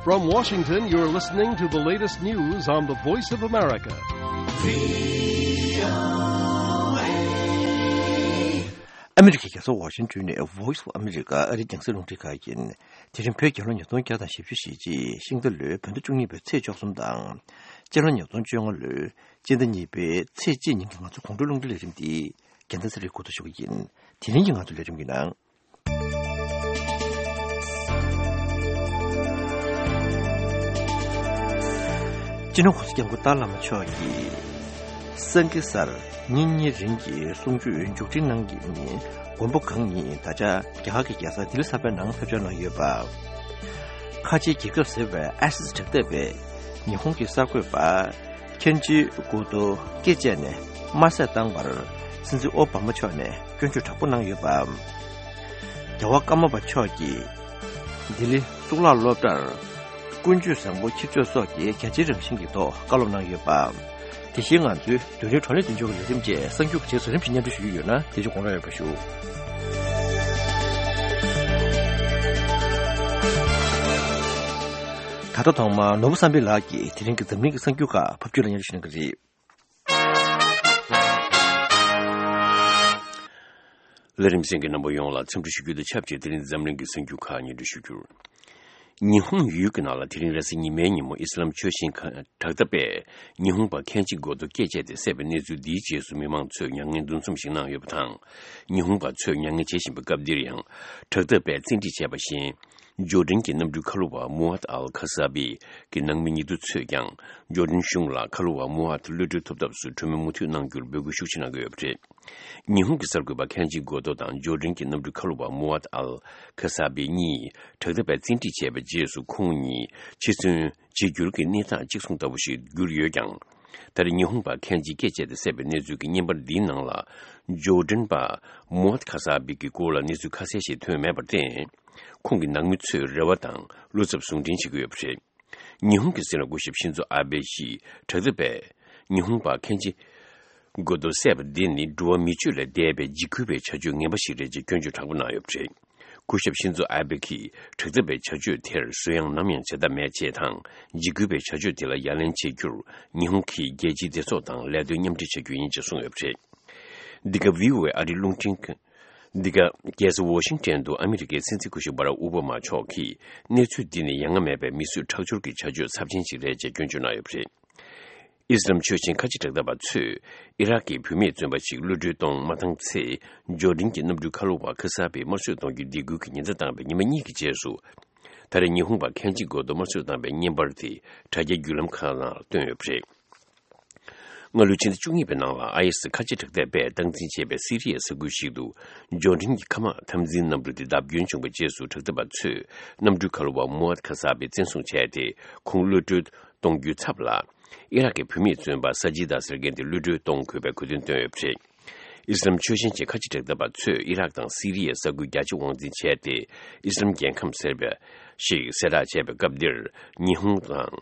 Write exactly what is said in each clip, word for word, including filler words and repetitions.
From Washington, you're listening to the latest news on the Voice of America. ཨ་མི་རི་ཀའི་རྒྱལ་ས་ཝ་ཤིང་ཏོན་ནས་Voice of America ཨ་རིའི་རྒྱང་སྲིང་རླུང་འཕྲིན་ཁང་ཡིན། དེ་རིང་བོད་རྒྱལ་ལོ་ཉིས་སྟོང་བརྒྱ་དང་བཞི་བཅུ་ཞེ་གཅིག་ཤིང་རྟ་ལོའི་བོད་ཟླ་བཅུ་གཉིས་པའི་ཚེས་བཅུ་གསུམ་དང་། སྤྱི་ལོ་ཉིས་སྟོང་བཅོ་ལྔ་ལོའི་སྤྱི་ཟླ་གཉིས་པའི་ཚེས་གཅིག་ཉིན་གྱི་ང་ཚོ་དགོང་དྲོའི་རླུང་འཕྲིན་ལས་རིམ་འདི་རྒྱལ་མཚན་ཚེ་རིང་འགོ་འཛུགས་ཞུ་གི་ཡིན། དེ་རིང་གི་ང་ཚོ་ལས་རིམ་གྱི་ནང་། སྤྱི་ནོར་༸གོང་ས་༸སྐྱབས་མགོན་ཏཱ་བླ་མ་མཆོག་གིས་སེང་གེ་གཟར་ཉིན་གཉིས་རིང་གི་གསུང་ཆོས་མཇུག་སྒྲིལ་གནང་གི་ཉིན་མགོན་པོ་གང་ཉིད་ད་ཆ་རྒྱ་གར་གྱི་རྒྱལ་ས་ལྡི་ལི་གསར་པའི་ནང་ཕེབས་འབྱོར་གནང་ཡོད་པ། ཁ་ཆེའི་རྒྱལ་ཁབ་ཟེར་བའི་ཨ་སི་སི་དྲག་འཐབ་པས་ཉི་ཧོང་གི་གསར་འགོད་པ་ཁེན་ཇི་གོ་ཏོ་སྐེ་བཅད་ནས་དམར་བསད་བཏང་བར་སྲིད་འཛིན་ཨོ་བྷ་མ་མཆོག་ནས་སྐྱོན་བརྗོད་དྲག་པོ་གནང་ཡོད་པ། རྒྱལ་བ་ཀརྨ་པ་མཆོག་གིས་ལྡི་ལི་གཙུག་ལག་སློབ་གྲྭར་ཀུན་སྤྱོད་བཟང་པོ་འཁྱེར་ཕྱོགས་སོགས་ཀྱི་རྒྱ་ཆེའི་རང་བཞིན་གྱི་ཐོག་བཀའ་སློབ་གནང་ཡོད་པ། དེ་བཞིན་ང་ཚོའི་བདུན་ཕྲག་གྲོ་ལེན་མདུན་ལྗོངས་ཀྱི་ལས་རིམ་བཅས་གསར་འགྱུར་གྱི་རྗེས་སུ་རིམ་བཞིན་སྙན་སྒྲོན་ཞུ་རྒྱུ་ཡོད་ན་དེ་ཚོ་དགོངས་ར་ཡོད་པ་ཞུ། ད་ལྟ་ཐོག་མར་ནོར་བུ་བསམ་འཕེལ་ལགས་ཀྱིས་དེ་རིང་གི་འཛམ་གླིང་གི་གསར་འགྱུར་ཁག་ཕབ་སྒྱུར་ལ་སྙན་སྒྲོན་ཞུ་གནང་གི་རེད། ལས་རིམ་གསན་མཁན་རྣམ་པ་ཡོངས་ལ་འཚམས་འདྲི་ཞུ་རྒྱུ་དང་ཆབས་ཅིག་དེ་རིང་འཛམ་གླིང་གི་གསར་འགྱུར་ཁག་སྙན་སྒྲོན་ཞུ་རྒྱུར། ཉི་ཧོང་ཡུལ་གྱི་ནང་ལ་དེ་རིང་རེས་གཟའ་ཉི་མའི་ཉིན་མོ་ཨི་སི་ལམ་ཆོས་ཆེན་ཁ་དྲག་འཐབ་པས་ཉི་ཧོང་པ་ཁེན་ཇི་གོ་ཏོ་སྐེ་བཅད་དེ་བསད་པའི་གནས་ཚུལ་འདིའི་རྗེས་སུ་མི་མང་ཚོས་མྱ་ངན་འདུ་འཛོམས་ཤིག་གནང་ཡོད་པ་དང་། ཉི་ཧོང་པ་ཚོས་མྱ་ངན་བྱེད་བཞིན་པའི་སྐབས་འདིར་ཡང་དྲག་འཐབ་པས་བཙན་ཁྲིད་བྱས་པ་བཞིན། ཇོར་ཌན་གྱི་གནམ་གྲུའི་ཁ་ལོ་བ་མུ་ཨད་ཨལ་ཁ་ས་བི་གི་ནང་མི་ཉེ་དུ་ཚོས་ཀྱང་ཇོར་ཌན་གཞུང་ལ་ཁ་ལོ་བ་མུ་ཨད་གློད་གྲོལ་ཐོབ་ཐབས་སུ་གྲོས་མོལ་མུ་མཐུད་གནང་རྒྱུར་འབོད་སྐུལ་ཤུགས་ཆེ་གནང་གི་ཡོད་པ་རེད། ཉི་ཧོང་གི་གསར་འགོད་པ་ཁེན་ཇི་གོ་ཏོ་དང་ཇོར་ཌན་གྱི་གནམ་གྲུའི་ཁ་ལོ་བ་མུ་ཨད་ཨལ་ཁ་ས་བི་གཉིས་དྲག་འཐབ་པས་བཙན་ཁྲིད་བྱས་པའི་རྗེས་སུ་ཁོང་གཉིས་འཆི་གསོན་བྱེད་འགྱུར་གྱི་གནས་སྟངས་གཅིག་མཚུངས་ལྟ་བུ་ཞིག་གྱུར་ཡོད་ཀྱང་། ད་རེས་ཉི་ཧོང་པ་ཁེན་ཇི་སྐེ་བཅད་དེ་བསད་པའི་གནས་ཚུལ་གྱི་བརྙན་པར་འདིའི་ནང་ལ་ཇོར་ཌན་པ་མུ་ཨད་ཁ་ས་བི་གི་སྐོར་ལ་གནས་ཚུལ་ཁ་གསལ་ཞིག་ཐོན་མེད་པར་བརྟེན། ཁོང་གི་ནང་མི་ཚོས་རེ་བ་དང་བློ་འཚབ་ཟུང་འབྲེལ་བྱེད་ཀྱི་ཡོད་པ་རེད། ཉི་ཧོང་གི་སྲིད་བློན་སྐུ་ཞབས་ཤིན་ཛོ་ཨ་བེ་ཡིས་དྲག་འཐབ་པས་ཉི་ཧོང་པ་ཁེན་ཇི་གོ་ཏོ་བསད་པ་འདི་ནི་འགྲོ་བ་མི་སྤྱོད་ལས་འདས་པའི་འཇིགས་སྐུལ་བའི་བྱ་སྤྱོད་ངན་པ་ཞིག་རེད་ཅེས་སྐྱོན་བརྗོད་དྲག་པོ་གནང་ཡོད་པ་རེད། སྐུ་ཞབས་ཤིན་ཛོ་ཨ་བེ་གིས་དྲག་འཐབ་པའི་བྱ་སྤྱོད་དེར་གཟུ་ཡངས་ནམ་ཡང་བྱེད་ཐབས་མེད་ཅེས་དང་། འཇིགས་སྐུལ་བའི་བྱ་སྤྱོད་དེ་ལ་ཡ་ལན་བྱེད་རྒྱུར་ཉི་ཧོང་གིས་རྒྱལ་སྤྱིའི་སྡེ་ཚོགས་དང་ལས་དོན་མཉམ་འབྲེལ་བྱ་རྒྱུ་ཡིན་ཅེས་གསུངས་ཡོད་པ་རེད། འདི་ག་བྷི་ཨོ་ཨེ་ཨ་རིའི་རླུང་འཕྲིན་ཁང་། འདི་ག་རྒྱལ་ས་ཝ་ཤིང་ཊོན་དུ་ཨ་མི་རི་ཀའི་སྲིད་འཛིན་སྐུ་ཞབས་བྷ་རག་ཨོ་བྷ་མ་མཆོག་གིས་གནས་ཚུལ་འདི་ནི་ཡ་ང་མེད་པའི་མི་གསོད་ཁྲག་སྦྱོར་གྱི་བྱ་སྤྱོད་ཚབས་ཆེན་ཞིག་རེད་ཅེས་སྐྱོན་བརྗོད་གནང་ཡོད་པ་རེད། ཨི་སི་རམ་ཆོས་ཆེན་ཁ་ཆེ་དྲག་འཐབ་པ་ཚོས་ཨི་རག་གི་བུད་མེད་བཙོན་པ་ཞིག་གློད་གྲོལ་གཏོང་མ་བཏང་ཚེ། ཇོར་ཌན་གྱི་གནམ་གྲུའི་ཁ་ལོ་བ་ཁ་ས་བི་དམར་གསོད་གཏོང་རྒྱུའི་སྡིགས་སྐུལ་གྱི་ཉེན་བརྡ་བཏང་བའི་ཉི་མ་གཉིས་ཀྱི་རྗེས་སུ། ད་རེས་ཉི་ཧོང་པ་ཁེན་ཇི་གོ་ཏོ་དམར་གསོད་བཏང་བའི་བརྙན་པར་དེ་དྲ་རྒྱའི་བརྒྱུད་ལམ་ཁག་ནང་བཏོན་ཡོད་པ་རེད། སྔ་ལོའི་ཕྱི་ཟླ་བཅུ་གཉིས་པའི་ནང་ལ་ཨ་ཨེ་སི་ཁ་ཆེ་དྲག་འཐབ་པས་སྟངས་འཛིན་བྱས་པའི་སི་རི་ཡའི་ས་ཁུལ་ཞིག་ཏུ་ཇོར་ཌན་གྱི་མཁའ་དམག་འཐབ་འཛིང་གནམ་གྲུ་དེ་བརྡབ་སྐྱོན་བྱུང་བའི་རྗེས་སུ་དྲག་འཐབ་པ་ཚོས་གནམ་གྲུའི་ཁ་ལོ་བ་མུ་ཨད་ཁ་ས་བི་བཙན་བཟུང་བྱས་ཏེ་ཁོང་གློད་གྲོལ་གཏོང་རྒྱུའི་ཚབ་ལ། ཨི་རག་གི་བུད་མེད་བཙོན་པ་ས་ཇི་ད་ཟེར་མཁན་དེ་གློད་གྲོལ་གཏོང་དགོས་པའི་གོ་སྟོན་བཏོན་ཡོད་པ་རེད། ཨི་སི་རམ་ཆོས་ཆེན་གྱི་ཁ་ཆེ་དྲག་འཐབ་པ་ཚོས་ཨི་རག་དང་སི་རི་ཡའི་ས་ཁུལ་རྒྱ་ཆེ་དབང་འཛིན་བྱས་ཏེ། ཨི་སི་རམ་རྒྱལ་ཁམས་ཟེར་བ་ཞིག་གསལ་བསྒྲགས་བྱས་པའི་སྐབས་འདིར། ཉི་ཧོང་དང་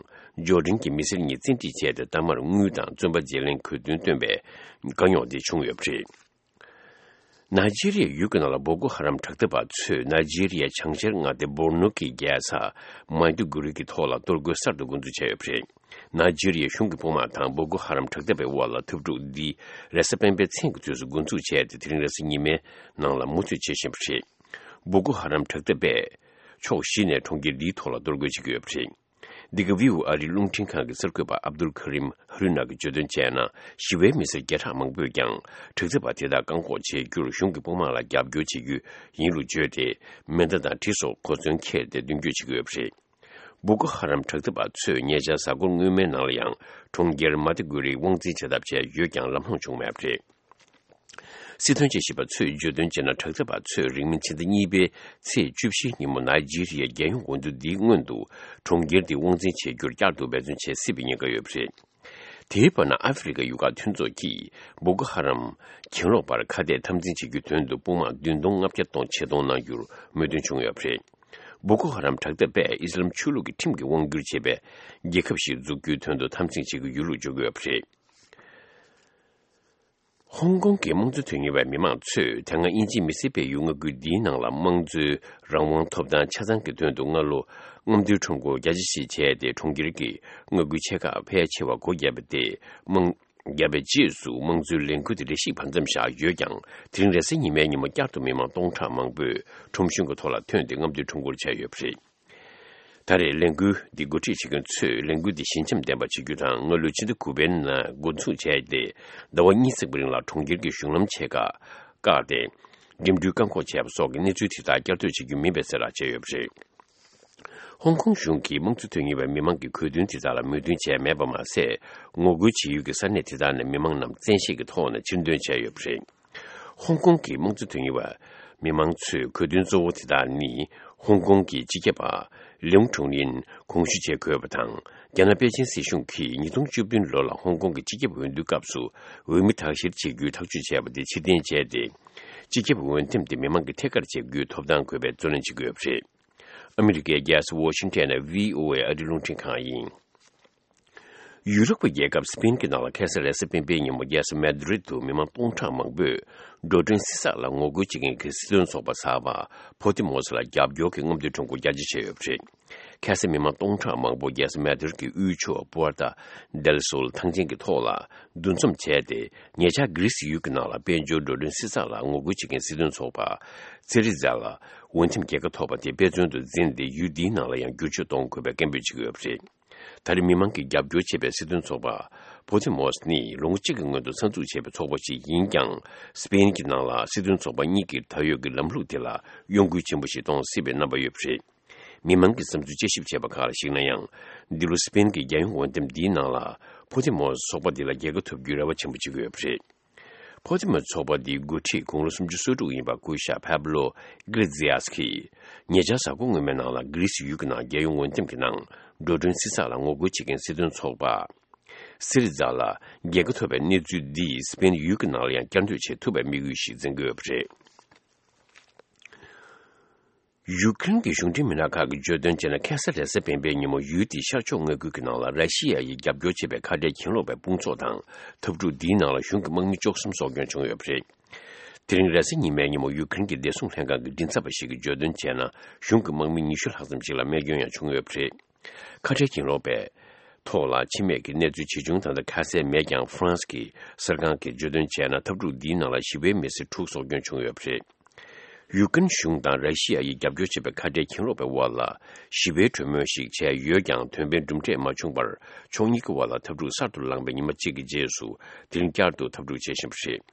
ཇོར་ཌན་གྱི་མི་སེར་གཉིས་བཙན་ཁྲིད་བྱས་ཏེ། གཏའ་མར་དངུལ་དང་བཙོན་པ་བརྗེ་ལེན་གྱི་གོ་སྟོན་བཏོན་པའི་དཀའ་རྙོག་དེ་བྱུང་ཡོད་པ་རེད། ནཱི་ཇི་རི་ཡའི་ཡུལ་གྱི་ནང་ལ་བོ་ཀོ་ཧ་རམ་དྲག་འཐབ་པ་ཚོས་ནཱི་ཇི་རི་ཡའི་བྱང་ཤར་མངའ་སྡེ་བོར་ནོ་གི་རྒྱལ་ས་མཱི་དུ་གུ་རི་གི་ཐོག་ལ་གཏོར་རྒོལ་གསར་དུ་འགོ་འཛུགས་བྱས་ཡོད་པ་རེད། ནཱི་ཇི་རི་ཡའི་གཞུང་གི་དཔུང་དམག་དང་བོ་ཀོ་ཧ་རམ་དྲག་འཐབ་པའི་དབར་ལ་འཐབ་འཁྲུག་འདི་རེས་གཟའ་སྤེན་པའི་མཚན་གྱི་དུས་སུ་འགོ་འཛུགས་བྱས་ཏེ། དེ་རིང་རེས་གཟའ་ཉི་མའི་ནང་ལ་མུ་མཐུད་བྱེད་བཞིན་པ་རེད། བོ་ཀོ་ཧ་རམ་དྲག་འཐབ་པས་ཕྱོགས་བཞི་ནས་གྲོང་ཁྱེར་འདིའི་ཐོག་ལ་གཏོར་རྒོལ་བྱེད་ཀྱི་ཡོད་པ་རེད། འདི་ག་བྷི་ཨོ་ཨེ་ཨ་རིའི་རླུང་འཕྲིན་ཁང་གི་གསར་འགོད་པ་ཨབ་དུལ་ཁ་རིམ་ཧ་རུ་ན་གིས་བརྗོད་དོན་བྱས་ན། ཞི་བའི་མི་སེར་བརྒྱ་ཕྲག་མང་པོས་ཀྱང་དྲག་འཐབ་པ་དེ་དག་བཀག་འགོག་བྱེད་རྒྱུར་གཞུང་གི་དཔུང་དམག་ལ་རྒྱབ་སྐྱོར་བྱེད་རྒྱུ་ཡིན་ལུགས་བརྗོད་དེ། མེ་མདའ་དང་གྲི་སོགས་གོ་མཚོན་འཁྱེར་ཏེ་མདུན་སྐྱོད་བྱེད་ཀྱི་ཡོད་པ་རེད། བུ་ཀོ་ཧ་རམ་དྲག་འཐབ་པ་ཚོས་ཉེ་ཆར་གཟའ་འཁོར་སྔོན་མའི་ནང་ལ་ཡང་གྲོང་ཁྱེར་མ་ཏི་གུ་རིའི་དབང་འཛིན་བྱེད་ཐབས་བྱས་ཡོད་ཀྱང་ལམ་ལྷོང་བྱུང་མེད་པ་རེད། སྲིད་དོན་དཔྱད་ཞིབ་པ་ཚོས་བརྗོད་དོན་བྱས་ན། དྲག་འཐབ་པ་ཚོས་རིང་མིན་ཕྱི་ཟླ་གཉིས་པའི་ཚེས་བཅུ་བཞིའི་ཉིན་མོ་ནཱི་ཇི་རི་ཡའི་རྒྱལ་ཡོངས་འོས་བསྡུ་འདིའི་སྔོན་དུ་གྲོང་ཁྱེར་འདི་དབང་འཛིན་བྱེད་རྒྱུར་བསྐྱར་དུ་འབད་བརྩོན་བྱེད་སྲིད་པའི་ཉེན་ཁ་ཡོད་པ་རེད། དེའི་བར་ན་ཨ་ཧྥེ་རི་ཁ་ཡུལ་ཁག་མཐུན་ཚོགས་ཀྱིས་བོ་ཀོ་ཧ་རམ་གྱེན་ལོག་པར་ཁ་གཏད་འཐབ་འཛིང་བྱེད་རྒྱུའི་དོན་དུ་དཔུང་དམག་བདུན་སྟོང་ལྔ་བརྒྱ་སྟོང་ཆེད་གཏོང་གནང་རྒྱུར་མོས་མཐུན་བྱུང་ཡོད་པ་རེད། བོ་ཀོ་ཧ་རམ་དྲག་འཐབ་པས་ཨི་སི་ལམ་ཆོས་ལུགས་ཀྱི་ཁྲིམས་ཀྱིས་དབང་བསྒྱུར་བྱེད་པའི་རྒྱལ་ཁབ་ཞིག་འཛུགས་རྒྱུའི་དོན་དུ་འཐབ་འཛིང་བྱེད་ཀྱི་ཡོད་ལུགས་བརྗོད་ཀྱི་ཡོད་པ་རེད། ཧོང་ཀོང་གི་དམངས་གཙོ་དོན་གཉེར་བའི་མི་མང་ཚོས་དེ་སྔ་དབྱིན་ཇིའི་མི་སེར་སྤེལ་ཡུལ་མངའ་ཁུལ་འདིའི་ནང་ལ་དམངས་གཙོའི་རང་དབང་ཐོབ་ཐང་ཆ་ཚང་གི་དོན་དུ་སྔ་ལོ་རྔམ་སྟོན་ཁྲོམ་སྐོར་རྒྱ་ཆེ་ཞིག་བྱས་ཏེ། གྲོང་ཁྱེར་གྱི་མངའ་ཁུལ་ཆེ་ཁག་ཕལ་ཆེ་བ་སྒོ་བརྒྱབ་པ་དེ་དམངས་བརྒྱབ་པའི་རྗེས་སུ་དམངས་གཙོའི་ལས་འགུལ་དེ་རེ་ཞིག་བར་མཚམས་བཞག་ཡོད་ཀྱང་། དེ་རིང་རེས་གཟའ་ཉི་མའི་ཉིན་མོ་བསྐྱར་དུ་མི་མང་སྟོང་ཕྲག་མང་པོས་ཁྲོམ་གཞུང་གི་ཐོག་ལ་ཐོན་ཏེ་རྔམ་སྟོན་ཁྲོམ་སྐོར་བྱས་ཡོད་པ་རེད། ད་རེས་ལས་འགུལ་འདི་འགོ་ཁྲིད་བྱེད་མཁན་ཚོས་ལས་འགུལ་འདི་ཞན་ཆའམ་ལྡན་པ་བྱེད་རྒྱུ་དང་། སྔ་ལོའི་ཕྱི་ཟླ་དགུ་པའི་ནང་འགོ་འཛུགས་བྱས་ཏེ་ཟླ་བ་གཉིས་ཙམ་གྱི་རིང་ལ་གྲོང་ཁྱེར་གྱི་གཞུང་ལམ་ཆེ་ཁག་བཀག་སྟེ་འགྲིམ་འགྲུལ་བཀག་འགོག་བྱས་པ་སོགས་ཀྱི་གནས་ཚུལ་དེ་དག་བསྐྱར་ཟློས་བྱེད་རྒྱུ་མིན་པའི་གསལ་བསྒྲགས་བྱས་ཡོད་པ་རེད། ཧོང་ཀོང་གཞུང་གིས་དམངས་གཙོ་དོན་གཉེར་བའི་མི་མང་གི་གྱོད་དོན་དེ་དག་ལ་མོས་མཐུན་བྱས་མེད་པ་མ་ཟད། ངོ་རྒོལ་བྱེད་ཡུལ་གྱི་ས་གནས་དེ་དག་ནས་མི་མང་རྣམས་བཙན་ཤེད་ཀྱི་ཐོག་ནས་ཕྱིར་འདོན་བྱས་ཡོད་པ་རེད། ཧོང་ཀོང་གི་དམངས་གཙོ་དོན་གཉེར་བ་མི་མང་ཚོས་གྱོད་དོན་གཙོ་བོ་དེ་དག་ནི། ཧོང་ཀོང་གི་སྤྱི་ཁྱབ་པ་ལིའུ་ཁྲུང་ལིན་དགོངས་ཞུ་བྱེད་དགོས་པ་དང་། རྒྱ་ནག་པེ་ཅིན་སྲིད་གཞུང་གིས་ཉིས་སྟོང་བཅུ་བདུན་ལོ་ལ་ཧོང་ཀོང་གི་སྤྱི་ཁྱབ་འོས་བསྡུའི་སྐབས་སུ་འོས་མི་དག་བཤེར་བྱེད་རྒྱུའི་ཐག་གཅོད་བྱས་པ་དེ་ཕྱིར་འཐེན་བྱས་ཏེ། སྤྱི་ཁྱབ་འོས་འདེམས་དེ་མི་མང་གིས་ཐད་ཀར་བྱེད་རྒྱུའི་ཐོབ་ཐང་དགོས་པའི་རྩོད་ལེན་བྱེད་ཀྱི་ཡོད་པ་རེད། ཨ་མི་རི་ཀའི་རྒྱལ་ས་ཝོ་ཤིང་ཊོན་ནས་བྷི་ཨོ་ཨེ་ཨ་རིའི་རླུང་འཕྲིན་ཁང་ཡིན། ཡུ་རོབ་ཀྱི་རྒྱལ་ཁབ་སི་པེན་གྱི་ནང་ལ་ཁ་སང་རེས་གཟའ་སྤེན་པའི་ཉིན་མོ་རྒྱལ་ས་མེ་ཏྲིད་དུ་མི་མང་སྟོང་ཕྲག་མང་པོས་འགྲོ་གྲོན་བསྲི་ཚགས་ལ་ངོ་རྒོལ་བྱེད་མཁན་གྱི་སྲིད་དོན་ཚོགས་པ་གསར་པ་ཕོ་ཏི་མོ་སི་ལ་རྒྱབ་སྐྱོར་གྱི་རྔམ་སྟོན་ཁྲོམ་སྐོར་རྒྱ་ཆེ་བྱས་ཡོད་པ་རེད། ཁ་སང་མི་མང་སྟོང་ཕྲག་མང་པོ་རྒྱལ་ས་མེ་ཏྲིད་ཀྱི་དབུས་ཕྱོགས་པུ་ཨར་ཏ་དེལ་སོལ་ཐང་ཆེན་གྱི་ཐོག་ལ་འདུ་འཛོམས་བྱས་ཏེ། ཉེ་ཆར་གྷི་རི་སི་ཡུལ་གྱི་ནང་ལ་དཔལ་འབྱོར་འགྲོ་གྲོན་བསྲི་ཚགས་ལ་ངོ་རྒོལ་བྱེད་མཁན་སྲིད་དོན་ཚོགས་པ་སི་རི་ཛ་ལ་འོས་འདེམས་རྒྱལ་ཁ་ཐོབ་པ་དེ་དཔེ་མཚོན་དུ་འཛིན་ཏེ། ཡུལ་འདིའི་ནང་ལ་ཡང་བསྒྱུར་བཅོས་གཏོང་དགོས་པའི་སྐད་འབོད་བྱེད་ཀྱི་ཡོད་པ་རེད། ད་རེས་མི་མང་གིས་རྒྱབ་སྐྱོར་བྱེད་པའི་སྲིད་དོན་ཚོགས་པ་པོ་ཏི་མོ་སི་ནི་ལོ་ངོ་གཅིག་གི་སྔོན་དུ་གསར་འཛུགས་བྱས་པའི་ཚོགས་པ་ཞིག་ཡིན་ཀྱང་། སི་པེན་གྱི་ནང་ལ་སྲིད་དོན་ཚོགས་པ་གཉིས་ཀྱི་ད་ཡོད་ཀྱི་ལམ་ལུགས་དེ་ལ་གཡོ་འགུལ་ཆེན་པོ་ཞིག་གཏོང་སྲིད་པའི་རྣམ་པ་ཡོད་པ་རེད། མི་མང་གི་བསམ་ཚུལ་དཔྱད་ཞིབ་བྱས་པ་ཁག་ལ་གཞིགས་ན་ཡང་། འདི་ལོ་སི་པེན་གྱི་རྒྱལ་ཡོངས་འོས་འདེམས་འདིའི་ནང་ལ་པོ་ཏི་མོ་སི་ཚོགས་པ་འདི་ལ་རྒྱལ་ཁ་ཐོབ་རྒྱུའི་རེ་བ་ཆེན་པོ་བྱེད་ཀྱི་ཡོད་པ་རེད། ཕོ་ཏི་མོ་ཚོགས་པ་འདིའི་འགོ་ཁྲིད་དགུང་ལོ་སུམ་ཅུ་སོ་དྲུག་ཡིན་པ་སྐུ་ཞབས་ཕེབ་ལོ་ཨི་ཀླེ་ཛི་ཡཱས་ཀྱིས། ཉེ་ཆར་གཟའ་འཁོར་སྔོན་མའི་ནང་ལ་གྷི་རི་སི་ཡུལ་གྱི་ནང་རྒྱལ་ཡོངས་འོས་འདེམས་ཀྱི་ནང་འགྲོ་གྲོན་བསྲི་ཚགས་ལ་ངོ་རྒོལ་བྱེད་མཁན་སྲིད་དོན་ཚོགས་པ་སི་རི་ཛ་ལ་རྒྱལ་ཁ་ཐོབ་པའི་གནས་ཚུལ་འདིས་སི་པེན་ཡུལ་གྱི་ནང་ལ་ཡང་བསྐྱར་ཟློས་བྱེད་ཐུབ་པའི་དམིགས་ཡུལ་ཞིག་འཛིན་གྱི་ཡོད་པ་རེད། ཡུ་ཀེ་རེན་གྱི་གཞུང་འབྲེལ་མི་སྣ་ཁག་གིས་བརྗོད་དོན་བྱས་ན། ཁ་སང་རེས་གཟའ་སྤེན་པའི་ཉིན་མོ་ཡུལ་དེའི་ཤར་ཕྱོགས་མངའ་ཁུལ་གྱི་ནང་ལ་ར་ཤི་ཡ་ཡིས་རྒྱབ་སྐྱོར་བྱེད་པའི་ཁ་བྲལ་གྱེན་ལོག་པའི་དཔུང་ཚོགས་དང་འཐབ་འཁྲུག་འདིའི་ནང་ལ་གཞུང་གི་དམག་མི་བཅུ་གསུམ་སྲོག་སྐྱོན་བྱུང་ཡོད་པ་རེད། དེ་རིང་རེས་གཟའ་ཉི་མའི་ཉིན་མོ་ཡུ་ཀེ་རེན་གྱི་བདེ་སྲུང་ལྷན་ཁང་གི་མགྲིན་ཚབ་པ་ཞིག་གིས་བརྗོད་དོན་བྱས་ན། གཞུང་གི་དམག་མི་ཉི་ཤུ་ལྷག་ཙམ་ཞིག་ལ་རྨས་སྐྱོན་ཡང་བྱུང་ཡོད་པ་རེད། ཁ་བྲལ་གྱེན་ལོག་པའི་ཐོག་ལ་འཆི་རྨས་ཀྱི་གནས་ཚུལ་ཇི་བྱུང་ད་ལྟ་ཁ་གསལ་མེད་ཀྱང་། ཧྥ་རན་སི་གི་གསར་ཁང་གིས་བརྗོད་དོན་བྱས་ན། འཐབ་འཁྲུག་འདིའི་ནང་ལ་ཞི་བའི་མི་སེར་དྲུག་སྲོག་སྐྱོན་བྱུང་ཡོད་པ་རེད། ཡུཀ་རེན་གཞུང་དང་ར་ཤི་ཡ་ཡིས་རྒྱབ་སྐྱོར་བྱེད་པའི་ཁ་བྲལ་གྱེན་ལོག་པའི་དབར་ལ་ཞི་བའི་གྲོས་མོལ་ཞིག་བྱས་ཡོད་ཀྱང་། དོན་ཕན་གྲུབ་འབྲས་མ་བྱུང་བར། ཕྱོགས་གཉིས་ཀྱི་དབར་ལ་འཐབ་འཁྲུག་གསར་དུ་ལངས་པའི་ཉི་མ་གཅིག་གི་རྗེས་སུ། དེ་རིང་བསྐྱར་དུ་འཐབ་འཁྲུག་བྱེད་བཞིན་པ་རེད།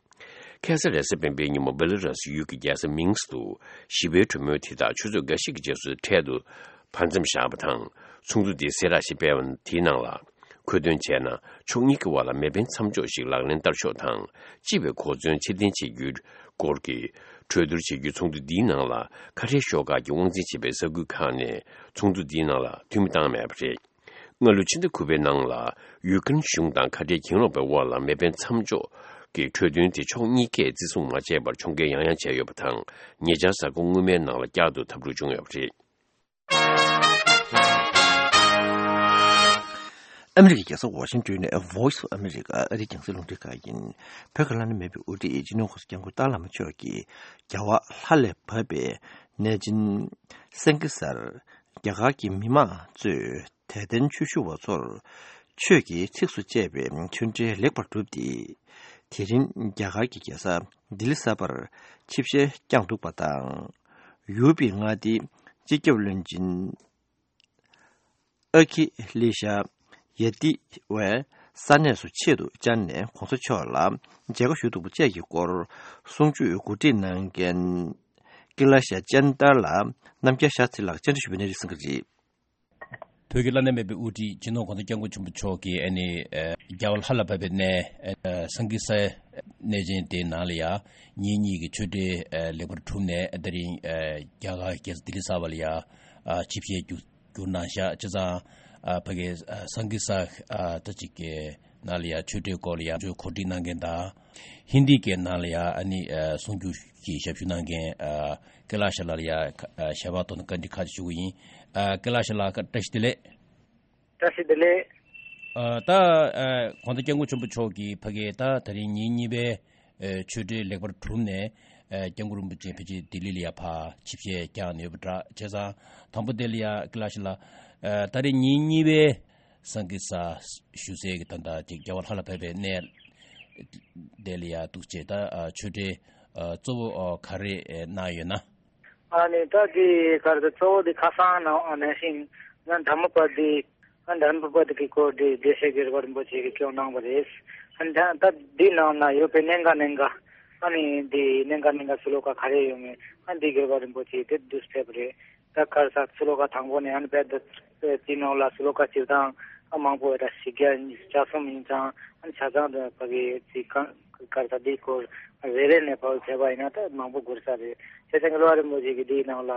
ཁ་སང་རེས་གཟའ་སྤེན་པའི་ཉིན་མོ་སྦེ་ལ་རུ་སི་ཡུལ་གྱི་རྒྱལ་ས་མིན་སི་ཀི་ཏུ་ཞི་བའི་གྲོས་མོལ་དེ་དག་ཆུ་ཚོད་འགའ་ཤས་ཀྱི་རྗེས་སུ་འཕྲལ་དུ་བར་མཚམས་བཞག་པ་དང་། ཚོགས་འདུ་དེ་གསལ་བསྒྲགས་ཤིག་སྤེལ་བ་དེའི་ནང་ལ། འཁོད་དོན་བྱས་ན། ཕྱོགས་གཉིས་ཀྱི་དབར་ལ་མེ་འཕེན་མཚམས་འཇོག་ཞིག་ལག་ལེན་བསྟར་ཕྱོགས་དང་། སྤྱི་པའི་གོ་མཚོན་ཕྱིར་འཐེན་བྱེད་རྒྱུའི་སྐོར་གྱི་གྲོས་བསྡུར་བྱེད་རྒྱུའི་ཚོགས་འདུ་འདིའི་ནང་ལ། ཁ་བྲལ་ཤོག་ཁག་གིས་དབང་འཛིན་བྱེད་པའི་ས་ཁུལ་ཁག་ནས་ཚོགས་འདུ་འདིའི་ནང་ལ་འཐུས་མི་བཏང་མེད་པ་རེད། སྔ་ལོའི་ཕྱི་ཟླ་དགུ་པའི་ནང་ལ། ཡུཀ་རེན་གཞུང་དང་ཁ་བྲལ་གྱེན་ལོག་པའི་དབར་ལ་མེ་འཕེན་མཚམས་འཇོག་གི་གྲོས་མཐུན་དེ་ཕྱོགས་གཉིས་ཀས་བརྩི་སྲུང་མ་བྱས་པར་ཕྱོགས་འགལ་ཡང་ཡང་བྱས་ཡོད་པ་དང་། ཉེ་ཆར་གཟའ་འཁོར་སྔོན་མའི་ནང་ལ་བསྐྱར་དུ་འཐབ་འཁྲུག་བྱུང་ཡོད་པ་རེད། ཨ་མི་རི་ཀའི་རྒྱལ་ས་ཝ་ཤིང་ཏོན་ནས་Voice of America ཨ་རིའི་རྒྱང་སྲིང་རླུང་འཕྲིན་ཁང་ཡིན། བོད་ཀྱི་བླ་ན་མེད་པའི་དབུ་ཁྲིད་སྤྱི་ནོར་༸གོང་ས་༸སྐྱབས་མགོན་ཏཱ་བླ་མ་མཆོག་གིས་རྒྱལ་བ་ལྷ་ལས་བབས་པའི་གནས་ཆེན་སན་ཀི་སར་རྒྱ་གར་གྱི་མི་མང་གཙོས་དད་ལྡན་ཆོས་ཞུ་བ་ཚོར་ཆོས་ཀྱི་ཚིགས་སུ་བཅད་པའི་ཆོས་འབྲེལ་ལེགས་པར་གྲུབ་སྟེ། དེ་རིང་རྒྱ་གར་གྱི་རྒྱལ་ས་ལྡི་ལི་གསར་པར་ཆིབས་ཞལ་བསྐྱངས་འདུག་པ་དང་། ཡུ་པི་མངའ་སྡེའི་སྤྱི་ཁྱབ་བློན་ཆེན་ཨ་ཁི་ལེ་ཤ་ཡ་ཏི་ཝའི་ས་གནས་སུ་ཆེད་དུ་བཅར་ནས་༸གོང་ས་མཆོག་ལ་མཇལ་ཁ་ཞུ་ཐུབ་པ་བཅས་ཀྱི་སྐོར་གསུང་ཆོས་གོ་སྒྲིག་གནང་མཁན་ཀི་ལ་ཤ་ཅན་ཏར་ལ་རྣམ་རྒྱལ་ཤ་སྟྲི་ལགས་བཅར་འདྲི་ཞུ་བའི་གནས་རིམ་གསན་གྱི་རེད། བོད་ཀྱི་བླ་ན་མེད་པའི་དབུ་ཁྲིད་སྤྱི་ནོར་༸གོང་ས་༸སྐྱབས་མགོན་ཆེན་པོ་མཆོག་གིས་ཨ་ནི་ཨ་རྒྱལ་བ་ལྷ་ལ་བབས་པའི་གནས་ཨ་སན་ཀི་སའི་གནས་ཆེན་དེའི་ནང་ལ་ཡ་ཉིན་གཉིས་ཀྱི་ཆོས་འབྲེལ་ཨ་ལེགས་པར་གྲུབ་ནས། ཨ་དེ་རིང་ཨ་རྒྱ་གར་རྒྱལ་ས་ལྡི་ལི་གསར་པ་ལ་ཡ་ཨ་ཆིབས་ཞལ་བསྒྱུར་བསྒྱུར་གནང་ཤག་བྱས་ཙང་ཨ་ཕ་གིའི་ཨ་སན་ཀི་ས་ཨ་ད་ཅིག་གི་ནང་ལ་ཡ་ཆོས་འབྲེལ་སྐོར་ལ་ཡ་ཆོས་གོ་སྒྲིག་གནང་མཁན་དང་། ཧིན་དི་སྐད་ནང་ལ་ཡ་ཨ་ནི་ཨ་གསུང་བསྒྱུར་གྱི་ཞབས་ཞུ་གནང་མཁན་ཨ་ཀེ་ལ་ཤ་ལགས་ལ་ཡ་ཁ་ཨ་ཞལ་པར་ཐོག་ནས་བཀའ་འདྲི་ཁག་ཅིག་ཞུ་གི་ཡིན། ཨ་ཀེ་ལ་ཤ་ལགས་བཀྲ་ཤིས་བདེ་ལེགས། བཀྲ་ཤིས་བདེ་ལེགས། ཨ་ད་ཨ་༸གོང་ས་༸སྐྱབས་མགོན་ཆེན་པོ་མཆོག་གིས་ཕ་གིའི་ད་དེ་རིང་ཉིན་གཉིས་པའི་ ཨེ་ཆོས་འབྲེལ་ལེགས་པར་གྲུབ་ནས། ཨེ་སྐྱབས་མགོན་རིན་པོ་ཆེ་ཕལ་ཆེར་ལྡི་ལི་ལ་ཡ་ཕར་ཆིབས་ཞལ་བཀྱག་ནས་ཡོད་པ་འདྲ། བྱས་ཙང་དང་པོ་དེ་ལ་ཡ་ཀི་ལ་ཤི་ལ། ཨེ་ད་རེས་ཉིན་གཉིས་པའི་སངས་རྒྱས་ས་བཞུགས་སའི་གི་ད་ལྟ་ཅིག་རྒྱལ་བ་ལྷ་ལ་ཕེབས་པའི་གནས་དེ་ལ་ཡ་འདུག་བྱས། ད་ཨ་ཆོས་འབྲེལ་ཨ་གཙོ་བོ་ཨ་ག་རེ་ཨེ་གནང་ཡོད་ན། ཨ་ནི་ད་དེ་གར་དུ་གཙོ་བོ་དེ་ཁ་སང་ནང་ཨ་ནང་བཞིན་ང་དྷརྨ་པ་དི་ཨ་དྷརྨ་པ་དི་གི་སྐོར་དེ་བདེ་གཤེགས་རྒྱལ་བ་རིན་པོ་ཆེ་གིས་སྐྱོང་གནང་བ་རེད། ཨ་ད་ད་འདི་ནང་ན་ཡོད་པའི་གནད་འགག་གནད་འགག་ཨ་ནི་འདི་གནད་འགག་གནད་འགག་ཤློ་ཀ་ག་རེ་ཡོད་མེད་ཨ་འདི་རྒྱལ་བ་རིན་པོ་ཆེ་དེ་བསྡུས་ཕེབས་པ་རེད། ད་གར་ས་ཤློ་ཀ་དང་པོ་ནས་ཨ་ནི་བེད་དི་ནང་ལ་ཤློ་ཀ་སྤྱིར་བཏང་ཨ་མང་པོ་ད་བཞི་བརྒྱ་ཉི་ཤུ་རྩ་གསུམ་ཡིན་ཙང་ཨ་ནི་ཆ་ཚང་དུ་ཕ་གི་ཅིག་གང་གར་ས་འདི་སྐོར་རེ་རེ་ནས་ཕར་བྱས་པ་ཡིན་ན་ད་མང་པོ་འགོར་ས་རེད། བྱས་ཙང་རྒྱལ་བ་རིན་པོ་ཆེ་གིས་འདིའི་ནང་ལ་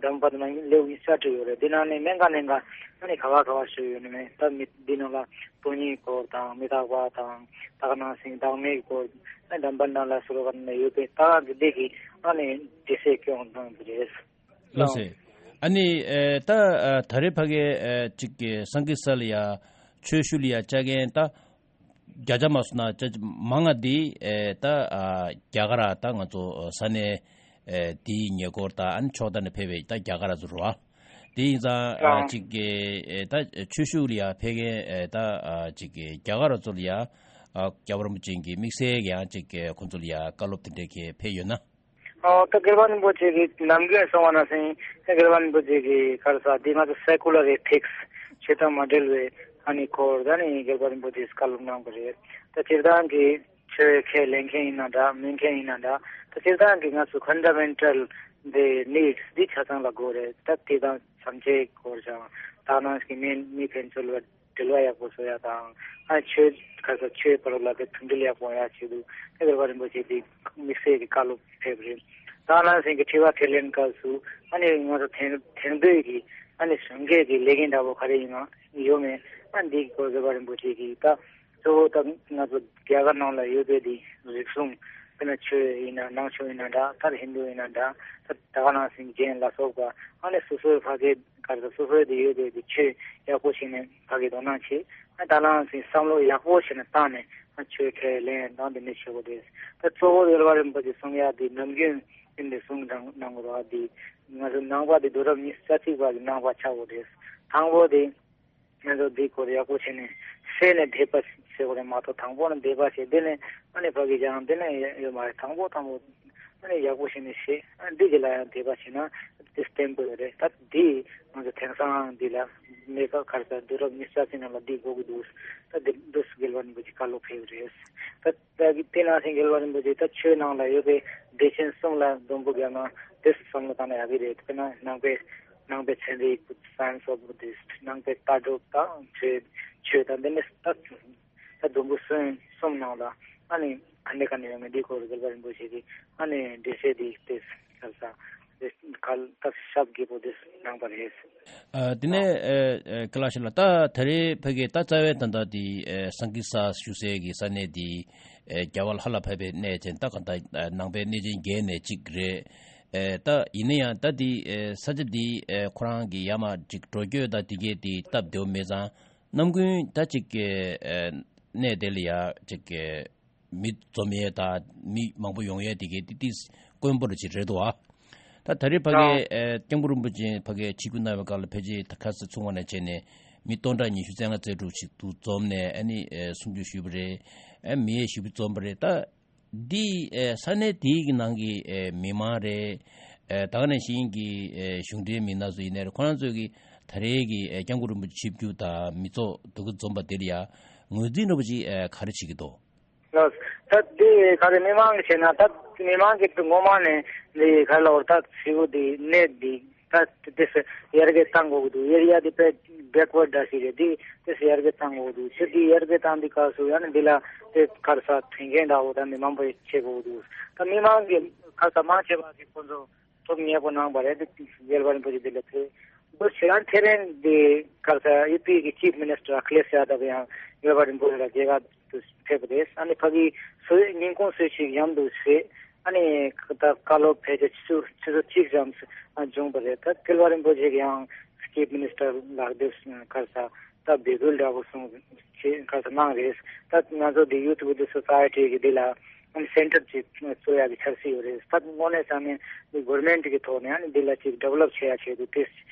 གདམས་པ་དེ་ནང་ལེའུ་ཉི་ཤུ་རྩ་དྲུག་ཡོད་རེད། འདི་ནང་ནས་གནད་འགག་གནད་འགག་ཨ་ནི་ག་བ་ག་བ་ཞུས་ཡོད་ནི་མེད། ད་མི་འདི་ནང་ལ་སྟོང་ཉིད་སྐོར་དང་མི་རྟག་པ་དང་དག་སྣང་ཞིང་བདག་མེད་སྐོར་ཨ་གདམས་པ་ནང་ལ་ཤློ་ཀ་ནང་ཡོད་པའི་ད་ག་གི་འདི་གི་ཨ་ནི་འདི་སེ་སྐྱོང་གནང་གི་རེད། ལགས་སེ། ཨ་ནི་ཨེ་ད་ཨ་ད་རེས་ཕ་གི་ཨེ་ཅིག་གི་སངས་རྒྱས་ས་ལ་ཡ་ཆོས་ཞུ་ལ་ཡ་བཅར་མཁན་ད་བརྒྱ་ཆ་མ་སོང་ན་ཅ་མང་ང་འདི་ཨེ་ད་ཨ་རྒྱ་གར་ད་ང་ཚོ་ས་གནས་ཨེ་འདིའི་ཉེ་འཁོར་ད་ཨ་ནི་ཕྱོགས་མཐའ་ནས་ཕེབས་པའི་ད་རྒྱ་གར་ཚོ་རེད་བ། དེ་ཡིན་ཙང་ཨ་ཅིག་གི་ཨེ་ད་ཆོས་ཞུ་ལ་ཡ་ཕེབས་མཁན་ཨེ་ད་ཨ་ཅིག་གི་རྒྱ་གར་ཚོ་ལ་ཡ་ཨ་རྒྱལ་བ་རིན་པོ་ཆེ་གི་དམིགས་བསལ་གྱི་ཡང་ཅིག་གི་ཁོང་ཚོ་ལ་ཡ་བཀའ་སློབ་དེ་འདྲ་གི་ཕེབས་ཡོད་ན། ཨོ་ད་རྒྱལ་བ་རིན་པོ་ཆེ་གིས་ནམ་རྒྱུན་གསུང་བ་ནང་བཞིན་ད་རྒྱལ་བ་རིན་པོ་ཆེ་གིས་ག་རེ་ཟེར་འདི་ང་ཚོ་སེ་ཀུ་ལར་ཨེ་ཐིག་སི་ཆོས་དང་མ་འབྲེལ་བའི་ཨ་ནི་སྐོར་ད་ནི་རྒྱལ་བ་རིན་པོ་ཆེས་བཀའ་སློབ་གནང་བ་རེད། ད་སྤྱིར་བཏང་གི་ཆོས་ཁས་ལེན་མཁན་ཡིན་ན་འདྲ་མིན་མཁན་ཡིན་ན་འདྲ་ད་སྤྱིར་བཏང་གི་ང་ཚོ་ཕན་ཌ་མེན་ཊལ་འདི་ནིཌ་སི་འདི་ཆ་ཚང་ལ་དགོས་རེད། ད་དེ་དང་བྱམས་བརྩེའི་སྐོར་ཀྱང་དག་སྣང་གི་མི་མི་ཕན་ཚུན་ལ་འབྲེལ་བ་ཡག་པོ་བཟོ་ཡ་དང་ཨ་ཆོས་ཁ་ས་ཆོས་བར་ལ་དེ་མཐུན་སྒྲིལ་ཡག་པོ་ཡག་ཆེད་དུ་ཨེ་རྒྱལ་བ་རིན་པོ་ཆེ་དེ་དམིགས་བསལ་གྱི་བཀའ་སློབ་ཕེབས་རེད། ད་ནང་བཞིན་གྱི་དྲི་བ་དྲིས་ལན་སྐབས་སུ་ཨ་ནི་ང་ཚོ་དེང་དེང་དུས་ཀྱི་ཨ་ནི་གཞོན་སྐྱེས་ཀྱི་ལས་འགན་འདྲ་པོ་ག་རེ་ཡིན་ན་ཡོད་མེད་ཨ་འདི་སྐོར་རྒྱལ་བ་རིན་པོ་ཆེ་གིས་ད་གཙོ་བོ་ད་ང་ཚོ་རྒྱ་གར་ནང་ལ་ཡོད་པའི་དེ་རིག་གཞུང་དཔེར་ན་ཆོས་ཡིན་ན་ནང་ཆོས་ཡིན་ན་འདྲ་ད་ཧིན་དུ་ཡིན་ན་འདྲ་ད་ད་ག་ནང་བཞིན་རྒྱན་ལ་སོགས་པ་ཨ་ནི་སོ་སོའི་ཕ་གི་ག་རེ་ཟེར་སོ་སོའི་དེ་ཡོད་པའི་དེ་ཆོས་ཡག་པོ་བྱས་ནས་ཕ་གི་དོ་སྣང་བྱེད། ཨ་ད་ལའང་སེམས་བསམ་བློ་ཡག་པོ་བྱས་ནས་བཏང་ནས་ཨ་ཆོས་ཁས་ལེན་དང་དེ་འདྲ་བྱེད་དགོས་རེད། ད་གཙོ་བོ་རྒྱལ་བ་རིན་པོ་ཆེ་གསུང་ཡག་དེ་ནམ་རྒྱུན་ཨིན་དེ་གསུང་གནང་གནང་དགོས་རེད། དེ་ང་ཚོ་ནང་པ་དེ་རྡོ་རབ་ཉི་ཤུ་རྩ་གཅིག་པ་གི་ནང་པ་ཆགས་དགོས་རེད། དང་པོ་དེ་ང་ཚོ་འདི་སྐོར་ཡག་པོ་བྱས་ནས་ཤེས་ནས་དད་པ་བྱེད་དགོས་རེད་མ་གཏོགས་དང་པོ་ནས་དད་པ་བྱས་དེ་ནས་ཨ་ནི་ཕ་གི་ཀྱང་དེ་ནས་ཡོད་མ་རེད། དང་པོ་དང་པོ་ཨ་ནི་ཡག་པོ་བྱས་ནས་ཤེས་ཨ་འདི་གི་ལ་ཡང་དད་པ་བྱས་ན་དེ་བརྟན་པོ་ཡོད་རེད། ད་འདི་ང་ཚོ་དེང་སང་འདི་ལ་གནས་སྐབས་ག་རེ་ཟེར་དུས་རབས་ཉི་ཤུ་རྩ་གཅིག་ནང་ལ་འདི་དགོས་ཀྱི་འདུག་ད་འདི་འདུག་རྒྱལ་བ་རིན་པོ་ཆེ་བཀའ་སློབ་ཕེབས་རེད། ད་ད་གི་དེ་ནང་བཞིན་རྒྱལ་བ་རིན་པོ་ཆེ་ད་ཆོས་ནང་ལ་ཡོད་པའི་སྡེ་ཚན་གསུམ་ལ་སྡོམ་པོ་བརྒྱབ་ན་དེ་བསམ་བློ་བཏང་ན་ཡག་གི་རེད། དཔེར་ན་ནང་པའི་ནང་པའི་ཚན་རིག Science of Buddhist ནང་པའི་ལྟ་གྲུབ་དང་ཆོས་ཆོས་དང་དེ་ནས་ད་ད་སྡོམ་པོ་གསུམ་གསུམ་ནང་ལ་ཨ་ནི་ག་ནས་ག་ནས་ཡོང་མིན་འདི་སྐོར་རྒྱལ་བ་རིན་པོ་ཆེ་གིས་ཨ་ནི་འགྲེལ་བཤད་འདི་ཏེ་ཁ་ལ་ས་ཁ་ལ་ད་ཞབས་རྒྱས་པོ་འདི་གནང་པ་རེད། ཨ་དེ་ནས་ཨ་ཨ་ཀ་ལ་ཤི་ལ་ད་ད་རེས་ཕ་གི་ད་རྩ་བའི་ད་ལྟ་འདི་ཨ་སངས་རྒྱས་ས་བཞུགས་སའི་གི་ས་གནས་འདི་ཨ་རྒྱལ་བ་ལྷ་ལ་ཕེབས་པའི་གནས་ཅན་ད་ག་ད་ཨ་ནང་པའི་གནས་ཆེན་བརྒྱད་ནས་གཅིག་རེད། ཨ་ད་ཡིན་ན་ཡང་ད་འདི་ཨ་ས་ཆ་འདི་ཨ་ཁོ་རང་གི་ཡ་མ་ཅིག་འགྲོ་སྐྱོད་ད་འདི་གས་འདི་སྟབས་བདེ་བོ་མེད་ཙང་། ནམ་རྒྱུན་ད་ཅིག་གི་ཨ་གནས་དེ་ལ་ཡ་ཅིག་གི་མི་འཛོམས་ཡས་དང་མི་མང་པོ་ཡོང་ཡས་དེ་གའི་ཏི་ཏིས་དཀོན་པོ་རུ་ཅིག་རེད་འདུག་ཨ། ད་ད་རེས་ཕ་གི་ཨ་སྐྱབས་མགོན་རིན་པོ་ཆེ་ཕ་གི་ཆིབས་བསྒྱུར་གནང་བའི་སྐབས་ལ་ཕལ་ཆེར་ད་ཁ་སང་ཚུགས་པ་ནས་བྱས་ནས་མི་སྟོང་ཕྲག་ཉི་ཤུ་རྩ་ལྔ་རྩ་དྲུག་ཅིག་འདུག་འཛོམས་ནས་ཨ་ནི་ཨ་གསུང་ཆོས་ཞུས་པ་རེད། ཨ་མི་ཡས་ཞེ་པོ་འཛོམས་པ་རེད། ད་འདི་ཨེ་ས་གནས་དེའི་གི་ནང་གི་ཨེ་མི་མང་རེད། ཨེ་ད་ག་ནང་བཞིན་གྱི་ཨེ་གཞུང་འབྲེལ་མི་སྣ་ཚོ་ཡིན་ནའི་རེད། ཁོ་རང་ཚོས་གི་ད་རེས་ཀྱི་ཨེ་སྐྱབས་མགོན་རིན་པོ་ཆེ་ཆིབས་བསྒྱུར་དང་མི་ཚོགས་འདུ་གི་འཛོམས་པ་དེ་ལ་ཡ་ངོས་འཛིན་འདྲ་པོ་ཅིག་ཨེ་ག་རེ་བྱེད་ཀྱི་འདུག་ལགས། ད་འདི་ག་རེ་མི་མང་གི་བྱས་ན་ད་མི་མང་གི་ངོ་མ་ནས་འདི་ག་རེ་ལབ་དགོས་རེད། ད་ཞེ་པོ་འདི་གནས་འདི་ད་དེ་སེ་ཡར་རྒྱས་བཏང་དགོས་ཀྱི་འདུག་ཨེ་རི་ཡ་འདི་དཔེ་བེག་ཝར་ཌི་འདྲ་ཞིག་རེད། འདི་དེ་སེ་ཡར་རྒྱས་བཏང་དགོས་ཀྱི་འདུག་ཆོས་འདི་ཡར་རྒྱས་བཏང་འདི་སྐབས་སུ་ཡང་ནི་འདི་ལ་དེ་ག་རེ་ཟེར་མཐུན་རྐྱེན་འདྲ་བོ་ད་མི་མང་པོ་བྱེད་དགོས་ཀྱི་འདུག་ད་མི་མང་གི་ག་རེ་ཟེར་མང་ཆེ་བ་གི་ཁོང་ཚོ་ཐུགས་མཉེས་པོ་གནང་བ་རེད། འདི་རྒྱལ་བ་རིན་པོ་ཆེ་འདི་ལ་ཕེབས་འདུག་ཆེ་ཡང་ཐེ་རན་འདི་ག་རེ་ཟེར་ཡུ་པི་གི་ཅིབ་མི་ནིས་ཊར་ཨ་ཁི་ལེཤ་ཡ་དབ་ཡང་རྒྱལ་བ་རིན་པོ་ཆེ་ལ་མཇལ་ཁ་དུ་ཕེབས་པ་རེད། ཨ་ནི་ཕ་གི་སུ་ཉིན་གུང་གསོལ་ཚིགས་མཉམ་དུ་བཞེས། ཨ་ནི་ད་བཀའ་སློབ་ཕལ་ཆེར་ཆུ་ཚོད་ཆུ་ཚོད་གཅིག་ཙམ་བྱུང་བ་རེད། ད་རྒྱལ་བ་རིན་པོ་ཆེ་གི་ཡང་ཅིབ་མི་ནིས་ཊར་ལག་དེབ་ག་རེ་ཟེར་ད་འབོད་སྐུལ་འདྲ་པོ་གསུངས་བྱས་ག་རེ་ཟེར་གནང་རེད། ད་ང་ཚོ་འདི་ཡུཐ་བུ་དྷིསྚ་སོ་སའི་ཊི་གི་འདི་ལ་ ཨ་ནི་སེན་ཊར་ཅིག་བཟོ་ཡག་གི་འཆར་གཞི་ཡོད་རེད། ད་དངོས་གནས་དྲང་གནས་འདི་གྷོ་རོན་མེན་ཊི་གི་ཐོག་ནས་ཨ་ནི་འདི་ལ་ཅིག་ཌི་ཝེ་ལོབ་བྱེད་ཡག་ཆེད་དུ་དེ་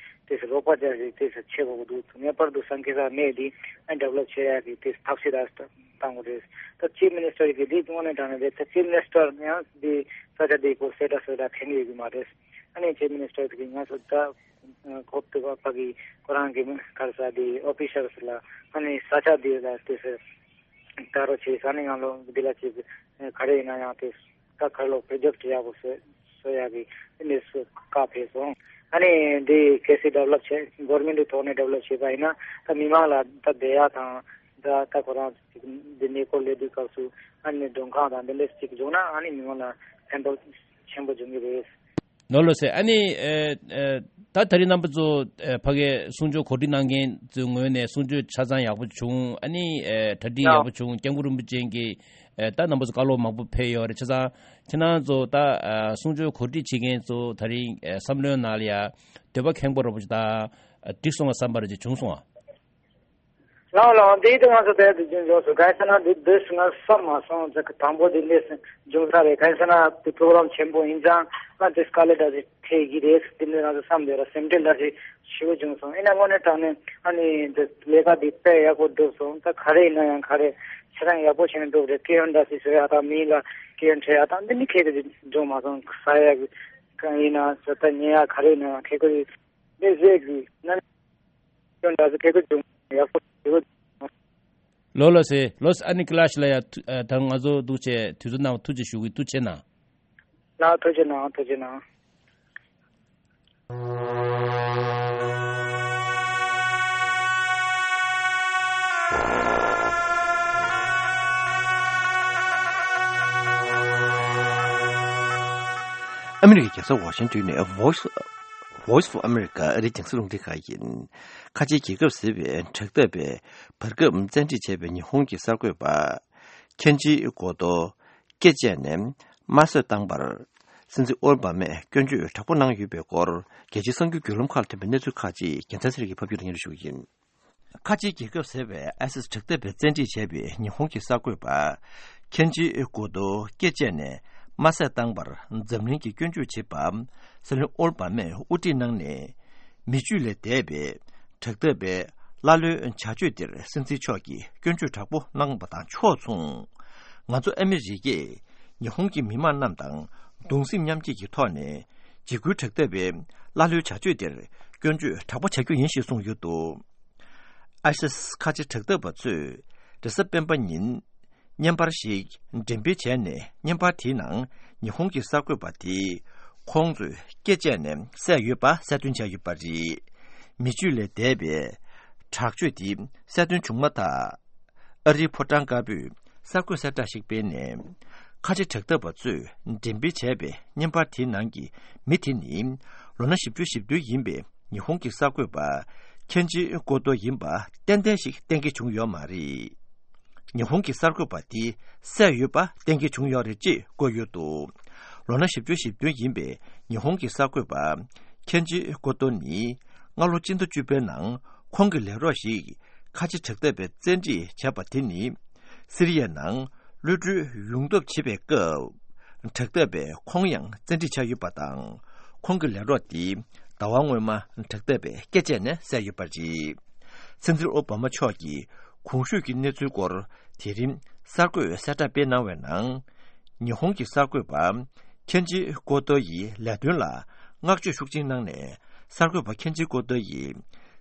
དེ་རོགས་པ་རྒྱག་རེས་དེ་བྱེད་དགོས་ཀྱི་འདུག་ངེས་པར་དུ་སང་གེ་སར་མེ་འདི་ཨ་ཌི་ཝེ་ལོབ་བྱེད་ཡག་གི་དེ་ཐབས་ཤེས་ར་བཏང་དགོས་རེད། ད་ཅིབ་མི་ནི་སི་ཊར་གི་འདི་དངོས་གནས་དྲང་གནས་རེད། ད་ཅིབ་མི་ནི་སི་ཊར་ཡང་འདི་ས་ཆ་འདི་སྐོར་གསལ་བསྒྲགས་གསལ་བསྒྲགས་འཐེན་ཡོད་ཀྱི་མ་རེད། ཨ་ནི་ཅིབ་མི་ནི་སི་ཊར་གི་ང་ཚོ་ད་ཁོབ་ཏུ་བ་ཕ་གི་ཁོ་རང་གི་ག་རེ་ཟ་འདི་ཨོ་ཕི་ཤལ་ལ་ཨ་ནི་ས་ཆ་འདི་ལ་དེ་ཟེར། ད་རོགས་བྱེད་ས་ནི་ང་ལོ་འདི་ལ་ཅིག་ག་རེ་ཡིན་ན་ཡང་དེ་ད་གར་ལོ་པྲོ་ཇེཀ་ཊི་ཡག་པོ་བཟོ་བཟོ་ཡག་གི་དེ་འདྲས་སུ་བཀའ་ཕེབས་སོང་། ཨ་ནི་འདི་གལ་སྲིད་ཌི་ཝེ་ལོབ་བྱས་གྷོ་རོན་མེན་ཊི་ཐོག་ནས་ཌི་ཝེ་ལོབ་བྱས་པ་ཡིན་ན་ད་མི་མང་ལ་ད་བསྡད་ཡག་དང་ད་ད་ཁོ་རང་ཅིག་འདི་གནས་སྐོར་སླེབས་དུས་སྐབས་སུ་ཨ་ནི་མགྲོན་ཁང་དང་འདི་འདྲས་ཅིག་བྱུང་ན་ཨ་ནི་མི་མང་ལ་ཕན་ཐོགས་ཆེན་པོ་འབྱུང་གི་རེད། ལོ་ལོ་ཟེར། ཨ་ནི་ཨེ་ཨེ་ད་ད་རིང་རྣམ་པ་ཚོ་ཨེ་ཕ་གིའི་གསུང་ཆོས་གོ་སྒྲིག་གནང་མཁན་ཚོའི་ངོས་ནས་གསུང་ཆོས་ཆ་ཚང་ཡག་པོ་བྱུང་། ཨ་ནི་ཨེ་གྲ་སྒྲིག་ཡག་པོ་བྱུང་། སྐྱབས་མགོན་རིན་པོ་ཆེ་གིས་ཨེ་ད་རྣམ་པ་ཚོ་བཀའ་སློབ་མང་པོ་ཕེབས་ཡོད་རེད། ཆ་ཚང་ཁྱེད་རང་ཚོ་ད་ཨ་གསུང་ཆོས་གོ་སྒྲིག་བྱེད་མཁན་ཚོ་ད་རིང་ཨེ་བསམ་བློའི་ནང་ལ་ཡ་འདོད་པ་ཁེངས་པོ་ར་བོ་ཅིག་ད་ཨ་འགྲིག་སོང་བ་བསམ་པ་ར་ཅིག་བྱུང་སོང་ཨ། ལགས་ལགས། འདི་དེ་ང་ཚོ་དེ་དུ་རྒྱུན་འཇོག་སུ་གང་ཟེར་ན་འདི་འདི་སུ་ང་བསམ་མ་སོང་། ཅིག་དང་པོ་འདི་འདྲས་སུ་འབྱུང་ས་རེད། གང་ཟེར་ན་འདི་པྲོ་གྷ་རམ་ཆེན་པོ་ཡིན་ཙང་ང་འདི་སྐར་ལེ་འདྲ་ཞིག་ཐེ་གི་རེད། འདི་འདྲས་ང་ཚོ་བསམ་བསྡད་ར་སེམས་ཁྲལ་འདྲ་ཞིག་ཞེ་པོ་བྱུང་སོང་། ཡིན་ན་དངོས་གནས་དྲང་གནས་ཨ་ནི་འདི་ལས་ཀ་འདི་དཔེ་ཡག་པོ་འགྲུབ་སོང་། ད་ག་རེ་ཡིན་ན་ཡང་ག་རེ་ཁྱེད་རང་ཡག་པོ་བྱས་ནས་འགྲུབ་རེད། སྐད་ཡོན་འདྲ་ཞིག་བཟོ་ཡག་དང་མི་ལ་སྐད་ཡོན་འཕྲད་ཡག་དང་འདི་འདྲས་གལ་ཏེ་འབྱུང་མ་སོང་། ཟ་ཡག་གི་གང་ཡིན་ན་ཟ་ད་ཉལ་ཡག་ག་རེ་ཡིན་ན་ཡང་གལ་ཏེ་འདི་རེད་གི་ན། ཁྱོད་འདྲ་ཚོ་ཁེ་ཁེ་བྱུང་ཡག་པོ་ཞེ་པོ། ལོ་ལོ་སེ་ལོ་སེ་ཨ་ནི་ཀི་ལ་ཤི་ལ་ཡ་ཐུ་ཨ་ད་ང་ཚོ་འདུག་བྱས་དུས་ཚོད་ནང་ཐུགས་རྗེ་ཞུ་གི་ཐུགས་རྗེ་གནང་། ལགས་ཐུགས་རྗེ་གནང་། ཐུགས་རྗེ་གནང་། ཨ་མི་རི་ཀའི་རྒྱལ་ས་ཝ་ཤིང་ཏོན་ནས་Voice Voice of America ཨ་རིའི་རྒྱང་སྲིང་རླུང་འཕྲིན་ཁང་ཡིན། ཁ་ཆེའི་རྒྱལ་ཁབ་ཟེར་བའི་དྲག་འཐབ་པའི་བར་སྐབས་བཙན་ཁྲིད་བྱས་པའི་ཉི་ཧོང་གི་གསར་འགོད་པ་ཁེན་ཇི་ཀོ་ཏོ་སྐེ་བཅད་ནས་དམར་གསོད་བཏང་བར་སྲིད་འཛིན་ཨོ་བྷ་མས་སྐྱོན་བརྗོད་དྲག་པོ་གནང་ཡོད་པའི་སྐོར་རྒྱལ་སྤྱིའི་གསར་འགྱུར་བརྒྱུད་ལམ་ཁག་ལ་ཐོན་པའི་གནས་ཚུལ་ཁག་ཅིག་རྒྱལ་མཚན་ཚེ་རིང་གིས་ཕབ་སྒྱུར་སྙན་སྒྲོན་ཞུ་གི་ཡིན། ཁ་ཆེའི་རྒྱལ་ཁབ་ཟེར་བའི་ཨའི་སིས་དྲག་འཐབ་པའི་བཙན་ཁྲིད་བྱས་པའི་ཉི་ཧོང་གི་གསར་འགོད་པ་ཁེན་ཇི་ཀོ་ཏོ་སྐེ་བཅད་ནས་དམར་གསོད་བཏང་བར་འཛམ་གླིང་གིས་སྐྱོན་བརྗོད་བྱེད་པ་སྲིད་བློན་ཨོལ་བྷ་མས་དབུ་ཁྲིད་གནང་ནས་མི་ཆོས་ལས་འདས་པའི་དྲག་འཐབ་པའི་ཀླ་ཀློའི་བྱ་སྤྱོད་དེར་སྲིད་འཛིན་མཆོག་གིས་སྐྱོན་བརྗོད་དྲག་པོ་གནང་བ་དང་ཕྱོགས་མཚུངས། ང་ཚོ་ཨ་མི་རི་ཀས་ཉི་ཧོང་གི་མི་དམངས་རྣམས་དང་གདུང་སེམས་མཉམ་སྐྱེད་ཀྱི་ཐོག་ནས་འཇིགས་སྐུལ་དྲག་འཐབ་པའི་ཀླ་ཀློའི་བྱ་སྤྱོད་དེར་སྐྱོན་བརྗོད་དྲག་པོ་བྱ་རྒྱུ་ཡིན་ཞེས་གསུངས་ཡོད་འདུག་ཨའི་སིས་ཁ་ཆེ་དྲག་འཐབ་པ་ཚོས་རེས་གཟའ་སྤེན་པ་ཉིན་བརྙན་པར་ཞིག་འགྲེམས་སྤེལ་བྱས་ནས་བརྙན་པར་དེའི་ནང་ཉི་ཧོང་གི་གསར་འགོད་པ་དེས་ཁོང་ཚོས་སྐེ་བཅད་ནས་བསད་ཡོད་པ་གསལ་སྟོན་བྱས་ཡོད་པ་རེད། མི་ཆོས་ལས་འདས་པའི་དྲག་སྤྱོད་དེ་གསལ་སྟོན་བྱུང་མ་ཐག་ཨ་རིའི་ཕོ་བྲང་དཀར་པོས་གསར་འགོད་གསལ་བསྒྲགས་ཤིག་སྤེལ་ནས། ཁ་ཆེ་དྲག་འཐབ་པ་ཚོས་འགྲེམས་སྤེལ་བྱས་པའི་བརྙན་པར་དེའི་ནང་གི་མི་དེ་ནི་ལོ་ན་བཞི་བཅུ་ཞེ་བདུན་ཡིན་པའི་ཉི་ཧོང་གི་གསར་འགོད་པ་ཁེན་ཇི་ཀོ་ཏོ་ཡིན་པ་ཏན་ཏན་ཞིག་གཏན་འཁེལ་བྱུང་ཡོད་མ་རེད། ཉི་ཧོང་གི་གསར་འགོད་པ་དེ་བསད་ཡོད་པ་གཏན་འཁེལ་བྱུང་ཡོད་རེད་ཅེས་བཀོད་ཡོད་འདུག་ལོ་ན་བཞི་བཅུ་ཞེ་བདུན་ཡིན་པའི་ཉི་ཧོང་གི་གསར་འགོད་པ་ཁེན་ཇི་ཀོ་ཏོ་ནི་སྔ་ལོ་སྤྱི་ཟླ་བཅུ་པའི་ནང་ཁོང་གི་ལས་རོགས་ཤིག་ཁ་ཆེ་དྲག་འཐབ་པས་བཙན་ཁྲིད་བྱས་པ་དེ་ནི་སི་རི་ཡའི་ནང་གློད་གྲོལ་ཡོང་ཐབས་བྱེད་པའི་སྐབས་དྲག་འཐབ་པས་ཁོང་ཡང་བཙན་ཁྲིད་བྱས་ཡོད་པ་དང་། ཁོང་གི་ལས་རོགས་དེ་ཟླ་བ་སྔོན་མ་དྲག་འཐབ་པས་སྐེ་བཅད་ནས་བསད་ཡོད་པ་རེད། སྲིད་འཛིན་ཨོ་བྷ་མ་མཆོག་གིས་གོང་ཞུས་ཀྱི་གནས་ཚུལ་སྐོར་དེ་རིང་གསར་འགོད་གསལ་བསྒྲགས་སྤེལ་གནང་བའི་ནང་། ཉི་ཧོང་གི་གསར་འགོད་པ་ཁེན་ཇི་ཀོ་ཏོ་ཡི་ལས་དོན་ལ་བསྔགས་བརྗོད་ཤུགས་ཆེན་གནང་ནས། གསར་འགོད་པ་ཁེན་ཇི་ཀོ་ཏོ་ཡིས་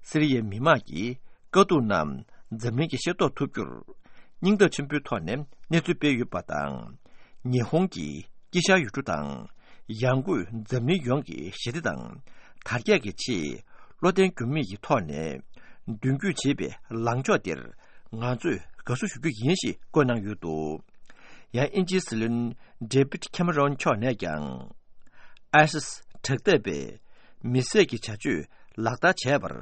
སི་རི་ཡའི་མི་དམངས་ཀྱི་དཀའ་སྡུག་རྣམས་འཛམ་གླིང་གིས་ཤེས་རྟོགས་ཐུབ་རྒྱུར་སྙིང་སྟོབས་ཆེན་པོའི་ཐོག་ནས་གནས་ཚུལ་སྤེལ་ཡོད་པ་དང་། ཉི་ཧོང་གི་དཀྱིལ་ཤར་ཡུལ་གྲུ་དང་ཡང་སྒོས་འཛམ་གླིང་ཡོངས་ཀྱི་ཞི་བདེ་དང་དར་རྒྱས་ཀྱི་ཆེད་བློ་བརྟན་འགྱུར་མེད་ཀྱི་ཐོག་ནས་མདུན་སྐྱོད་བྱེད་པའི་ལངས་ཕྱོགས་དེར་ང་ཚོས་དགའ་བསུ་ཞུ་རྒྱུ་ཡིན་ཞེས་བཀོད་གནང་ཡོད་འདུག་ཡང་དབྱིན་ཇིའི་སྲིད་བློན་ཌེ་བིད་ཁེ་མ་རོན་མཆོག་ནས་ཀྱང་། ཨའི་སིས་དྲག་འཐབ་པས་མི་བསད་ཀྱི་བྱ་སྤྱོད་ལག་བསྟར་བྱས་པར་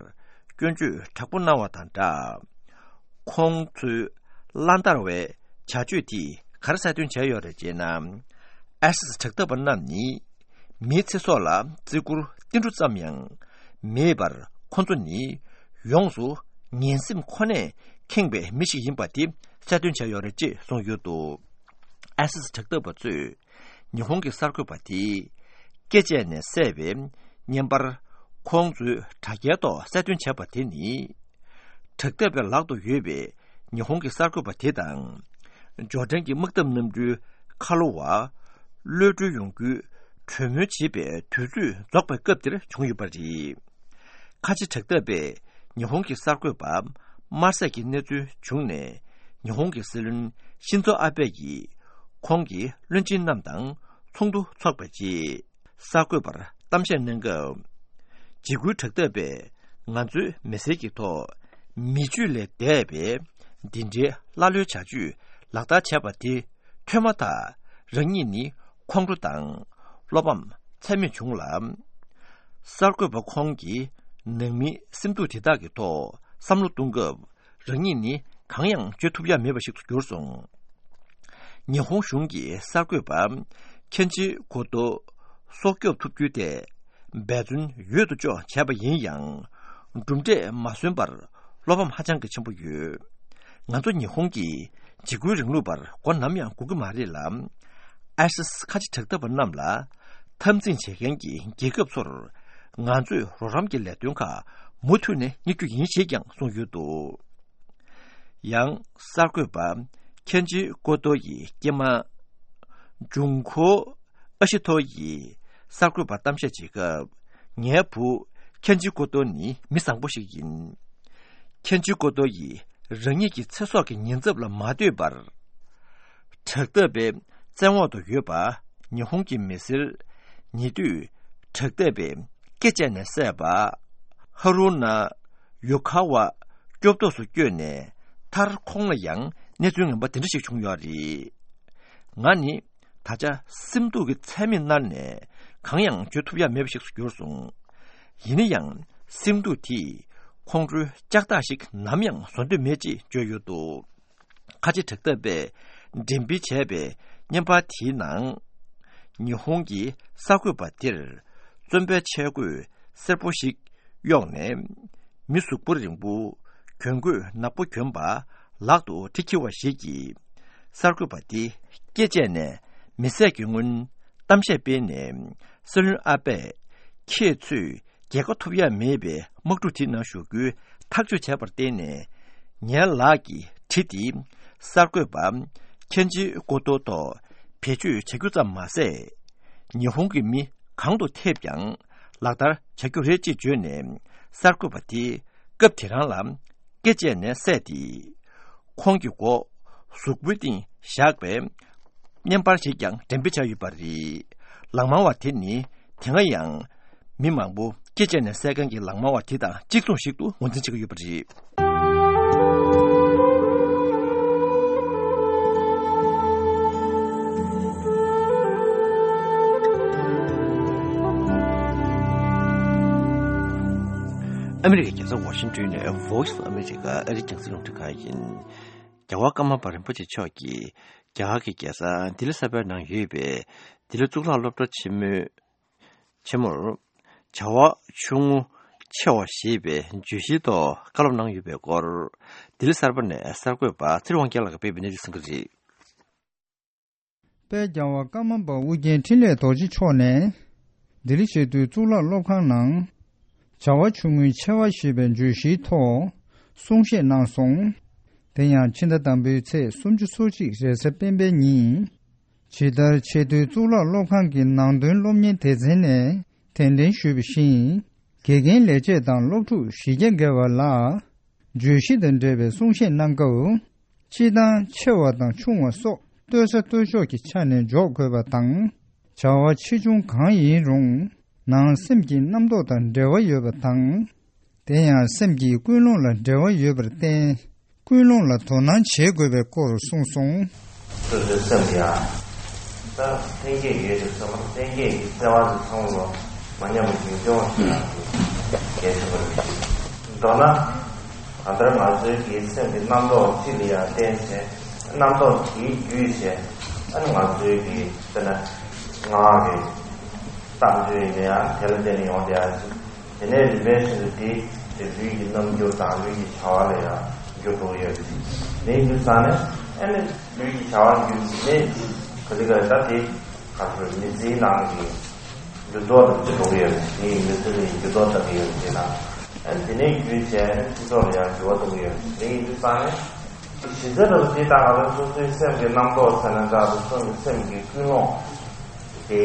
སྐྱོན་བརྗོད་དྲག་པོ་གནང་བ་དང་སྦྲགས། ཁོང་ཚོའི་བླང་དོར་བའི་བྱ་སྤྱོད་དེས་ག་རེ་གསལ་སྟོན་བྱས་ཡོད་རེད་ཅེ་ན། ཨའི་སིས་དྲག་འཐབ་པ་རྣམས་ནི་མིའི་ཚེ་སྲོག་ལ་བརྩི་བཀུར་ཏིལ་འབྲུ་ཙམ་ཡང་མེད་པར། ཁོ་ཚོ་ནི་ཡོངས་སུ་ངན་སེམས་ཁོ་ནས་ཁེངས་པའི་མི་ཞིག་ཡིན་པ་དེ་གསལ་སྟོན་བྱས་ཡོད་རེད་ཅེས་གསུངས་ཡོད་འདུག་ཨའི་སི་དྲག་འཐབ་པ་ཚོས་ཉི་ཧོང་གི་གསར་འགོད་པ་དེ་སྐེ་བཅད་ནས་བསད་པའི་བརྙན་པར་ཁོང་ཚོའི་དྲ་རྒྱའི་ཐོག་གསལ་སྟོན་བྱས་པ་དེ་ནི། དྲག་འཐབ་པའི་ལག་ཏུ་ཡོད་པའི་ཉི་ཧོང་གི་གསར་འགོད་པ་དེ་དང་། ཇོར་ཌན་གྱི་དམག་འཐབ་གནམ་གྲུའི་ཁ་ལོ་བ་གློད་གྲོལ་ཡོང་རྒྱུའི་གྲོས་མོལ་བྱེད་པའི་དུས་ཚོད་རྫོགས་པའི་སྐབས་དེར་བྱུང་ཡོད་པ་རེད། ཁ་ཆེ་དྲག་འཐབ་པས་ཉི་ཧོང་གི་གསར་འགོད་པ་དམར་བསད་ཀྱི་གནས་ཚུལ་བྱུང་ནས། ཉི་ཧོང་གི་སྲིད་བློན་ཤིན་ཛོ་ཨ་བྷེ་ཡིས་ཁོང་གི་བློན་ཆེན་རྣམས་དང་ཚོགས་འདུ་འཚོགས་པའི་རྗེས། གསར་འགོད་པར་གཏམ་བཤད་གནང་སྐབས། འཇིགས་སྐུལ་དྲག་འཐབ་པས་ང་ཚོའི་མི་སེར་གྱི་ཐོག་མི་སྤྱོད་ལས་འདས་པའི་འདི་འདྲའི་ཀླ་ཀློའི་བྱ་སྤྱོད་ལག་བསྟར་བྱས་པ་དེ་ཐོས་མ་ཐག་རང་ཉིད་ནི་ཁོང་ཁྲོ་དང་བློ་ཕམ་ཚད་མེད་བྱུང་ལ། གསར་འགོད་པ་ཁོང་གིས་ནང་མིའི་སེམས་སྡུག་དེ་དག་གི་ཐོག་བསམ་བློ་གཏོང་སྐབས། རང་ཉིད་ནི་གང་ཡང་བརྗོད་ཐུབ་ཡ་མེད་པ་ཞིག་ཏུ་གྱུར་སོང་། ཉི་ཧོང་གཞུང་གིས་གསར་འགོད་པ་ཁེན་ཇི་གོ་ཏོ་སྲོག་སྐྱོབ་ཐུབ་རྒྱུ་དེ་འབད་བརྩོན་ཡོད་དོ་ཅོག་བྱས་པ་ཡིན་ཡང་། གྲུབ་འབྲས་མ་སོན་པར་བློ་ཕམ་ཧ་ཅང་གི་ཆེན་པོ་ཡོད། ང་ཚོ་ཉི་ཧོང་གིས་འཇིགས་སྐུལ་རིང་ལུགས་པར་མགོ་ནམ་ཡང་སྒུར་གྱི་མ་རེད་ལ། ཨའི་སི་ཁ་ཆེ་དྲག་འཐབ་པ་རྣམས་ལ་འཐབ་འཛིང་བྱེད་མཁན་གྱི་རྒྱལ་ཁབ་ཚོར་ང་ཚོས་རོགས་རམ་གྱི་ལས་དོན་ཁག་མུ་མཐུད་ནས་གཉེར་རྒྱུ་ཡིན་ཞེས་ཀྱང་གསུངས་ཡོད་འདུག། ཡང་གསར་འགོད་པ་ཁེན་ཇི་ཀོ་ཏོ་ཡི་སྐྱེས་མ་ཇུང་ཁོ་ཨ་ཤི་ཐོ་ཡིས་གསར་འགོད་པར་གཏམ་བཤད་བྱེད་སྐབས། ངའི་བུ་ཁེན་ཇི་ཀོ་ཏོ་ནི་མི་བཟང་པོ་ཞིག་ཡིན། ཁེན་ཇི་ཀོ་ཏོ་ཡིས་རང་ཉིད་ཀྱི་ཚེ་སྲོག་གི་ཉེན་ཚབས་ལ་མ་ལྟོས་པར། དྲག་འཐབ་པའི་བཙན་འོག་ཏུ་ཡོད་པ་ཉི་ཧོང་གི་མི་སེར་ཉེ་དུས་དྲག་འཐབ་པས་སྐེ་བཅད་ནས་བསད་པ། ཧ་རུ་ན་ཡོ་ཁ་ཝ་སྐྱོབ་ཐོག་ཏུ་བསྐྱོད་ནས་མཐར་ཁོང་ལ་ཡང་གནས་ཚུལ་ངན་པ་དེ་འདྲ་ཞིག་བྱུང་ཡོད་རེད། ང་ནི་ད་ཆ་སེམས་སྡུག་གི་ཚད་མེད་མནར་ནས་གང་ཡང་བརྗོད་ཐུབ་ཡ་མེད་པ་ཞིག་ཏུ་གྱུར་སོང་། ཡིན་ན་ཡང་སེམས་སྡུག་དེས་ཁོང་ཁྲོའི་ལྕགས་ཐག་ཞིག་ནམ་ཡང་བཟོ་འདོད་མེད་ཅེས་བརྗོད་ཡོད་འདུག། ཁ་ཆེ་དྲག་འཐབ་པས་འགྲེམས་སྤེལ་བྱས་པའི་བརྙན་པར་དེའི་ནང་། ཉི་ཧོང་གི་གསར་འགོད་པ་དེར་བཙོན་པའི་ཆས་གོས་སེར་པོ་ཞིག་གཡོགས་ནས། མི་གཟུགས་པོ་རིང་པོ་གྱོན་གོས་ནག་པོ་གྱོན་པ་ལག་ཏུ་གྲི་འཁྱེར་བ་ཞིག་གིས། གསར་འགོད་པ་དེ་སྐེ་བཅད་ནས་མི་བསད་ཀྱི་སྔོན་གཏམ་བཤད་སྤེལ་ནས། སྲིད་བློན་ཨ་པས་ཁྱེད་ཚོས་རྒྱལ་ཁ་ཐོབ་ཡ་མེད་པའི་དམག་འཁྲུག་དེའི་ནང་ཞུགས་རྒྱུའི་ཐག་གཅོད་བྱས་པར་བརྟེན་ནས། ངའི་ལག་གི་གྲི་དེ་གསར་འགོད་པ་ཁེན་ཇི་ཀོ་ཏོ་ཐོག་བེད་སྤྱོད་བྱ་རྒྱུ་ཙམ་མ་ཟད། ཉི་ཧོང་གི་མི་གང་དུ་ཐེབས་ཀྱང་ལག་བསྟར་བྱ་རྒྱུ་རེད་ཅེས་བརྗོད་ནས། གསར་འགོད་པ་དེ་སྐབས་དེ་རང་ལ་སྐེ་བཅད་ནས་བསད་དེ། ཁོང་གི་མགོ་གཟུགས་པོའི་སྟེང་བཞག་པའི་བརྙན་པར་ཞིག་ཀྱང་འགྲེམས་སྤེལ་བྱས་ཡོད་པ་རེད། ལག་དམར་བ་དེ་ནི་དེ་སྔ་ཡང་མི་མང་པོ་སྐེ་བཅད་ནས་བསད་མཁན་གྱི་ལག་དམར་བ་དེ་དང་གཅིག་མཚུངས་ཤིག་ཏུ་ངོས་འཛིན་བྱེད་ཀྱི་ཡོད་པ་རེད། ཨ་མི་རི་ཀའི་རྒྱལ་ས་ཝ་ཤིང་ཏོན་ནས་Voice of America ཨ་རིའི་རྒྱང་སྲིང་རླུང་འཕྲིན་ཁང་ཡིན། རྒྱལ་བ་ཀརྨ་པ་རིན་པོ་ཆེ་མཆོག་གིས་རྒྱ་གར་གྱི་རྒྱལ་ས་ལྡི་ལི་གསར་པའི་ནང་ཡོད་པའི་ལྡི་ལི་གཙུག་ལག་སློབ་གྲྭ་ཆེན་མོའི་ཆེན་མོར་བྱ་བ་ཆུང་ངུ་ཆེ་བ་ཞེས་པའི་བརྗོད་གཞིའི་ཐོག་བཀའ་སློབ་གནང་ཡོད་པའི་སྐོར། ལྡི་ལི་གསར་པ་ནས་གསར་འགོད་པ་ཚེ་རིང་དབང་རྒྱལ་ལགས་ཀྱིས་སྤེལ་བའི་གནས་ཚུལ་གསན་གྱི་རེད། དཔལ་རྒྱལ་བ་ཀརྨ་པ་ཨོ་རྒྱན་འཕྲིན་ལས་རྡོ་རྗེ་མཆོག་ནས། ལྡི་ལི་ཆེས་མཐོའི་གཙུག་ལག་སློབ་ཁང་ནང་། བྱ་བ་ཆུང་ངུའི་ཆེ་བ་ཞེས་པའི་བརྗོད་གཞིའི་ཐོག་གསུང་བཤད་གནང་སོང་། དེ་ཡང་ཕྱི་ཟླ་དང་པོའི་ཚེས་སུམ་ཅུ་སོ་གཅིག་རེས་གཟའ་སྤེན་པའི་ཉིན། ཇི་ལྟར་ཆེས་མཐོའི་གཙུག་ལག་སློབ་ཁང་གི་ནང་དོན་སློབ་གཉེར་སྡེ་ཚན་ནས་གདན་འདྲེན་ཞུས་པ་བཞིན། དགེ་རྒན་ལས་བྱེད་དང་སློབ་ཕྲུག་བཞི་བརྒྱ་བརྒལ་བ་ལ། བརྗོད་གཞི་དང་འབྲེལ་བའི་གསུང་བཤད་གནང་སྐབས། སྤྱིར་བཏང་ཆེ་བ་དང་ཆུང་བ་སོགས་ལྟོས་ས་ལྟོས་ཕྱོགས་ཀྱི་ཆ་ནས་འཇོག་དགོས་པ་དང་། བྱ་བ་ཆེ་ཆུང་གང་ཡིན་རུང་། ནང་སེམས་ཀྱི་རྣམ་རྟོག་དང་འབྲེལ་བ་ཡོད་པ་དང་། དེ་ཡང་སེམས་ཀྱི་ཀུན་སློང་ལ་འབྲེལ་བ་ཡོད་པར་བརྟེན། ཀུན་སློང་ལ་དོ་སྣང་བྱེད་དགོས་པའི་སྐོར་གསུངས་སོང་། སོ་སོའི་སེམས་ཡང་ད་ལྷན་སྐྱེས་ཡོད་ཅེས་སོ་མ་ལྷན་སྐྱེས་ཀྱི་བརྩེ་བ་དེ་ཚང་མ་མ་ཉམས་པ་རྒྱུན་སྐྱོང་བྱེད་ཡག་གི་གལ་ཆེན་པོ་རེད། མདོར་ན་གང་ལྟར་ང་ཚོའི་གི་སེམས་ཀྱི་རྣམ་རྟོག་གཅིག་ལ་ཡང་བརྟེན་བྱས་རྣམ་རྟོག་དེའི་བརྒྱུད་བྱས་ཨ་ནི་ང་ཚོའི་གི་དཔེར་ན་ངག་གི་བཏང་ཚུལ་ཡིན་ན་ཡང་དེ་ལ་བརྟེན་ནས་ཡོང་བསྡད་ཡག་ཅིག་དེ་ནས་རིམ་པས་བཞིན་དུ་དེ་དེ་ལུས་ཀྱི་རྣམ་འགྱུར་དང་ལུས་ཀྱི་བྱ་བ་ལ་ཡང་འགྱུར་འགྲོ་གི་ཡོད་ཅིག་དེ་ཡིན་དུས་ཙང་ནས་ཨ་ནི་ལུས་ཀྱི་བྱ་བ་བརྒྱུད་ནས་ ད་དེ་ག་ད་དེ་ག་ཚོད་མི་ཚེའི་ནང་གི་འགྱུར་ལྡོག་དང་ཅི་འགྲོ་གི་ཡོད་མེད། དེ་ཡི་མི་ཚེ་ལ་འགྱུར་ལྡོག་གཏང་གི་ཡོད་མེད་ན། ཨ་ནི་དེ་ནས་བརྒྱུད་བྱས་ནས་སྤྱི་ཚོགས་ལ་ཡང་འགྱུར་བ་གཏོང་གི་ཡོད་མེད། དེ་ཡིན་དུས་ཙང་ནས་གཞི་རྩ་ལ་དེ་ད་ག་ལ་སོ་སོའི་སེམས་ཀྱི་རྣམ་རྟོག་ཟེར་ན་འདྲ་འདུག་སོ་སོའི་སེམས་ཀྱི་ཀུན་སློང་དེ་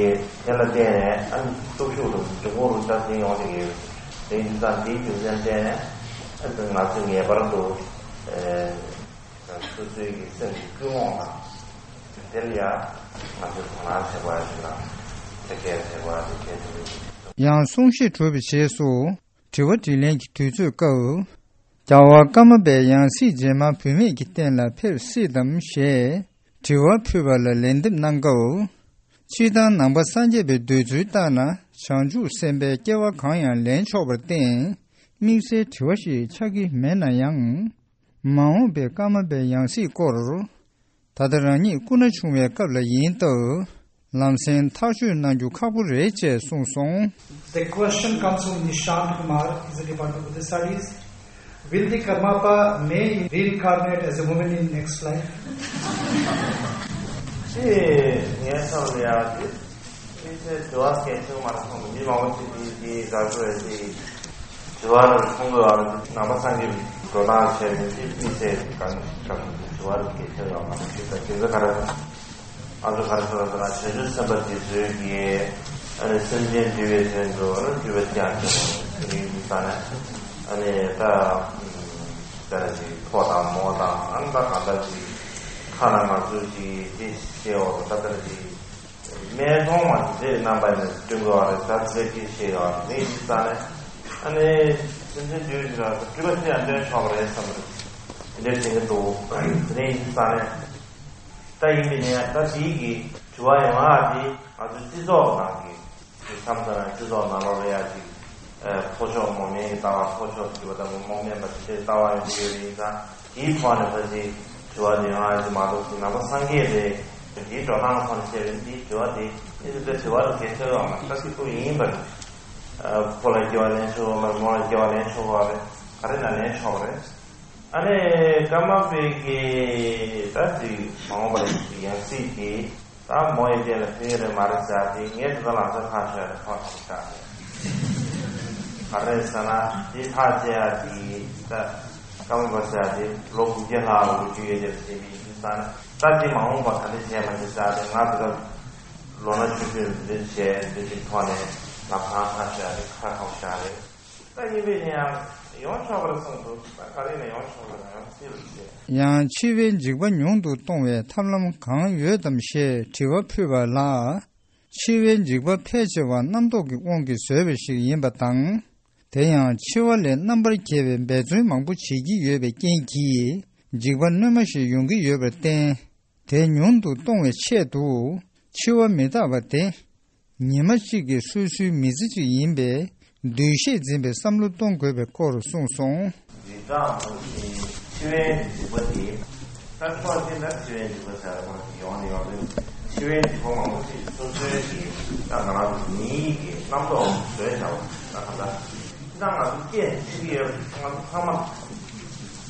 དེ་ལ་བརྟེན་ནས་ཨ་ནི་སྟོབས་ཤུགས་དང་འབྱུང་ཁུངས་རུ་ད་དེ་ཡོང་གི་ཡོད་མེད། དེ་ཡིན་དུས་ཙང་དེའི་རྒྱུ་མཚན་བརྟེན་ནས་ཨ་ནི་ང་ཚོས་ངེས་པར་དུ། སོ་སོའི་གི་སེམས་ཀྱི་ཀུན་སློང་དང་། དེ་ལ་ཡང་ང་ཚོས་དོ་སྣང་བྱེད་དགོས་ཡ་ཞིག་དང་། དེ་གས་བྱེད་དགོས་ཡ་དེ་གས་དེ་རེད། ཡང་གསུང་བཤད་གྲུབ་པའི་རྗེས་སུ་དྲི་བ་དྲིས་ལན་གྱི་དུས་ཚོད་སྐབས། རྒྱལ་བ་ཀརྨ་པས་ཡང་སྲིད་རྗེས་མ་བུད་མེད་ཀྱི་རྟེན་ལ་ཕེབས་སྲིད་དམ་ཞེས་དྲི་བ་ཕུལ་བ་ལ་ལན་འདེབས་གནང་སྐབས། སྤྱིར་བཏང་ནང་པ་སངས་རྒྱས་པའི་འདོད་ཚུལ་ལྟར་ན་བྱང་ཆུབ་སེམས་དཔའི་སྐྱེ་བ་གང་ཡང་ལེན་ཆོག་པར་བརྟེན་དམིགས་བསལ་དྲི་བ་ཞིག་ཆགས་ཀྱི་མེད་ན་ཡང་། མ་འོངས་པའི་ཀརྨ་པའི་ཡང་སྲིད་སྐོར། ད་ལྟ་རང་ཉིད་སྐུ་ན་ཆུང་བའི་སྐབས་ལ་ཡིན་སྟབས། ལམ་སེང་ཐག་གཅོད་གནང་རྒྱུ་ཁག་པོ་རེད་ཅེས་གསུངས་སོང་། The question comes from Nishant Kumar, he's a Department of Buddhist Studies. Will the Karmapa may reincarnate as a woman in next life? ཅེས་ངས་བསམ་ལ་ཡག་ཅིག་དམིགས་བསལ་དྲི་བ་གལ་ཆེན་པོ་མ་རེད་མཐོང་གི། མི་མང་པོ་ཅིག་གིས་འདི་འདི་དགའ་ཚོར་ཡོད་ཅིག་དྲི་བ་རེ་མཐོང་དགོས་པ་རེད། ནང་པ་སངས་རྒྱས་པའི་འགྲོ་སྟངས་བྱས་ནས་འདི་དམིགས་བསལ་གང་གང་དྲི་བ་རེ་གལ་ཆེན་ཡོད་མ་རེད། དེ་ད་དེ་ཚོ་ག་རེ་ད་ང་ཚོ་ག་རེ་ཟེར་བ་ཟེར་ན་བྱང་ཆུབ་སེམས་དཔའ་དེ་ཚོའི་གི་ཨ་ནི་སེམས་ཅན་འདུལ་བའི་དོན་དུ་ཨ་ནི་སྤྲུལ་པ་སྤྱན་རས་གཟིགས་ཡིན་ས་ནས་ཨ་ནི་ད་ད་ཅིག་ཕོ་དང་མོ་དང་ཨ་ནི་ད་གང་ལྟར་ཅིག་ཁ་ན་ང་ཚོ་ཅིག་དེ་ཤེས་འོ་ད་ད་ཅིག་སྨད་འཚོང་མ་དེ་རྣམ་པ་ནས་སྟོན་དགོས་པ་རེད། ད་ཚེ་སྐྱིད་ཤེས་ཡོད་རེད། ཡིན་ས་ནས་ཨ་ནི་སེམས་ཅན་འདུལ་ཞིག་ལ་སྤྲུལ་པ་ཅི་ཡང་སྟོན་ཆོག་པ་རེད་བསམ་རེད། དེ་འདྲ་བྱེད་ཀྱི་འདུག་དེ་ནས་ཡིན་ས་ནས་ད་ཡིན་པའི་ནས་ད་དེའི་གི་དྲི་བ་ཡོང་ཨ་དེ་ང་ཚོའི་སྤྱི་ཚོགས་ནང་གི་མཚམས་མཚམས་སྤྱི་ཚོགས་ནང་ལོགས་ལ་ཡ་ཅིག་ཕོ་ཕྱོགས་མོ་མེན་གྱི་ལྟ་བ། ཕོ་ཕྱོགས་སྤྲུལ་པ་ལྟ་བུ། མོ་མེན་པ་དེ་འདྲའི་ལྟ་བ་ཡོང་གི་ཡོད་པ་ཡིན་ཙང་དེའི་ཐོག་ནས་ཕལ་ཆེར་དྲི་བ་དེ་ཡོང་ཨ་ཅིག་མ་གཏོགས་ཅིག་ནང་པ་སངས་རྒྱས་རེད། དེའི་འགྲོ་སྟངས་ཐོག་ནས་བཤད་པའི་འདིའི་དྲི་བ་དེ་ཨེ་ཙི་དེ་དྲི་བ་རུ་གལ་ཆེ་བ་མ་ད་སྲིད་དུ་ཡིན་པ་རེད། ཕོ་ལ་སྐྱེ་བ་ལེན་ཆོག་པ་མ་རེད། མོ་ལ་སྐྱེ་བ་ལེན་ཆོག་པ་རེད། ག་རེ་ན་ལེན་ཆོག་པ་རེད། ཨ་ནི་ཀརྨ་པའི་གི་ད་ཅིག་མ་འོངས་པ་ལ་ཡང་སྲིད་དེ་ད་མོ་ཡི་རྟེན་ལ་ཕེབས་ཡོད་རེད་མ་རེད་ཟེར་ཏེ་ངས་དེ་ཚོ་ལ་ཚོད་ཁ་ཤོར་ནས་ཁོ་ཐག་ཆགས་རེད། ག་རེ་ཟེར་ན་དེ་ཐག་བཅད་ཡ་དེ་ད་ཀརྨ་པ་ཟེར་ཡ་དེ་ལོ་དགུ་བརྒྱ་ལྷག་ལོ་རྒྱུས་ཡོད་རེད་ཟེར་བའི་ཡིན་ས་ནས་ད་དེ་མ་འོངས་པ་ག་འདྲ་བྱས་མ་བྱས་ཟེར་ཏེ་ང་དེ་ག་ལོ་ན་ཆུང་ཆུང་འདི་བྱས་འདི་ཅིག་ཐོག་ནས་ལམ་སང་ཐག་ཆོད་ཡ་དེ་ཁ་ཁ་བཞག་རེད། ད་ཡིན་པས་ནི་ཡང་ཡོང་ཆོག་པར་གསུངས་འདུག་ད་ག་རེ་ནས་ཡོང་ཆོག་པར་ཡང་སྲིད་པར་བྱེད། ཡང་འཆི་བའི་འཇིགས་པ་ཉུང་དུ་གཏོང་བའི་ཐབས་ལམ་གང་ཡོད་དམ་ཞེས་དྲི་བ་ཕུལ་བ་ལ། འཆི་བའི་འཇིགས་པ་ཕལ་ཆེ་བ་རྣམ་རྟོག་གི་དབང་གིས་བཟོས་པ་ཞིག་ཡིན་པ་དང་། དེ་ཡང་འཆི་བ་ལས་རྣམ་པར་རྒྱལ་བའི་འབད་བརྩོན་མང་པོ་བྱེད་ཀྱི་ཡོད་པའི་རྐྱེན་གྱིས་འཇིགས་པ་སྣོན་མ་ཞིག་ཡོང་གི་ཡོད་པར་བརྟེན། དེ་ཉུང་དུ་གཏོང་བའི་ཆེད་དུ་འཆི་བ་མི་རྟག་པ་དེ། ཉི་མ་གཅིག་གི་སོ་སོའི་མི་ཚེ་གཅིག་ཡིན་པས་འདུས་ཤེས་འཛིན་པའི་བསམ་བློ་གཏོང་དགོས་པའི་སྐོར་གསུངས་སོང་། འཇིགས་སྐྲག་མང་པོ་ཞིག་འཆི་བའི་འཇིགས་པ་དེ། ད་ཕྱོགས་གཅིག་ནས་འཆི་བའི་འཇིགས་པ་ཟེར་བ་ཞིག་ཡོང་ནས་ཡོང་དུས། འཆི་བའི་འཇིགས་པ་མང་པོ་ཞིག་སོ་སོའི་གི་ད་ང་རང་ཚོ་མིའི་གི་རྣམ་རྟོག་བཟོས་བཞག་པ་ད་ག་ད། ད་ང་ཚོ་སྐད་འཆི་གི་ཡོད་ང་ཚོ་ཚང་མ་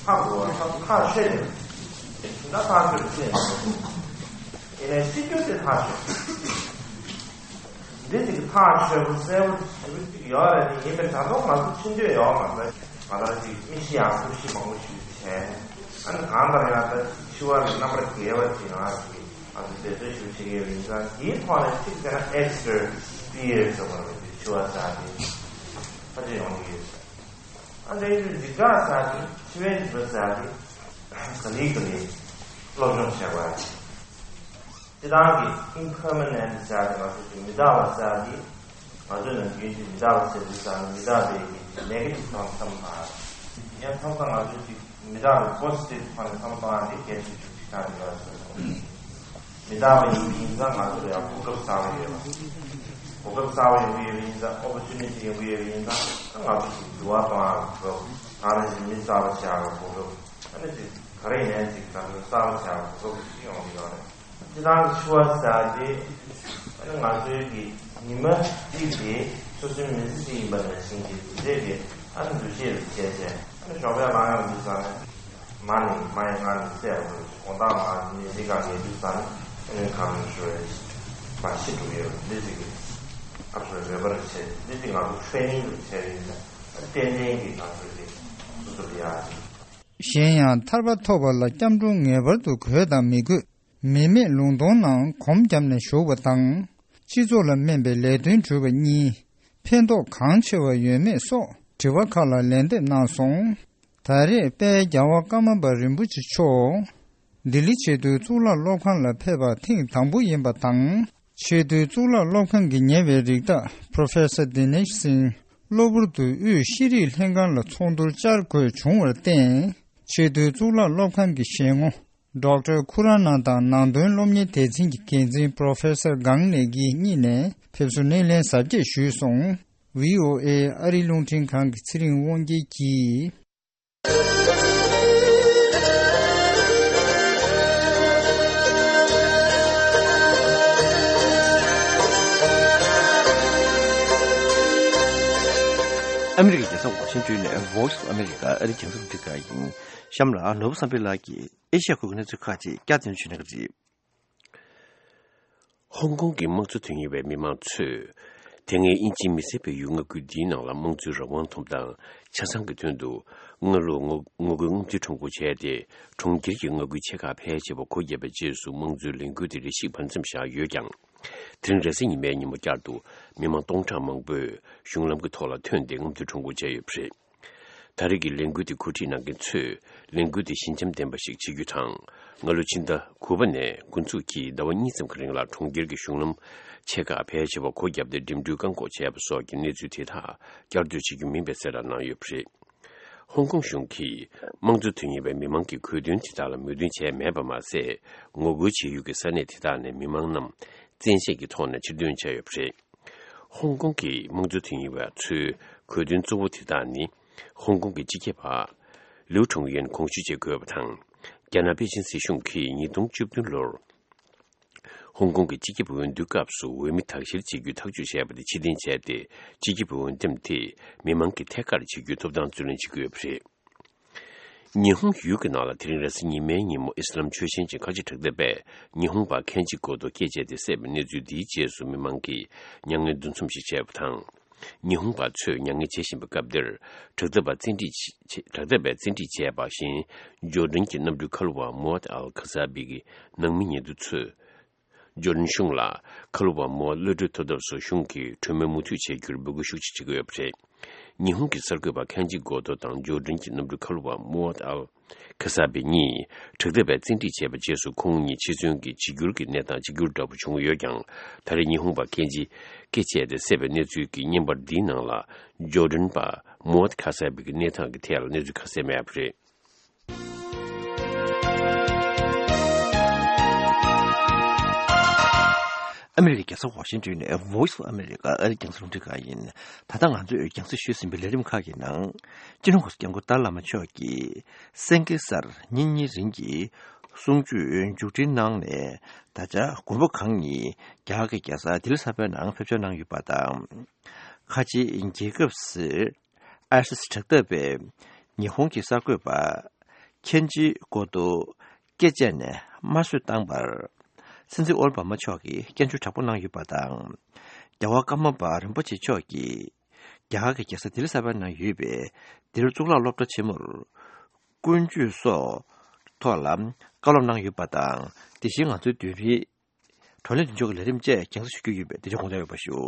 ཧ་གོ་བ་ཐག་ཐག་ཆོད་ཡོད། ད་ཐག་ཆོད་ཀྱི་ཡིན་ནའི་འཆི་རྒྱུ་དེ་ཐག་ཆོད། འདི་ཅིག་ཐག་ཆོད་པོ་གསལ་པོ་ཞེ་པོ་ཅིག་ཡོད་རེད། དེ་ཡིན་པས་ད་དུང་ང་ཚོ་འཆི་འདོད་ཡོད་མ་རེད། ང་ཚོ་ཅིག་མི་ཤི་ཡང་སྐུ་ཤི་མང་པོ་ཞིག་བྱས། ཨ་ནི་གང་ལྟར་ཡང་ད་འཆི་བ་ལས་རྣམ་པར་རྒྱལ་བ་ཅིག་ང་ཚོ་གི་ང་ཚོ་འབད་བརྩོན་ཞིག་བྱེད་ཀྱི་ཡོད་པ་ཡིན་ཙང་། དེའི་ཐོག་ནས་གཅིག་བྱས་ན་extra fear ཟེར་བ་རེད། འཆི་བ་ཟེར་དེ་ཕལ་ཆེར་ཡོང་གི་ཡོད་ས་རེད། ཨ་འདྲ་ཡིན་དུས་འཇིགས་སྐྲག་ཟེར་དེ་འཆི་བའི་འཇིགས་པ་ཟེར་དེ་ག་ལེ་ག་ལེ་སློབ་སྦྱོང་བྱེད་དགོས་ཡ་ཅིག་སྤྱིར་བཏང་གི་impermanent ཟེར་ཏེ་ང་ཚོ་ཀྱི་མི་རྟག་པ་ཟེར་ཏེ། ང་ཚོའི་ནམ་རྒྱུན་གྱི་མི་རྟག་པ་ཟེར་དུས་ཙང་མི་རྟག་པའི་གི་negative ཐོག་ནས་བསམ་བློ་བཏང་ཡང་མཚམས་མཚམས་ང་ཚོའི་ཀྱི་མི་རྟག་པའི་positive ཐོག་ནས་བསམ་བློ་བཏང་ཡང་དེ་གལ་ཆེ་ཤོས་ཅིག་ཆགས་ཀྱི་ཡོད་ཟེར་སོང་། མི་རྟག་པ་ཡིན་པ་ཡིན་ཙང་ང་ཚོ་ལ་ཡང་གོ་སྐབས་གསར་པ་ཡོད་པ། གོ་སྐབས་གསར་པ་ཡོང་གི་ཡོད་པ་ཡིན་ཙང་། opportunity ཡོང་གི་ཡོད་པ་ཡིན་ཙང་། ང་ཚོ་ཞིག་འགྱུར་བ་གཏོང་ཡག་གི་གོ་སྐབས། ང་རང་བཞིན་མི་གསར་པ་ཆགས་ཡག་གི་གོ་སྐབས། ཨ་ནི་ཅིག་ག་རེ་ཡིན་ནའི་ཅིག་ང་ཚོ་གསར་པ་ཆགས་ཡག་གི་གོ་སྐབས་ཤིག་ཡོང་གི་ཡོད་རེད། སྤྱིར་བཏང་གི་འཆི་བ་ཟེར་ཡག་དེ་ཨ་ནི་ང་ཚོའི་གི་ཉི་མ་གཅིག་དེ་སོ་སོའི་མི་ཚེ་གཅིག་ཡིན་པ་ནང་བཞིན་གྱི་དེ་འདྲས་ཀྱི་ཨ་ནི་འདུ་ཤེས་རུ་བྱས་བྱས། ཨ་ནི་ཞོགས་པའི་ལངས་ཡག་འདུག་ས་ནས་མ་ནི་མ་ཡི་ང་ནི་སད་པ་དགོས། དགོང་དག་མ་ནི་ནི་ག་གེ་འདུག་ས་ནས་ ཨ་ནི་གང་ཞུ་བའི་མ་ཤི་འགྲོ་ཡོད་འདི་ཅིག་གི་ཨ་ཞོ་རེ་བར་བྱས་འདི་ཅིག་ང་ཚོ་ཧྥེ་ནིང་དུ་བྱས་ཡིན་ན་ཏན་ཏན་གྱི་ང་ཚོ་ཅིག་སུ་སུ་ལ་ཡ་ཅིག་གཞན་ཡང་ཐར་པ་ཐོབ་པ་ལ་སྐྱབས་འགྲོ་ངེས་པར་དུ་དགོས་དང་མི་དགོས། མི་མེད་ལུང་སྟོང་ནང་གོམ་བརྒྱབ་ནས་བཞུགས་པ་དང་། སྤྱི་ཚོགས་ལ་སྨན་པའི་ལས་དོན་སྒྲུབ་པ་གཉིས། ཕན་ཐོགས་གང་ཆེ་བ་ཡོད་མེད་སོགས་དྲི་བ་ཁག་ལ་ལན་འདེབས་གནང་སོང་། ད་རེས་དཔལ་རྒྱལ་བ་ཀརྨ་པ་རིན་པོ་ཆེ་མཆོག་ལྡི་ལི་ཆེས་མཐོའི་གཙུག་ལག་སློབ་ཁང་ལ་ཕེབས་པ་ཐེངས་དང་པོ་ཡིན་པ་དང་། ཆེས་མཐོའི་གཙུག་ལག་སློབ་ཁང་གིས་ཉེ་བའི་རིགས་བདག་Professor Dinesh Singh གློ་བུར་དུ་དབུས་ཤེས་རིག་ལྷན་ཁང་ལ་ཚོགས་འདུར་བཅར་དགོས་བྱུང་བར་བརྟེན། ཆེས་མཐོའི་གཙུག་ལག་སློབ་ཁང་གི་ཞལ་ངོ་Doctor Khurana དང་ནང་དོན་སློབ་གཉེར་སྡེ་ཚན་གྱི་འགན་འཛིན་Professor Gang Nae གཉིས་ནས་ཕེབས་བསུ་སྣེ་ལེན་གཟབ་རྒྱས་ཞུས་སོང་། བྷི་ཨོ་ཨེ་ཨ་རིའི་རླུང་འཕྲིན་ཁང་གི་ཚེ་རིང་དབང་རྒྱལ་གྱིས། ཨ་མི་རི་ཀའི་རྒྱལ་ས་ཝ་ཤིང་ཏོན་ནས་Voice of America ཨ་རིའི་རྒྱང་སྲིང་ཁྲིད་ཁང་ཡིན། གཤམ་ལ་ནོར་བུ་བསམ་འཕེལ་ལགས་ཀྱིས་ཨེ་ཤ་ཡ་ཁུལ་གྱི་གནས་ཚུལ་ཁག་ཅིག་བསྐྱར་ཟློས་ཞུ་གནང་གི་རེད། ཧོང་ཀོང་གི་དམངས་གཙོ་དོན་གཉེར་བའི་མི་མང་ཚོས། དེ་སྔའི་དབྱིན་ཇིའི་མི་སེར་སྤེལ་ཡུལ་མངའ་ཁུལ་འདིའི་ནང་ལ་དམངས་གཙོའི་རང་དབང་ཐོབ་ཐང་ཆ་ཚང་གི་དོན་དུ། སྔ་ལོ་ངོ་ངོ་རྒོལ་རྔམ་སྟོན་ཁྲོམ་སྐོར་བྱས་ཏེ། གྲོང་ཁྱེར་གྱི་མངའ་ཁུལ་ཆེ་ཁག་ཕལ་ཆེ་བ་སྒོ་བརྒྱབ་པའི་རྗེས་སུ། དམངས་གཙོའི་ལས་འགུལ་དེ་རེ་ཞིག་བར་མཚམས་བཞག་ཡོད་ཀྱང་། དེ་རིང་རེས་གཟའ་ཉི་མའི་ཉིན་མོ་བསྐྱར་དུ་མི་མང་སྟོང་ཕྲག་མང་པོས་གཞུང་ལམ་གྱི་ཐོག་ལ་ཐོན་ཏེ་རྔམ་སྟོན་ཁྲོམ་སྐོར་བྱས་ཡོད་པ་རེད། ད་རེས་ཀྱི་ལས་འགུལ་དེ་གོ་སྒྲིག་གནང་མཁན་ཚོས་ལས་འགུལ་དེ་ཞི་འཇམ་ལྡན་པ་ཞིག་བྱེད་རྒྱུ་དང་། སྔ་ལོ་ཕྱི་ཟླ་དགུ་པ་ནས་འགོ་འཛུགས་ཀྱིས་ཟླ་བ་གཉིས་ཙམ་གྱི་རིང་ལ་གྲོང་ཁྱེར་གྱི་གཞུང་ལམ་ཆེ་ཁག་ཕལ་ཆེ་བ་སྒོ་བརྒྱབ་སྟེ་འགྲིམ་འགྲུལ་བཀག་འགོག་བྱས་པ་སོགས་ཀྱི་གནས་ཚུལ་དེ་དག་བསྐྱར་ཟློས་བྱེད་རྒྱུ་མིན་པའི་གསལ་བསྒྲགས་གནང་ཡོད་པ་རེད། ཧོང་ཀོང་གཞུང་གིས་དམངས་གཙོ་དོན་གཉེར་བའི་མི་མང་གི་གོ་དོན་དེ་དག་ལ་མོས་མཐུན་བྱས་མེད་པ་མ་ཟད། ངོ་རྒོལ་བྱེད་ཡུལ་གྱི་ས་གནས་དེ་དག་ནས་མི་མང་རྣམས་བཙན་ཤེད་ཀྱི་ཐོག་ནས་ཕྱིར་འདོན་བྱས་ཡོད་པ་རེད། ཧོང་ཀོང་གི་དམངས་གཙོ་དོན་གཉེར་བ་ཚོའི་གོ་དོན་གཙོ་བོ་དེ་དག་ནི། ཧོང་ཀོང་གི་སྤྱི་ཁྱབ་པ་ལིའུ་ཁྲུང་ཡོན་དགོངས་ཞུ་བྱེད་དགོས་པ་དང་། རྒྱ་ནག་པེ་ཅིན་སྲིད་གཞུང་གིས་ཉིས་སྟོང་བཅུ་བདུན་ལོར། ཧོང་ཀོང་གི་སྤྱི་ཁྱབ་འོས་བསྡུའི་སྐབས་སུ་འོས་མི་དག་བཤེར་བྱེད་རྒྱུའི་ཐག་གཅོད་བྱས་པ་དེ་ཕྱིར་འཐེན་བྱས་ཏེ། སྤྱི་ཁྱབ་འོས་འདེམས་དེ་མི་མང་གིས་ཐད་ཀར་བྱེད་རྒྱུའི་ཐོབ་ཐང་རྩོད་ལེན་བྱེད་ཀྱི་ཡོད་པ་རེད། ཉི་ཧོང་ཡུལ་གྱི་ནང་ལ་དེ་རིང་རེས་གཟའ་ཉི་མའི་ཉིན་མོ་ཨི་སི་ལམ་ཆོས་ཞེན་ཅན་ཁ་ཆེ་དྲག་འཐབ་པས་ཉི་ཧོང་པ་ཁེན་ཇི་གོ་ཏོ་སྐེ་བཅད་དེ་བསད་པའི་གནས་ཚུལ་འདིའི་རྗེས་སུ་མི་མང་གིས་མྱ་ངན་འདུ་འཛོམས་ཤིག་བྱས་པ་དང་། ཉི་ཧོང་པ་ཚོས་མྱ་ངན་བྱེད་བཞིན་པའི་སྐབས་འདིར། དྲག་འཐབ་པ་བཙན་ཁྲིད་བྱེད། དྲག་འཐབ་པས་བཙན་ཁྲིད་བྱས་པ་བཞིན། ཇོར་ཌན་གྱི་གནམ་གྲུའི་མཁའ་སློབ་པ་མོ་ཨད་ཨལ་ཁ་ས་བི་གི་ནང་མི་ཉེ་དུ་ཚོས། ཇོར་ཌན་གཞུང་ལ་མཁའ་སློབ་པ་མོ་ཨད་གློད་གྲོལ་ཐོབ་ཐབས་སུ་གཞུང་གིས་གྲོས་མོལ་མུ་མཐུད་བྱེད་རྒྱུར་འབོད་སྐུལ་ཤུགས་ཆེ་བྱེད་ཀྱི་ཡོད་པ་རེད། ཉི་ཧོང་གི་གསར་འགོད་པ་ཁེན་ཇི་གོ་ཏོ་དང་ཇོར་ཌན་གྱི་གནམ་གྲུ་མཁའ་སློབ་པ་མོ་ཨད་ཨལ་ཁ་ས་བི་གཉིས་དྲག་འཐབ་པས་བཙན་ཁྲིད་བྱས་པའི་རྗེས་སུ། ཁོང་གཉིས་འཆི་གསོན་གྱི་འཇིགས་སྐྱོར་གྱི་གནས་སྟངས་གཅིག་གྱུར་འདྲ་པོ་བྱུང་ཡོད་ཀྱང་། ད་རེས་ཉི་ཧོང་པ་ཁེན་ཇི་སྐེ་བཅད་དེ་བསད་པའི་གནས་ཚུལ་གྱི་བརྙན་པར་འདིའི་ནང་ལ་ཇོར་ཌན་པ་མོ་ཨད་ཁ་ས་བི་གི་གནས་སྟངས་ཀྱི་ཐད་ལ་གནས་ཚུལ་ཁ་གསལ་མེད་པ་རེད། ཨ་མི་རི་ཀའི་རྒྱལ་ས་ཝ་ཤིང་ཏོན་ནས་Voice of America ཨ་རིའི་རྒྱང་སྲིང་རླུང་འཕྲིན་ཁང་ཡིན། ད་ལྟ་ང་ཚོས་རྒྱང་སྲིང་ཞུས་ཟིན་པའི་ལས་རིམ་ཁག་གི་ནང་། སྤྱི་ནོར་༧གོང་ས་༧སྐྱབས་མགོན་ཏཱ་ལའི་བླ་མ་མཆོག་གིས་སེང་གེ་གསར་ཉིན་གཉིས་རིང་གི་གསུང་ཆོས་མཇུག་སྒྲིལ་གནང་ནས། ད་ཆ་མགོན་པོ་གང་ཉིད་རྒྱ་གར་གྱི་རྒྱལ་ས་ལྡི་ལི་གསར་པའི་ནང་ཕེབས་འབྱོར་གནང་ཡོད་པ་དང་། ཁ་ཆེའི་རྒྱལ་ཁབ་སུ་ཨའི་སི་དྲག་འཐབ་པས་ཉི་ཧོང་གི་གསར་འགོད་པ་ཁེན་ཇི་གོ་ཏོ་སྐེ་བཅད་ནས་དམར་གསོད་བཏང་བར། སྲིད་འཛིན་ཨོ་བྷ་མ་མཆོག་གིས་སྐྱོན་བརྗོད་དྲག་པོ་གནང་ཡོད་པ་དང་། རྒྱལ་བ་ཀརྨ་པ་རིན་པོ་ཆེ་མཆོག་གིས་རྒྱ་གར་གྱི་རྒྱལ་ས་ལྡི་ལི་གསར་པའི་ནང་ཡོད་པའི་ལྡི་ལི་གཙུག་ལག་སློབ་གྲྭ་ཆེན་མོར་ཀུན་སྤྱོད་སོགས་ཐོག་ལ་བཀའ་སློབ་གནང་ཡོད་པ་དང་། དེ་བཞིན་ང་ཚོའི་བདུན་རེའི་བགྲོ་གླེང་མདུན་ཅོག་གི་ལས་རིམ་བཅས་རྒྱང་སྲིང་ཞུ་རྒྱུ་ཡིན་པས་དེ་ཚོ་དགོངས་དག་ཡོད་པ་ཞུ།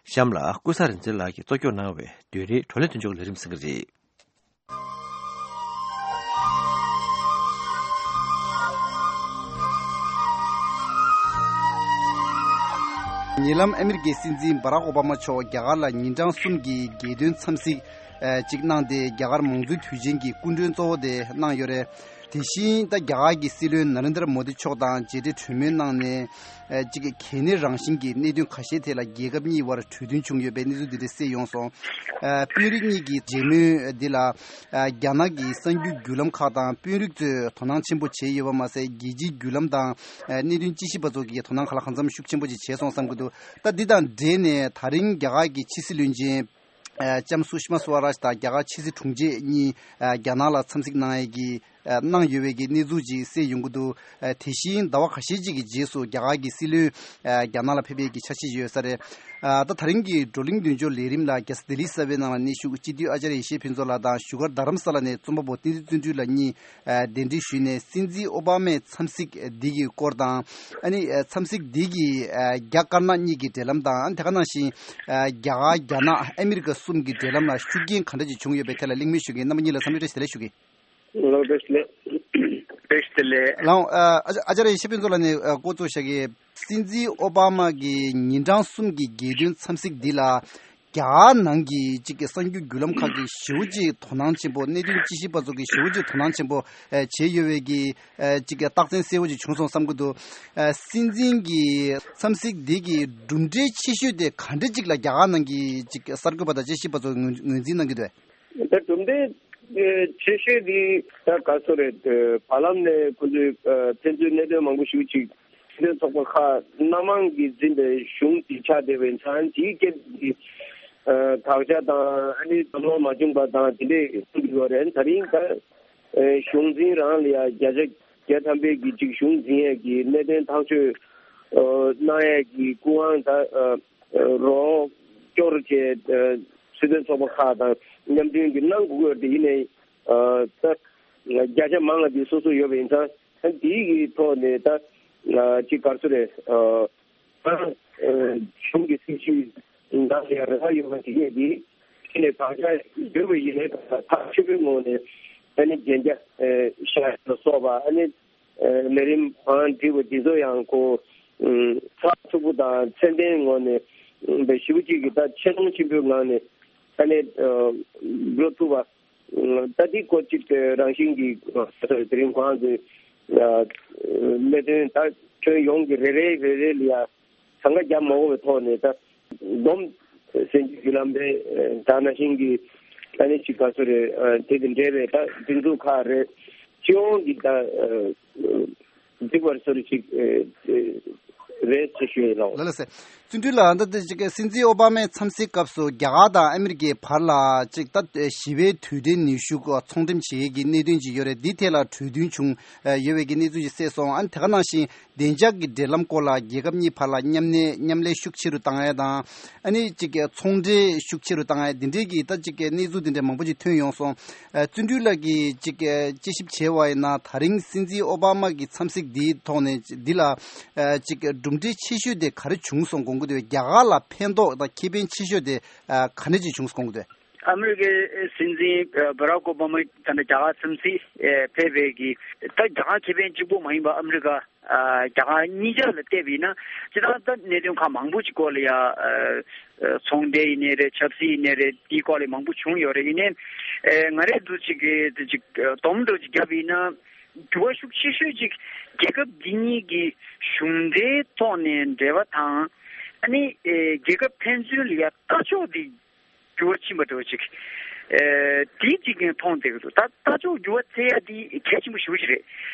གཤམ་ལ་ཀུན་བཟང་རིག་འཛིན་ལགས་ཀྱིས་གཙོ་སྐྱོང་གནང་བའི་བདུན་རེའི་བགྲོ་གླེང་མདུན་ཅོག་གི་ལས་རིམ་གསན་གྱི་རེད། ཉེ་ལམ་ཨ་མི་རི་ཀའི་སྲིད་འཛིན་བྷ་རག་ཨོ་བྷ་མ་མཆོག་རྒྱ་གར་ལ་ཉིན་གྲངས་གསུམ་གྱི་རྒྱལ་སྟོན་འཚམས་གཟིགས་ཅིག་གནང་སྟེ། རྒྱ་གར་མང་གཙོའི་དུས་ཆེན་གྱི་སྐུ་མགྲོན་གཙོ་བོ་དེ་གནང་ཡོད་རེད། དེ་བཞིན་ད་རྒྱ་གར་གྱི་སྲིད་བློན་ན་རེན་དྲ་མོ་དི་མཆོག་དང་མཇལ་འཕྲད་གྲོས་མོལ་གནང་ནས། ཨ་གཅིག་གལ་གནད་རང་བཞིན་གྱི་གནད་དོན་ཁ་ཤས་ཐད་ལ་རྒྱལ་ཁབ་གཉིས་དབར་གྲོས་མཐུན་བྱུང་ཡོད་པའི་གནས་ཚུལ་འདི་འདྲ་གསལ་ཡོང་སོང་། ཨ་དཔོན་རིགས་གཉིས་ཀྱི་མཇལ་མོལ་འདི་ལ། ཨ་རྒྱ་ནག་གི་གསར་འགྱུར་བརྒྱུད་ལམ་ཁག་དང་དཔོན་རིགས་ཚོས་དོ་སྣང་ཆེན་པོ་བྱས་ཡོད་པ་མ་ཟད། རྒྱལ་སྤྱིའི་བརྒྱུད་ལམ་དང་ཨ་གནད་དོན་དཔྱད་ཞིབ་པ་ཚོ་གིས་དོ་སྣང་གང་ལ་གང་འཚམ་ཤུགས་ཆེན་པོ་ཅིག་བྱས་སོང་བསམ་གྱི་འདུག་ད་འདི་དང་འབྲེལ་ནས་ད་རིང་རྒྱ་གར་གྱི་ཕྱི་སྲིད་བློན་ཆེན་ཨ་ལྕམ་སུ་ཤི་མ་སུ་ཝ་རཱཇ་དང་རྒྱ་གར་ཕྱི་སྲིད་དྲུང་ཆེ་གཉིས་ཨ་རྒྱ་ནག་ལ་འཚམས་གཟིགས་གནང་ཡས་ཀྱི་ གནང་ཡོད་པའི་གི་གནས་ཚུལ་ཅིག་གསལ་ཡོང་གི་འདུག་དེ་བཞིན་ཟླ་བ་ཁ་ཤས་ཅིག་གི་རྗེས་སུ་རྒྱ་གར་གྱི་སྲིད་བློན་རྒྱ་ནག་ལ་ཕེབས་པའི་གི་འཆར་གཞི་ཡོད་ས་རེད། ད་ད་རིང་གི་བགྲོ་གླེང་མདུན་སྐྱོར་ལས་རིམ་ལ་རྒྱལ་ས་ལྡི་ལི་གསར་པའི་ནང་ལ་གནས་བཞུགས་སྤྱི་འཐུས་ཨ་ཅར་ཡེ་ཤེས་ཕུན་ཚོགས་ལགས་དང་བཞུགས་སྒར་རྡ་རམ་ས་ལ་ནས་རྩོམ་པ་པོ་བསྟན་འཛིན་བརྩོན་འགྲུས་ལགས་གཉིས་གདན་འདྲེན་ཞུས་ནས་སྲིད་འཛིན་ཨོ་བྷ་མའི་འཚམས་གཟིགས་འདི་གི་སྐོར་དང་། ཨ་ནི་འཚམས་གཟིགས་འདི་གི་རྒྱ་དཀར་ནག་གཉིས་ཀྱི་འབྲེལ་ལམ་དང་། ཨ་ནི་དེ་ག་ནང་བཞིན་རྒྱ་གར་རྒྱ་ནག་ཨ་མི་རི་ཀ་གསུམ་གྱི་འབྲེལ་ལམ་ལ་ཤུགས་རྐྱེན་ག་འདྲ་ཅིག་བྱུང་ཡོད་པའི་ཐད་ལ་གླེང་མོལ་ཞུ་མཁན་རྣམ་པ་གཉིས་ལ་འཚམས་འདྲི་བཀྲ་ཤིས་བདེ་ལེགས་ཞུ་གི། ལགས་བཀྲ་ཤིས་བདེ་ལེགས། བཀྲ་ཤིས་བདེ་ལེགས། ལགས་ཨ་ཨ་ཅར་ཡེ་ཤེས་ཕུན་ཚོགས་ལགས་ནས་འགོ་བཙུགས་བཞག་གི། སྲིད་འཛིན་ཨོ་བྷ་མ་གི་ཉིན་གྲངས་གསུམ་གྱི་རྒྱལ་དོན་འཚམས་གཟིགས་འདི་ལ་རྒྱ་གར་ནང་གི་གཅིག་གི་གསར་འགྱུར་བརྒྱུད་ལམ་ཁག་གིས་ཞེ་པོ་ཅིག་དོ་སྣང་ཆེན་པོ། གནད་དོན་དཔྱད་ཞིབ་པ་ཚོ་གིས་ཞེ་པོ་ཅིག་དོ་སྣང་ཆེན་པོ་བྱས་ཡོད་པའི་གི་གཅིག་གི་རྟགས་མཚན་གསལ་པོ་ཅིག་བྱུང་སོང་བསམ་གྱི་འདུག་སྲིད་འཛིན་གྱི་འཚམས་གཟིགས་འདི་གི་གྲུབ་འབྲས་ཆེ་ཤོས་དེ་ག་འདྲ་ཅིག་ལ་རྒྱ་གར་ནང་གི་གཅིག་གསར་འགོད་པ་དང་དཔྱད་ཞིབ་པ་ཚོ་ངོས་ངོས་འཛིན་གནང་གི་འདུག་ད་གྲུབ་འབྲས་ཆེ་ཤོས་དེ་ད་ག་ཚོད་རེད། བར་ལམ་ནས་ཁོ་ཚོས་ཕན་ཚུན་གནད་དོན་མང་པོ་ཞིག་ཅིག་སྲིད་དོན་ཚོགས་པ་ཁག་སྣ་མང་གིས་འཛིན་པའི་གཞུང་དེ་ཆགས་བསྡད་པའི་ཚང་དེའི་སྐད་ཀྱི་དགག་བྱ་དང་ཨ་ནི་གདམ་ལོང་མ་བྱུང་པ་དང་དེ་འདྲས་གསུངས་ཀྱི་ཡོད་རེད། ད་རིང་ད་གཞུང་འཛིན་རང་ལ་ཡ་བརྒྱ་ཆ་བརྒྱ་ཐམ་པའི་གི་ཅིག་གཞུང་འཛིན་ཡས་ཀྱི་གནད་དོན་ཐག་གཅོད་གནང་ཡས་ཀྱི་སྐུ་དབང་ད་རོགས་སྐྱོར་བྱས། སྲིད་དོན་ཚོགས་པ་ཁག་དང་མཉམ་མཐུན་གྱིས་གནང་དགོས་ཀྱི་ཡོད་དེ་ཡིན་ནའི་ད་བརྒྱ་ཆ་མང་བ་དེ་སོ་སོ་ཡོད་པ་ཡིན་ཙང་ད་དེའི་གི་ཐོག་ནས་ད་ཅིག་ག་རེ་ཟེར་རེད། གཞུང་གི་སྲིད་བྱུས་ནང་ལ་ཡང་རེ་བ་ཡོད་པ་དེ་གས་དེ་ཁྱེད་ནས་བག་ཆགས་ཡོད་པ་ཡིན་ནའི་ཐག་ཆོད་པོའི་ངོས་ནས་ཨ་ནི་རྒྱན་ཆ་ཤ་ལ་སོགས་པ་ཨ་ནི། ལས་རིམ་བང་བསྒྲིགས་པ་འདི་ཚོ་ཡང་ཁོ་ཚགས་ཚུད་པོ་དང་ཚད་ལྡན་ངོས་ནས་བའི་ཞིབ་པོ་གཅིག་གིས་ད་ཆེ་མཐོང་ཆེན་པོའི་ངང་ནས་ད་ནས་འགྲོ་ཐུབ་པ། ད་འདི་སྐོར་གཅིག་རང་བཞིན་གྱི་དེ་རིང་ཁོང་ཚོས་གནད་དོན་ད་ཁྱོན་ཡོངས་ཀྱི་རེ་རེ་རེ་རེ་ལ་ཡ་གང་ག་རྒྱབ་མ་དགོས་པའི་ཐོག་ནས་ད་སྡོམ་སེམས་ཀྱི་བརྒྱུད་ལམ་རེད། ད་ནང་བཞིན་གྱི་ད་ནི་ཅིག་ག་ཚོད་རེད། དེ་དང་འབྲེལ་བའི་ད་སྒྲིག་འཛུགས་ཁག་རེད། སྤྱི་ཡོངས་ཀྱི་ད་འགྲིག་པར་སོར་ཅིག་རེད་ཅེས་ཞུ་ཡི་ལགས། ལགས་ལགས་སེ། བརྩོན་འགྲུས་ལགས། ད་ལྟ་ཅིག་སྲིད་འཛིན་ཨོ་བྷ་མའི་འཚམས་གཟིགས་སྐབས་སུ་རྒྱ་གར་དང་ཨ་མི་རི་ཀའི་བར་ལ་ཅིག་ད་ཞི་བའི་དུས་དྲན་ནུས་ཤུགས་ཚོང་འགྲེམས་བྱེད་ཡས་ཀྱི་གནད་དོན་ཅིག་ཡོད་རེད། འདི་ཐད་ལ་གྲོས་མཐུན་བྱུང་ཡོད་པའི་གི་གནས་ཚུལ་ཅིག་གསལ་སོང་། ཨ་ནི་དེ་ག་ནང་བཞིན་བདེ་འཇགས་ཀྱི་འབྲེལ་ལམ་སྐོར་ལ་རྒྱལ་ཁབ་གཉིས་བར་ལ་མཉམ་གནས་མཉམ་ལས་ཤུགས་ཆེ་རུ་བཏང་ཡ་དང་། ཨ་ནི་གཅིག་གི་ཚོང་འབྲེལ་ཤུགས་ཆེ་རུ་བཏང་ཡ་འདི་འདྲའི་གི་ད་གཅིག་གི་གནས་ཚུལ་འདི་འདྲ་མང་པོ་ཅིག་ཐོན་ཡོང་སོང་། ཨ་བརྩོན་འགྲུས་ལགས་ཀྱིས་གཅིག་གི་དཔྱད་ཞིབ་བྱས་པ་ཡིན་ན་ད་རིང་སྲིད་འཛིན་ཨོ་བྷ་མ་གི་འཚམས་གཟིགས་འདིའི་ཐོག་ནས་འདི་ལ་ཨ་གཅིག་གི་གྲུབ་འབྲས་ཆེ་ཤོས་དེ་ག་རེ་བྱུང་སོང་དགོངས་ཀྱི་འདུག་རྒྱ་གར་ལ་ཕན་ཐོགས་དང་ཁེ་ཕན་ཆེ་ཤོས་དེ་ཨ་ག་འདྲ་ཅིག་བྱུང་སོང་དགོངས་ཀྱི་འདུག་ཨ་མི་རི་ཀའི་སྲིད་འཛིན་ཨ་བྷ་རག་ཨོ་བྷ་མ་ད་ལྟ་རྒྱ་གར་འཚམས་གཟིགས་ཨ་ཕེབས་པའི་གི་ད་རྒྱ་གར་ཁེ་ཕན་གཅིག་པོ་མ་ཡིན་པ་ཨ་མི་རི་ཀ་ཨ་རྒྱ་གར་གཉིས་ཆ་ལ་བལྟས་པ་ཡིན་ན་སྤྱིར་བཏང་ད་གནད་དོན་ཁག་མང་པོ་ཅིག་སྐོར་ལ་ཡ་ཨ་ཚོང་འབྲེལ་ཡིན་ནའི་རེད། ཆབ་སྲིད་ཡིན་ནའི་རེད། དེའི་སྐོར་ལ་མང་པོ་བྱུང་ཡོད་རེད། ཡིན་ནའི་ཨ་ང་རང་ཚོ་ཅིག་གི་དེ་ཅིག་ཨ་སྡོམ་འདྲ་ཅིག་བརྒྱབ་པ་ཡིན་ན་འགྱུར་བ་ཤུགས་ཆེ་ཤོས་ཅིག་རྒྱལ་ཁབ་འདི་གཉིས་ཀྱི་གཞུང་འབྲེལ་ཐོག་ནས་འབྲེལ་བ་དང་ཨ་ནི་ཨ་རྒྱལ་ཁབ་ཕན་ཚུན་ལ་ཡ་ལྟ་ཕྱོགས་འདི་འགྱུར་བ་ཕྱིན་པ་འདྲ་བོ་ཅིག་ཨེ་དེའི་གཅིག་ཀྱང་མཐོང་བསྡད་ཀྱི་འདུག་ད་ལྟ་ཕྱོགས་འགྱུར་བ་ཐེབས་ཡ་དེ་གལ་ཆེན་པོ་ཞེ་པོ་ཅིག་རེད།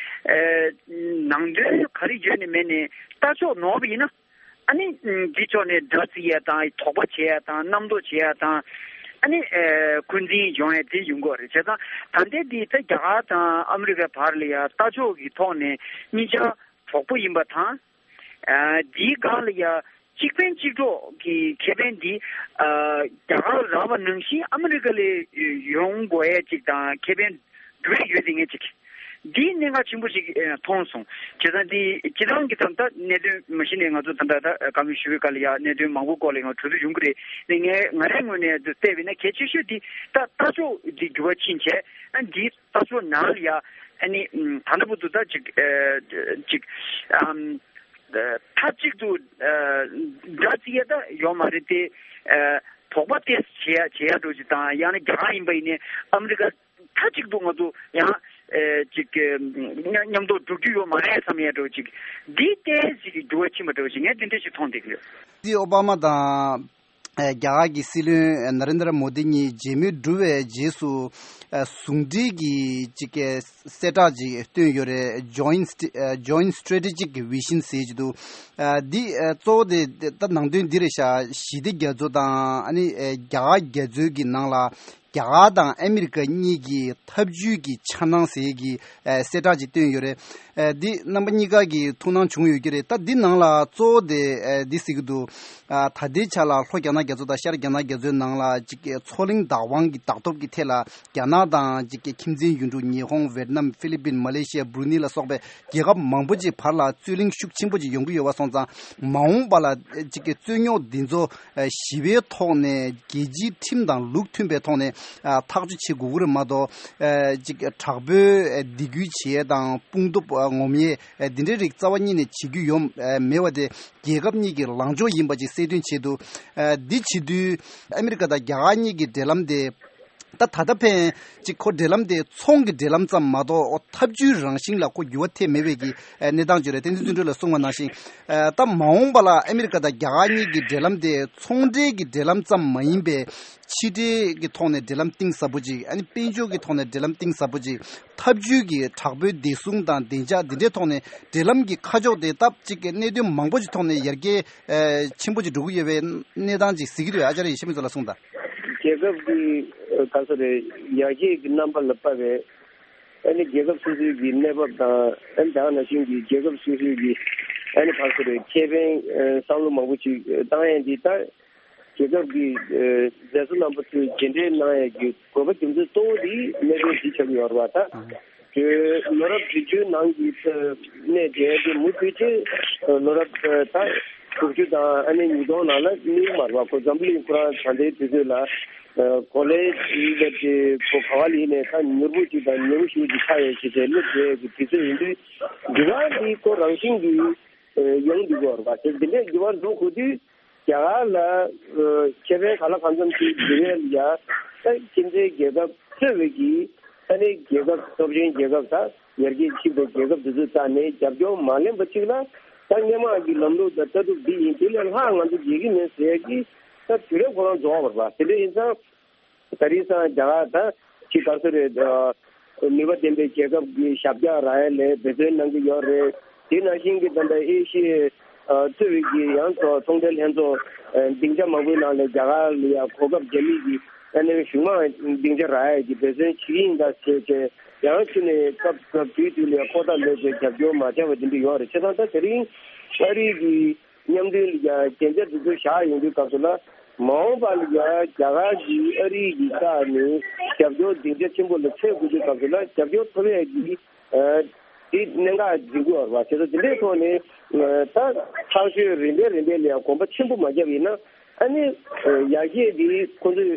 ཨེ་ནང་དོན་ག་རེ་ཡོད་ནས་མེད་ནས་ལྟ་ཕྱོགས་ནོར་བ་ཡིན་ན་ཨ་ནི་འདི་ཕྱོགས་ནས་དགྲ་བརྩི་ཡ་དང་དོགས་པ་བྱེད་ཡ་དང་རྣམ་རྟོག་བྱེད་ཡ་དང་ཨ་ནི་ཨེ་འཁོན་འཛིན་ཡོང་ཡ་དེ་ཡོང་གི་རེད། བྱས་ཙང་ད་ལྟའི་འདི་ད་རྒྱ་གར་དང་ཨ་མི་རི་ཀའི་བར་ལ་ཡ་ལྟ་ཕྱོགས་ཀྱི་ཐོག་ནས་གཉིས་ཆ་གྲོགས་པོ་ཡིན་པ་དང་། ཨ་འདིའི་སྒང་ལ་ཡ་གཅིག་ཕན་གཅིག་གྲོགས་ཀྱི་ཁེ་ཕན་འདི་ཨ་རྒྱ་གར་རག་པ་ནང་བཞིན་ཨ་མི་རི་ཀ་ལ་ཡོང་དགོས་ཡ་ཅིག་དང་ཁེ་ཕན་འགྲོ་ཡ་ཡོད་དེ་ངས་ཅིག་འདིའི་གནད་འགག་ཆེན་པོ་ཞིག་ཨ་མཐོང་སོང་། བྱས་ཙང་འདི་སྤྱིར་བཏང་གི་ད་ལྟ་གནད་དོན་མ་གཞི་ནས་ང་ཚོ་ད་ལྟ་ད་བཀའ་མོལ་ཞུ་བའི་སྐབས་ལ་ཡ་གནད་དོན་མང་པོ་སྐོར་ལ་ཡང་གྲོས་བསྡུར་ཡོང་གི་རེད། ནས་ངས་ང་རའི་ངོས་ནས་བལྟས་པ་ཡིན་ན་གལ་ཆེ་ཤོས་འདི་ད་ལྟ་ཕྱོགས་འདི་འགྱུར་བ་ཕྱིན་བྱས་ཨ་འདི་ལྟ་ཕྱོགས་ནང་ལ་ཡ་ཨ་ནི་ད་ལྟ་བར་དུ་ད་ཅིག་ཨ་ཅིག་ཨམ་མཐའ་གཅིག་ཏུ་ཨ་དགྲ་བརྩི་ཡ་ད་ཡོད་མ་རེད་དེ། ཨ་དོགས་པ་ཏོག་ཙམ་བྱེད་ཡ་བྱེད་ཡ་འགྲོ་ཅིག་དང་ཡང་ན་རྒྱ་གར་ཡིན་པ་ཡིན་ནའི་ཨ་མི་རི་ཀ་མཐའ་གཅིག་ཏུ་ང་ཚོ་ཡང་ཨ་ཅིག་མཉམ་དུ་འགྲོ་རྒྱུ་ཡོད་མ་རེད་བསམ་ཡ་འགྲོ་ཅིག་འདི་ཏོག་ཙམ་འགྱུར་བ་ཕྱིན་པ་འགྲོ་ཅིག་ངས་འདི་འདྲ་ཞིག་མཐོང་བསྡད་ཀྱི་ཡོད། སྲིད་ཨོ་བྷ་མ་དང་། ཨ་རྒྱ་གར་གྱི་སྲིད་བློན་ནཱ་རེན་དྲ་མོ་དི་གཉིས་མཇལ་མོལ་གྲུབ་པའི་རྗེས་སུ་ཨ་ཟུང་འབྲེལ་གྱི་ཅིག་གི་གསལ་བསྒྲགས་ཅིག་བཏོན་ཡོད་རེད། Joint St- ཨ་Joint Strategic Vision ཟེར་གྱི་འདུག་ཨ་འདི་ཨ་གཙོ་བོ་དེ་ད་ནང་དོན་འདི་རེད་ཤག་ཞི་བདེ་རྒྱ་མཚོ་དང་ཨ་ནི་ཨ་རྒྱ་གར་རྒྱ་མཚོའི་གི་ནང་ལ་ རྒྱ་གར་དང་ཨ་མི་རི་ཀ་གཉིས་ཀྱི་འཐབ་ཇུས་ཀྱི་འཆར་སྣང་ཟེར་གྱི་ཨ་གསལ་བསྒྲགས་ཅིག་བཏོན་ཡོད་རེད། ཨ་འདི་རྣམ་པ་གཉིས་ཀ་གི་ཐུགས་སྣང་བྱུང་ཡོད་ཀྱི་རེད། ད་འདི་ནང་ལ་གཙོ་བོ་དེ་ཨ་འདི་ཟེར་གྱི་འདུག་ཨ་ད་ལྟའི་ཆ་ལ་ལྷོ་རྒྱ་ནག་རྒྱ་མཚོ་དང་ཤར་རྒྱ་ནག་རྒྱ་མཚོའི་ནང་ལ་ཅིག་མཚོ་གླིང་བདག་དབང་གི་བདག་སྟོབས་ཀྱི་ཐད་ལ་རྒྱ་ནག་དང་ཅིག་ཁྱིམ་མཚེས་ཡུལ་གྲུ་ཉི་ཧོང་། ཝེ་ཏི་ནམ། ཧྥི་ལི་པིན། མ་ལེ་ཤི་ཡ། བྷུ་རུ་ནི་ལ་སོགས་པའི་རྒྱལ་ཁབ་མང་པོ་ཅིག་བར་ལ་རྩོད་གླེང་ཤུགས་ཆེན་པོ་ཅིག་ཡོང་གི་ཡོད་པ་སོང་ཙང་། མ་འོངས་པ་ལ་ཅིག་གི་རྩོད་རྙོག་འདི་ཚོ་ཞི་བའི་ཐོག་ནས་རྒྱལ་སྤྱིའི་ཁྲིམས་དང་ལུགས་མཐུན་པའི་ཐོག་ནས་ཐག་གཅོད་བྱེད་དགོས་ཀྱི་རེད་མ་གཏོགས། ཅིག་དྲག་པོའི་སྡིགས་སྐུལ་བྱེད་ཡས་དང་དཔུང་སྟོབས་ངོམ་ཡས་འདི་འདྲའི་རིགས་རྩ་བ་ཉིད་ནས་བྱེད་རྒྱུ་ཡོད་མེད་པ་དེ་རྒྱལ་ཁབ་གཉིས་ཀྱི་ལངས་ཕྱོགས་ཡིན་པ་ཅིག་གསལ་སྟོན་བྱས་འདུག་འདི་བྱེད་དུས་ཨ་མི་རི་ཀ་དང་རྒྱ་གར་གཉིས་ཀྱི་འབྲེལ་ལམ་དེ། ད་ད་ལྟ་ཕན་ཅིག་ཁོ་འབྲེལ་ལམ་དེ་ཚོང་གི་འབྲེལ་ལམ་ཙམ་མ་གཏོགས་འཐབ་ཇུས་རང་བཞིན་ལ་ཁོ་འགྱུར་བ་ཐེབས་མེད་པའི་གི་གནས་སྟངས་ཅིག་རེད། བསྟན་འཛིན་བརྩོན་འགྲུས་ལགས་གསུངས་པ་ནང་བཞིན། ད་མ་འོངས་པ་ལ་ཨ་མི་རི་ཀ་དང་རྒྱ་གར་གཉིས་ཀྱི་འབྲེལ་ལམ་དེ་ཚོང་འབྲེལ་གྱི་འབྲེལ་ལམ་ཙམ་མ་ཡིན་པའི་ཕྱི་འབྲེལ་གྱི་ཐོག་ནས་འབྲེལ་ལམ་གཏིང་ཟབ་པོ་ཅིག་ཨ་ནི་དཔལ་འབྱོར་གྱི་ཐོག་ནས་འབྲེལ་ལམ་གཏིང་ཟབ་པོ་ཅིག་འཐབ་ཇུས་ཀྱི་དྲག་པོའི་བདེ་སྲུང་དང་བདེ་འཇགས་འདི་འདྲའི་ཐོག་ནས་འབྲེལ་ལམ་གྱི་ཁ་ཕྱོགས་དེ་སྟབས་ཅིག་གི་གནད་དོན་མང་པོ་ཅིག་ཐོག་ནས་ཡར་རྒྱས་ཆེན་པོ་ཅིག་འགྲོ་གི་ཡོད་པའི་གནས་སྟངས་ཅིག་གཟིགས་ཀྱི་འདུག་ཨ་ཅར་ཡེ་ཤེས་མི་ཚོ་ལ་གསུངས་དང་། རྒྱལ་ཁབ་ཀྱི་ག་ཚོད་རེད། ཡར་རྒྱས་ཀྱི་རྣམ་པ་ལ་དཔག་པའི་ཨ་ནི་རྒྱལ་ཁབ་སོ་སོའི་གི་གནས་བབ་དང་ཨ་ནི་ད་ག་ནང་བཞིན་གྱི་རྒྱལ་ཁབ་སོ་སོའི་གི་ཨ་ནི་ག་ཚོད་རེད། ཁེ་ཕན་བསམ་བློ་མང་པོ་ཅིག་བཏང་ཡས་འདི་ལྟར། རྒྱལ་ཁབ་ཀྱི་མཛད་གཙོ་རྣམ་པ་ཚོས་མཇལ་འཕྲད་གནང་ཡས་ཀྱི་དགོས་པ་རྒྱུ་མཚན་གཙོ་བོ་དེ་གནད་དོན་འདི་ཆགས་ཀྱི་ཡོད་རེད་བ། ད་དེ་ལོ་རབས་བདུན་ཅུའི་ནང་གི་གནས་དེ་དེ་མུ་མཐུད་དེ་ལོ་རབས་ད་དྲུག་ཅུ་དང་ཨ་ནི་ཉིས་སྟོང་ནང་ལ་གནས་མ་རེད་བ། ཁོ་འཛམ་བུ་གླིང་ཁོ་རང་ད་ལྟའི་དུས་ཚོད་ལ་གོ་ལའི་སླེབས་ཏེ་ཁོ་ག་བ་ལ་ཡིན་ནའི་ད་མྱུར་པོ་ཅིག་དང་མྱུར་ཤོས་ཅིག་ཆགས་ཡོད་ཅེས་བྱས་སླེབས་བསྡད་ཀྱི་དུས་ཚོད་ཡིན་དུས་འདི་ག་འདི་ཁོ་རང་བཞིན་གྱིས་ཡོང་འདུག་གོ་རེད་བ། དེ་འདི་འདྲའི་འགྱུར་བ་འགྲོ་དགོས་དུས། རྒྱ་གར་ལ་ཁེ་ཕན་ག་ལ་གང་འཚམ་ཅིག་འབུལ་ཡས་ལ་ཡ། ད་ཁྱིམ་མཚེས་རྒྱལ་ཁབ་གཙོས་པའི་གི་ད་ནི་རྒྱལ་ཁབ་སྟོབས་ཆེན་རྒྱལ་ཁབ་དང་ཡར་རྒྱས་ཕྱིན་པའི་རྒྱལ་ཁབ་དེ་ཚོའི་རྩ་ནས་རྒྱབ་སྐྱོར་མ་ལེན་པ་ཅིག་ལ་ད་སྔོན་མ་གི་ལམ་ལུགས་དང་ལྟ་གྲུབ་འདི་ཡིན། དེ་ལས་ལྷག་ང་ཚོ་བྱེད་ཀྱི་མེད་ཟེར་ཡས་ཀྱི་ད་དུས་རབས་ཁོ་རང་རྫོགས་པ་རེད་པ། དེ་འདྲ་ཡིན་ཙང་། ད་རེས་སང་རྒྱ་གར་ད་ཅིག་ག་ཚོད་རེད། ནུས་པ་ལྡན་པའི་རྒྱལ་ཁབ་ཀྱི་ཞབས་བཀྱག་རག་ཡས་ལ་འབད་བརྩོན་གནང་གི་ཡོད་རེད། དེ་ནང་བཞིན་གྱི་ད་ལྟ་ཨེ་ཤི་ཡའི་གཙོས་པའི་གི་ཡང་ཚོ་ཚོང་འབྲེལ་ལྷན་ཚོགས་སྡིངས་ཆ་མང་པོའི་ནང་ལ་རྒྱ་གར་ལ་ཡང་གོ་སྐབས་རྒྱ་མི་གི་ཨ་ནི་གཞུང་མང་སྡིངས་ཆ་རག་ཡས་ཀྱི་འབད་བརྩོན་བྱེད་ཀྱི་ཡིན་ད་ཟེར་བྱས་ཡང་ཕྱི་ནས་སྐབས་སྐབས་དུས་དུས་ལ་ཁོ་ཐག་ལོས་པའི་རྒྱབ་སྐྱོར་མ་བྱས་པ་དེ་འདྲ་ཡོད་རེད། བྱས་ཙང་ད་དེ་རིང་ཨ་རི་གི་མཉམ་འབྲེལ་ལ་ཡ་གན་རྒྱ་དེ་ཚོ་བཞག་ཡོང་དུས་སྐབས་སུ་ལ་མ་འོངས་པ་ལ་ཡ་རྒྱ་གར་གྱིས་ཨ་རི་གི་རྩ་ནས་རྒྱབ་སྐྱོར་སྡིངས་ཆ་ཆེན་པོ་ལ་འཚོལ་དགོས་དུས་སྐབས་སུ་ལ་རྒྱབ་སྐྱོར་ཐོབ་ཡས་ཀྱི་དེ་གནད་འགག་འཛིན་དགོས་པ་རེད་བ། བྱས་ཙང་དེ་འདྲའི་ཐོག་ནས་ད་ཐག་གཅོད་རིམ་པས་རིམ་པས་ལ་ཡ་གོམ་པ་ཆེན་པོ་མ་བརྒྱབ་ཡིན་ན་ཨ་ནི་ཡར་རྒྱས་འདི་ཁོང་ཚོས་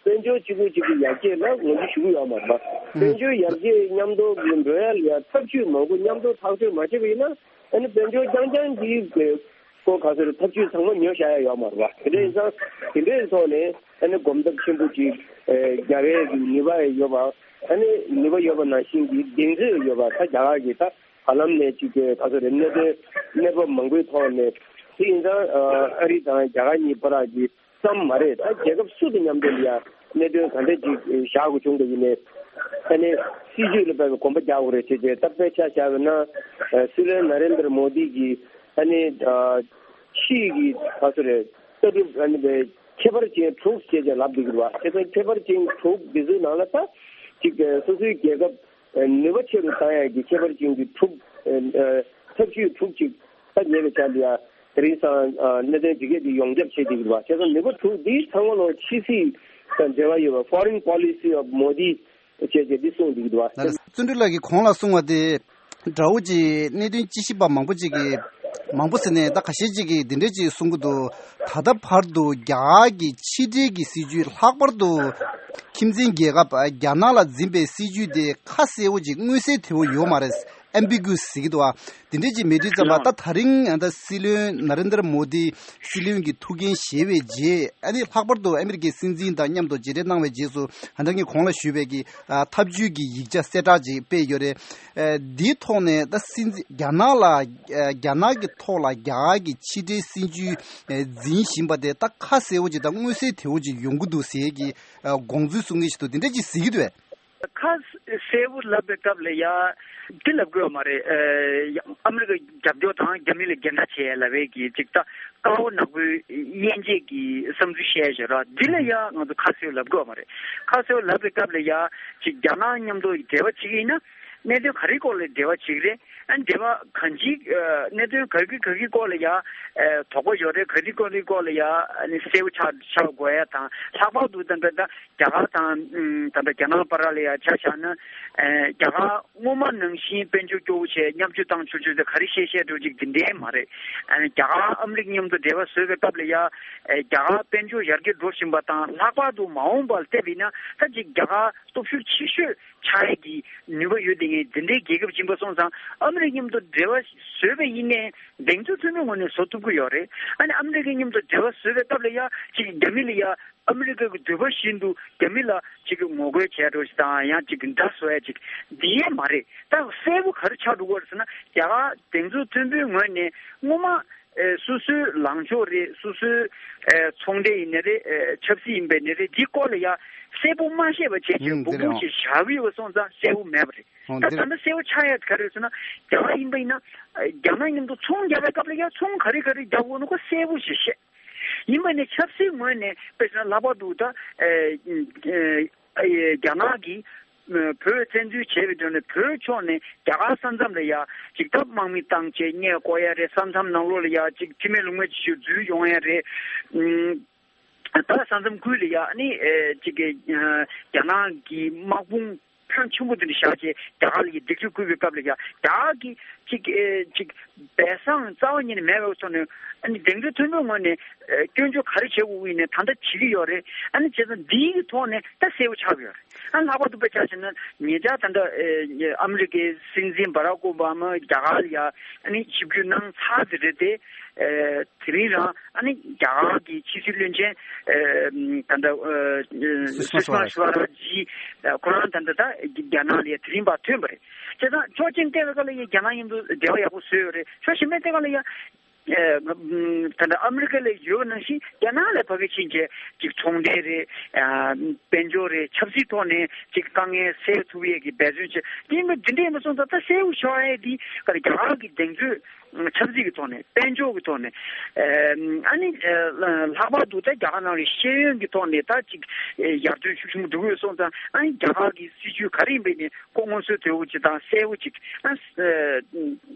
དཔལ་འབྱོར་གཅིག་པུ་གཅིག་གི་ཡར་རྒྱས་ལ་ངོས་འཛིན་ཞུ་གི་ཡོད་མ་རེད་བ། དཔལ་འབྱོར་ཡར་རྒྱས་མཉམ་དུ་འགྲོ་ཡ་ལ་ཡ་ཐབས་ཇུས་མང་པོ་མཉམ་དུ་ཐག་གཅོད་མ་བྱས་པ་ཡིན་ན་ཨ་ནི་དཔལ་འབྱོར་རྐྱང་རྐྱང་འདི། ཁོ་ག་ཚོད་རེད། ཐབས་ཇུས་ཚང་མ་ཉོ་བཞག་ཡ་ཡོད་མ་རེད་བ། དེ་འདྲ་ཡིན་ཙང་དེ་འདྲའི་ཐོག་ནས་ཨ་ནི་གོམ་སྟབས་ཆེན་པོ་ཅིག་རྒྱག་ཡས་ཀྱི་ནུས་པ་ཡོད་པ། ཨ་ནི་ནུས་པ་ཡོད་པ་ནང་བཞིན་གྱི་གདེང་ཚོད་ཡོད་པ་ད་རྒྱ་གར་གྱི་ད་བར་ལམ་ནས་ཅིག་ག་ཚོད་རེད། གནད་དོན་གནས་བབ་མང་པོའི་ཐོག་ནས་དེ་ཡིན་ཙང་ཨ་རི་དང་རྒྱ་གར་གཉིས་བར་གྱི་ཙམ་མ་རེད། ད་རྒྱལ་ཁབ་སུ་དང་མཉམ་དུ་ལ་ཡ་གནད་དོན་ག་འདྲ་ཅིག་བཞག་དགོས་བྱུང་བ་ཡིན་ནའི་ཨ་ནི་སྲིད་ཇུས་ལ་དཔག་པའི་གོམ་པ་རྒྱག་དགོས་རེད་ཅེས་བྱས། ད་དཔེ་ཆ་བཞག་པ་ན་སྲིད་བློན་ན་རེན་དར་མོ་དི་གིས་ཨ་ནི་ཕྱིའི་གི་ག་ཚོད་རེད། ལྟ་གྲུབ་ཨ་ནི་ཁྱད་པར་ཅན་དྲུག་ཅེས་བྱས་ལབ་བསྡད་ཀྱི་རེད་བ། དེ་ཚོ་ཁྱད་པར་ཅན་དྲུག་འདི་ཚོའི་ནང་ལ་ད་ཅིག་སོ་སོའི་རྒྱལ་ཁབ་ནུས་པ་ཆེ་རུ་བཏང་ཡག་གི་ཁྱད་པར་ཅན་གྱི་དྲུག་ཐབས་ཇུས་དྲུག་ཅིག་ད་ཉེ་བའི་ཆར་ལ་ཡ་དེ་རིང་སང་གནད་དོན་དེ་གས་དེ་ཡོངས་ཁྱབ་བྱེད་བསྡད་ཀྱི་རེད་བ། བྱས་ཙང་ནུས་པ་དྲུག་འདི་ཚང་མ་ལོ་ཕྱི་སྲིད་དང་འབྲེལ་བ་ཡོད་པ། Foreign Policy of Modi ཅེས་བྱས་འདི་གསུངས་འདུག་འདུག་བ། ལགས་ལགས། བརྩོན་འགྲུས་ལགས་ཀྱིས་གོང་ལ་གསུངས་པ་དེ་འདྲ་བོ་ཅིག་གནད་དོན་དཔྱད་ཞིབ་པ་མང་པོ་ཅིག་གིས་མང་པོ་ཟེར་ནས་ད་ཁ་ཤས་ཅིག་གིས་འདི་འདྲས་ཅིག་གསུང་གི་འདུག་ད་ལྟ་བར་དུ་རྒྱ་གར་གྱི་ཕྱི་འབྲེལ་གྱི་སྲིད་ཇུས་ལྷག་པར་དུ་ཁྱིམ་མཚེས་རྒྱལ་ཁབ་རྒྱ་ནག་ལ་འཛིན་པའི་སྲིད་ཇུས་དེ་ཁ་གསལ་བོ་ཅིག་མངོན་གསལ་དོད་པོ་ཡོད་མ་རེད། ཨེམ་བི་གུ་ཟེར་གྱི་འདུག་བ། དེ་འདྲས་ཅིག་མེད་དུས་ཙམ་པ་ད་ད་རིང་ད་སྲིད་བློན་ན་རེན་དར་མོ་དི་སྲིད་བློན་གྱི་ཐུགས་འགན་བཞེས་པའི་རྗེས་ཨ་ནི་ལྷག་པར་དུ་ཨ་མི་རི་ཀའི་སྲིད་འཛིན་དང་མཉམ་དུ་མཇལ་འཕྲད་གནང་བའི་རྗེས་སུ་ཨ་ད་ངས་གོང་ལ་ཞུས་པའི་གི་ཨ་ཐབས་ཇུས་ཀྱི་ཡིག་ཆ་གསལ་བསྒྲགས་ཅིག་སྤེལ་ཡོད་རེད། ཨ་འདིའི་ཐོག་ནས་ད་སྲིད་འཛིན་རྒྱ་ནག་ལ་ཨ་རྒྱ་ནག་གི་ཐོག་ལ་རྒྱ་གར་གྱི་ཕྱི་འབྲེལ་སྲིད་ཇུས་ཨ་འཛིན་བཞིན་པ་དེ་ད་ཁ་གསལ་བོ་ཅིག་དང་མངོན་གསལ་དོད་པོ་ཅིག་ཡོང་གི་འདུག་ཟེར་གྱི་ཨ་དགོངས་ཚུལ་གསུང་གི་ཞིག་འདུག་དེ་འདྲ་ཅིག་གཟིགས་ཀྱི་འདུག་བས། ཁ་གསལ་པོ་ལབ་པའི་སྐབས་ལ་ཡ་འདི་ལབ་དགོས་མ་རེད། ཨ་མི་རི་ཀ་རྒྱབ་སྐྱོར་དང་རྒྱ་མི་ལ་འགན་ཁྲ་བྱེད་ལབ་པའི་གི་ཅིག་ད་དཀར་པོ་ནག་པོའི་དབྱེ་འབྱེད་ཀྱི་བསམ་ཚུལ་བཤད་བཞག་ར། འདི་ལ་ཡ་ང་ཚོ་ཁ་གསལ་པོ་ལབ་དགོས་མ་རེད། ཁ་གསལ་པོ་ལབ་པའི་སྐབས་ལ་ཡ་ཅིག་རྒྱ་ནག་མཉམ་དུ་འབྲེལ་བ་བྱེད་ཀྱི་ཡིན་ན། གནད་དོན་ག་རེའི་སྐོར་ལ་འབྲེལ་བ་བྱེད་ཀྱི་རེད། ཨ་འབྲེལ་བ་གང་ཅིའི་ཨ་གནད་དོན་ག་གི་ག་གི་སྐོར་ལ་ཡ་ཨ་དོགས་པ་ཡོད་རེད། ག་རེའི་སྐོར་ལ་སྐོར་ལ་ཡ་ཨ་ནི་གསལ་པོ་ཆགས་ཆགས་དགོས་ཡ་དང་། ལྷག་པར་དུ་ད་ལྟ་ད་རྒྱ་གར་དང་ཨ་ད་ལྟ་རྒྱ་ནག་བར་ལ་ཡ་ཆ་བཞག་ན། ཨ་རྒྱ་གར་སྔོན་མ་ནང་བཞིན་དཔལ་འབྱོར་སྐྱོ་བོ་བྱས་མཉམ་སྤྱོད་བཏང་ཆོག་ཆོག་དེ་ག་རེ་བཤད་བཤད་འགྲོ་ཅིག་འདི་འདྲའི་མ་རེད། ཨ་རྒྱ་གར་ཨ་མི་རི་ཀ་མཉམ་དུ་འབྲེལ་བ་བཟོས་པའི་སྐབས་ལ་ཡ་ཨ་རྒྱ་གར་དཔལ་འབྱོར་ཡར་རྒྱས་འགྲོ་བཞིན་པ་དང་། ལྷག་པར་དུ་མ་འོངས་པར་བལྟས་པ་ཡིན་ན་ད་ཅིག་རྒྱ་གར་སྟོབས་ཤུགས་ཆེ་ཤོས་ཆགས་ཡས་ཀྱི་ནུས་པ་ཡོད་དེ། ངས་འདི་འདྲའི་རྒྱལ་ཁབ་ཡིན་པ་སོང་ཙང་ཨ་མི་རི་ཀ་མཉམ་དུ་འབྲེལ་བ་བཟོས་པ་ཡིན་ནའི་གདེང་ཚོད་མཐོན་པོའི་ངོས་ནས་བཟོ་ཐུབ་ཀྱི་ཡོད་རེད། ཨ་ནི་ཨ་མི་རི་ཀ་མཉམ་དུ་འབྲེལ་བ་བཟོས་པའི་སྐབས་ལ་ཡ་ཅིག་རྒྱ་མི་ལ་ཡ་ཨ་མི་རི་ཀ་གི་འདོད་པ་བཞིན་དུ་རྒྱ་མི་ལ་ཅིག་གི་ངོ་རྒོལ་བྱས་འགྲོ་ཞིག་དང་། ཡང་ཅིག་གི་འདྲ་བཟོ་ཡ་ཅིག་འདི་ཡས་མ་རེད། ད་གསལ་པོ་ག་རེ་ཆགས་འགྲོ་གི་ཡོད་རེད་ཟེར་ན། རྒྱ་གར་གདེང་ཚོད་མཐོན་པོའི་ངོས་ནས་སྔོན་མ་ཨེ་སོ་སོའི་ལངས་ཕྱོགས་རེད། སོ་སོའི་ཨེ་ཚོང་འབྲེལ་ཡིན་ནའི་རེད། ཨེ་ཆབ་སྲིད་ཡིན་པའི་ནའི་རེད། འདིའི་སྐོར་ལ་ཡ་གསལ་པོ་མ་བཤད་པ་བྱས་བྱས་ཨང་འབུམ་འདི་རེད་འབུམ་ཨང་ཞིག་བཞག་གི་ཡོད་པ་སོང་ཙང་གསལ་པོ་མེད་པ་རེད། ཨང་ད་འདི་ད་རེད་ལྟ་གསལ་པོ་ཆགས་ཡ་ག་རེ་ཟེར་ན། རྒྱ་གར་ཡིན་པ་ཡིན་ན་ཨེ་རྒྱ་ནག་མཉམ་དུ་ཚོང་རྒྱག་པའི་སྐབས་ལ་ཡ་ཚོང་ག་རེ་ག་རེ་རྒྱག་དགོས་ན་ཁོ་གསལ་པོ་ཞིག་བཤད། ཡིན་པ་ནི་ཆབ་སྲིད་ངོས་ནས་དཔེ་བཞག་ན་ལྷག་པར་དུ་ད་ཨེ་ཨེ་རྒྱ་ནག་གིས་བོད་བཙན་འཛུལ་བྱས་པའི་དོན་ནས་བོད་ཕྱོགས་ནས་རྒྱ་གར་ས་མཚམས་ལ་ཡ་ཅིག་ད་དམག་མི་བཏང་བྱས་མཉེས་བཀོག་ཡ་རེད། ས་མཚམས་ནང་ལོགས་ལ་ཡ་ཅིག་ཁྲིམས་མེད་ལུགས་མེད་ཅིག་ཞིག་འཛུལ་ཡོང་ཡ་རེད། ཨུམ། ད་ས་མཚམས་ཁུལ་ལ་ཡ་ཨ་ནི་ཨེ་ཅིག་གི་ཨ་རྒྱ་ནག་གི་དམག་དཔུང་ཕོན་ཆེན་པོ་དེ་འདྲ་བཞག་བྱས་རྒྱ་གར་ལ་ཡ་སྡིགས་ར་བསྐུལ་བའི་སྐབས་ལ་ཡ་རྒྱ་གར་གྱིས་ཅིག་ཨེ་ཅིག་སྦས་གསང་རྩ་བ་ཉིད་ནས་མེད་པའི་ཐོག་ནས། ཨ་ནི་གདེང་ཚོད་མཐོན་པོའི་ངོས་ནས་ཨེ་སྐྱོན་བརྗོད་ག་རེ་བྱེད་དགོས་ཡིན་ནའི་ད་ལྟ་བྱེད་ཀྱི་ཡོད་རེད། ཨ་ནི་བྱས་ཙང་འདིའི་ཐོག་ནས་ད་གསལ་པོ་ཆགས་ཀྱི་ཡོད་རེད། ཨ་ནི་ལྷག་པར་དུ་དཔེ་ཆ་བཞག་ན་ཉེ་ཆར་ད་ལྟ་ཨེ་ཨ་མི་རི་ཀའི་སྲིད་འཛིན་བྷ་རག་ཨོ་བྷ་མ་རྒྱ་གར་ལ་ཡ་ཨ་ནི་ཆིབས་བསྒྱུར་གནང་ཚར་དེ་རེད་དེ། ཨེ་དེ་རིང་རང་ཨ་ནི་རྒྱ་གར་གྱི་ཕྱི་སྲིད་བློན་ཆེན་ཨེ་ད་ལྟ་ཨེ་སུ་ཤི་མ་སུ་ཤི་མ་སུ་ཤི་ཝ་རཱཇ། ཁོ་རང་ད་ལྟ་ད་རྒྱ་ནག་ལ་ཡ་དེ་རིང་ཕར་ཐོན་པ་རེད། བྱས་ཙང་ཆོག་མཆན་སྤྲད་པའི་སྐབས་ལ་ཡ་རྒྱ་ནག་མཉམ་དུ་འབྲེལ་བ་ཡག་པོ་བཟོས་ཡོད་རེད། ཕྱོགས་གཞན་པའི་སྟེང་ལ་ཡ་ཨེ་ད་ལྟ་ཨ་མི་རི་ཀ་ལ་ཡོད་ནང་བཞིན་རྒྱ་ནག་ལ་ཕ་གི་ཕྱིན་བྱས་ཅིག་ཚོང་འབྲེལ་རེད། ཨ་དཔལ་འབྱོར་རེད། ཆབ་སྲིད་ཐོག་ནས་ཅིག་དཀའ་ངལ་སེལ་ཐུབ་ཡས་ཀྱི་འབད་བརྩོན་བྱས། དེ་ཡིན་པ་འདི་འདྲ་ཡིན་པ་སོང་ཙང་ད་གསལ་པོ་ཤོར་ཡས་འདི་ག་རེ་རྒྱ་གར་གྱི་གདེང་ཚོད་ཆབ་སྲིད་ཀྱི་ཐོག་ནས། དཔལ་འབྱོར་གྱི་ཐོག་ནས། ཨ་ནི་ལྷག་པར་དུ་ད་རྒྱ་གར་ནང་ལ་ཤེས་ཡོན་གྱི་ཐོག་ནས་ད་ཅིག་ཡར་ཐོན་ཤུགས་ཆེན་པོ་འགྲོ་གི་ཡོད་སོང་ཙང་། ཨ་ནི་རྒྱ་གར་གྱི་སྲིད་བྱུས་ག་རེ་ཡིན་པའི་ནི་ཁོ་སྔོན་ཚོད་དོད་པོ་ཅིག་དང་གསལ་པོ་ཅིག་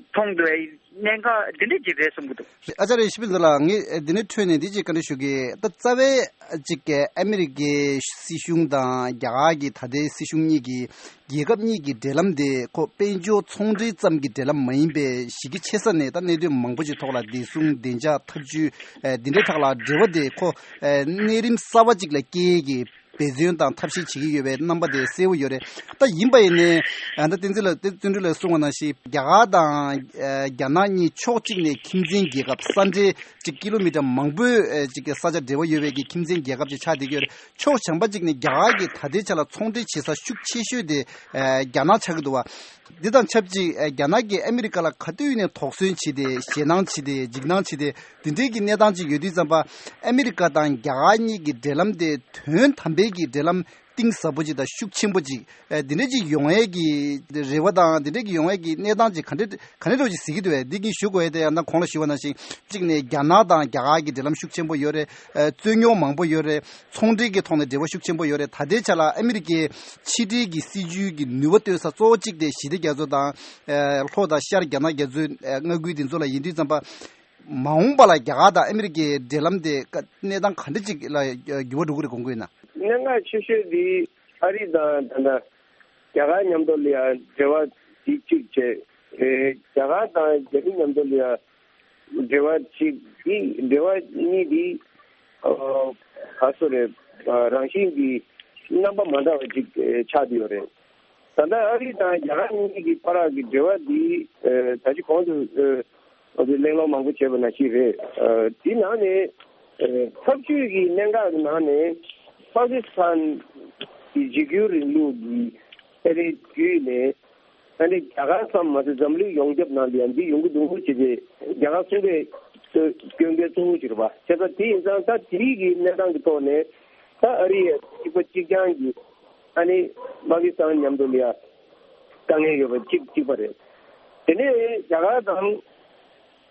མཐོང་འདུག་ཡ། གནད་འགག་འདི་འདྲ་ཅིག་རེད་བསམ་གྱི་འདུག་ཨ་ཅག་རེ་ཤི་པི་ལ་ངས་འདི་ནས་འཕྲོས་ནས་འདི་ཅིག་བཀའ་འདྲི་ཞུ་གི། ད་རྩ་བའི་ཅིག་ཨ་མི་རི་ཀའི་སྲིད་གཞུང་དང་རྒྱ་གར་གྱི་ད་ལྟའི་སྲིད་གཞུང་གཉིས་ཀྱི་རྒྱལ་ཁབ་གཉིས་ཀྱི་འབྲེལ་ལམ་དེ་ཁོ་དཔལ་འབྱོར་ཚོང་འབྲེལ་ཙམ་གྱི་འབྲེལ་ལམ་མ་ཡིན་པའི་གཞི་རྒྱ་ཆེ་ས་ནས་ད་གནད་དོན་མང་པོ་ཞིག་ཐོག་ལ་བདེ་སྲུང་བདེ་འཇགས་ཐབས་ཇུས་ཨེ་འདི་འདྲའི་ཐོག་ལ་འབྲེལ་བ་དེ་ཁོ་ཨེ་གནས་རིམ་གསར་བ་ཅིག་ལ་སྐྱེལ་གྱི་འབད་བརྩོན་དང་ཐབས་ཤེས་བྱེད་ཀྱི་ཡོད་པའི་རྣམ་པ་དེ་གསལ་པོ་ཡོད་རེད། ད་ཡིན་པ་ཡིན་ནའི་ཨ་ད་བསྟན་འཛིན་ལགས་བསྟན་འཛིན་ལགས་གསུངས་པ་ནང་བཞིན་རྒྱ་གར་དང་ཨེ་རྒྱ་ནག་གཉིས་ཕྱོགས་གཅིག་ནས་ཁྱིམ་མཚེས་རྒྱལ་ཁབ་ས་འབྲེལ་ཅིག་ཀི་ལོ་མི་ཊར་མང་པོའི་ཨེ་ཅིག་གི་ས་ཆ་འབྲེལ་བ་ཡོད་པའི་གི་ཁྱིམ་མཚེས་རྒྱལ་ཁབ་ཅིག་ཆགས་བསྡད་ཀྱི་ཡོད་རེད། ཕྱོགས་གཞན་པ་གཅིག་ནས་རྒྱ་གར་གྱིས་ད་ལྟའི་ཆ་ལ་ཚོང་འབྲེལ་བྱེད་ས་ཤུགས་ཆེ་ཤོས་དེ་ཨེ་རྒྱ་ནག་ཆགས་ཀྱི་འདུག་བ། འདི་དང་ཆབས་ཅིག་ཨེ་རྒྱ་ནག་གིས་ཨ་མི་རི་ཀ་ལ་ག་དུས་ནས་དོགས་ཟོན་བྱས་ཏེ་ཞེད་སྣང་བྱས་ཏེ་འཇིགས་སྣང་བྱས་ཏེ་འདི་འདྲའི་གི་གནས་སྟངས་ཅིག་ཡོད་དུས་ཙམ་པ། ཨ་མི་རི་ཀ་དང་རྒྱ་གར་གཉིས་ཀྱི་འབྲེལ་ལམ་དེ་དོན་དམ་པའི་གི་འབྲེལ་ལམ་གཏིང་ཟབ་པོ་ཅིག་དང་ཤུགས་ཆེན་པོ་ཅིག་ཨེ་འདི་འདྲ་ཅིག་ཡོང་ཡས་ཀྱི་རེ་བ་དང་འདི་འདྲ་གི་ཡོང་ཡས་ཀྱི་གནས་སྟངས་ཅིག་ག་འདྲ་ག་འདྲ་འདྲ་ཅིག་གཟིགས་ཀྱི་འདུག་བས། འདི་གིས་ཞུ་དགོས་ཡས་དེ་ཡང་ན་གོང་ལ་ཞུས་པ་ནང་བཞིན་གཅིག་ནས་རྒྱ་ནག་དང་རྒྱ་གར་གྱི་འབྲེལ་ལམ་ཤུགས་ཆེན་པོ་ཡོད་རེད། ཨེ་རྩོད་རྙོག་མང་པོ་ཡོད་རེད། ཚོང་འབྲེལ་གྱི་ཐོག་ནས་འབྲེལ་བ་ཤུགས་ཆེན་པོ་ཡོད་རེད། ད་ལྟའི་ཆ་ལ་ཨ་མི་རི་ཀའི་ཕྱི་འབྲེལ་གྱི་སྲིད་ཇུས་ཀྱི་ནུས་པ་གཏོད་ས་གཙོ་བོ་གཅིག་དེ་ཞི་བདེ་རྒྱ་མཚོ་དང་ཨེ་ལྷོ་དང་ཤར་རྒྱ་ནག་རྒྱ་མཚོའི་ཨེ་མངའ་ཁུལ་དེ་ཚོ་ལ་ཡིན་དུས་ཙམ་པ། མ་འོངས་པ་ལ་རྒྱ་གར་དང་ཨ་མི་རི་ཀའི་འབྲེལ་ལམ་དེ་ཀ་གནས་སྟངས་ག་འདྲ་ཅིག་ལ་འགྱུར་བ་འགྲོ་གི་རེད་དགོངས་ཀྱི་ཡོད་ན། གནད་འགག་ཆེ་ཤོས་དེ་ཨ་རི་དང་ད་ལྟ་རྒྱ་གར་མཉམ་དུ་ལ་ཡང་འབྲེལ་བ་དེ་གཅིག་བྱས། ཨེ་རྒྱ་གར་དང་རྒྱ་མི་མཉམ་དུ་ལ་ཡང་འབྲེལ་བ་གཅིག་དེ་འབྲེལ་བ་གཉིས་དེ་ཨ་ག་སོ་རེད། ཨ་རང་བཞིན་གྱི་རྣམ་པ་མ་འདྲ་བ་ཅིག་ཨེ་ཆགས་བསྡད་ཡོད་རེད། ད་ལྟ་ཨ་རི་དང་རྒྱ་གར་གཉིས་ཀྱི་བར་གྱི་འབྲེལ་བ་འདི་ཨ་ད་ཅི་གོང་དུ་ཨ་ཨ་གླེང་སློང་མང་པོ་བྱས་པ་ནང་བཞིན་རེད། ཨ་འདི་ནང་ནས་ཨ་ཐབས་ཇུས་ཀྱི་གནད་འགག་གི་ནང་ནས་པ་ཀི་སི་ཐན་གྱི་འཇིགས་སྐུལ་རིང་ལུགས་ཀྱི་ཨ་རིའི་བརྒྱུད་ནས་ཨ་ནི་རྒྱ་གར་ཙམ་མ་ཟད་འཛམ་གླིང་ཡོངས་ཁྱབ་ནང་ལ་ཡང་འདི་ཡོང་གི་འདུག་ཅེས་ཏེ་རྒྱ་གར་གསུང་གྲོས་སྐྱོན་མཁན་གཙོ་བོ་ཅིག་རེད་པ། བྱས་ཙང་དེ་ཡིན་ཙང་ད་དེའི་གི་གནས་སྟངས་ཀྱི་ཐོག་ནས་ད་ཨ་རི་ཡ་གཅིག་པ་གཅིག་རྐྱང་གི་ཨ་ནི་པ་ཀི་སི་ཐན་མཉམ་དུ་ལ་ཡ་དཀའ་ངལ་ཡོད་པ་གཅིག་གཅིག་པ་རེད། དེ་ནས་རྒྱ་གར་དང་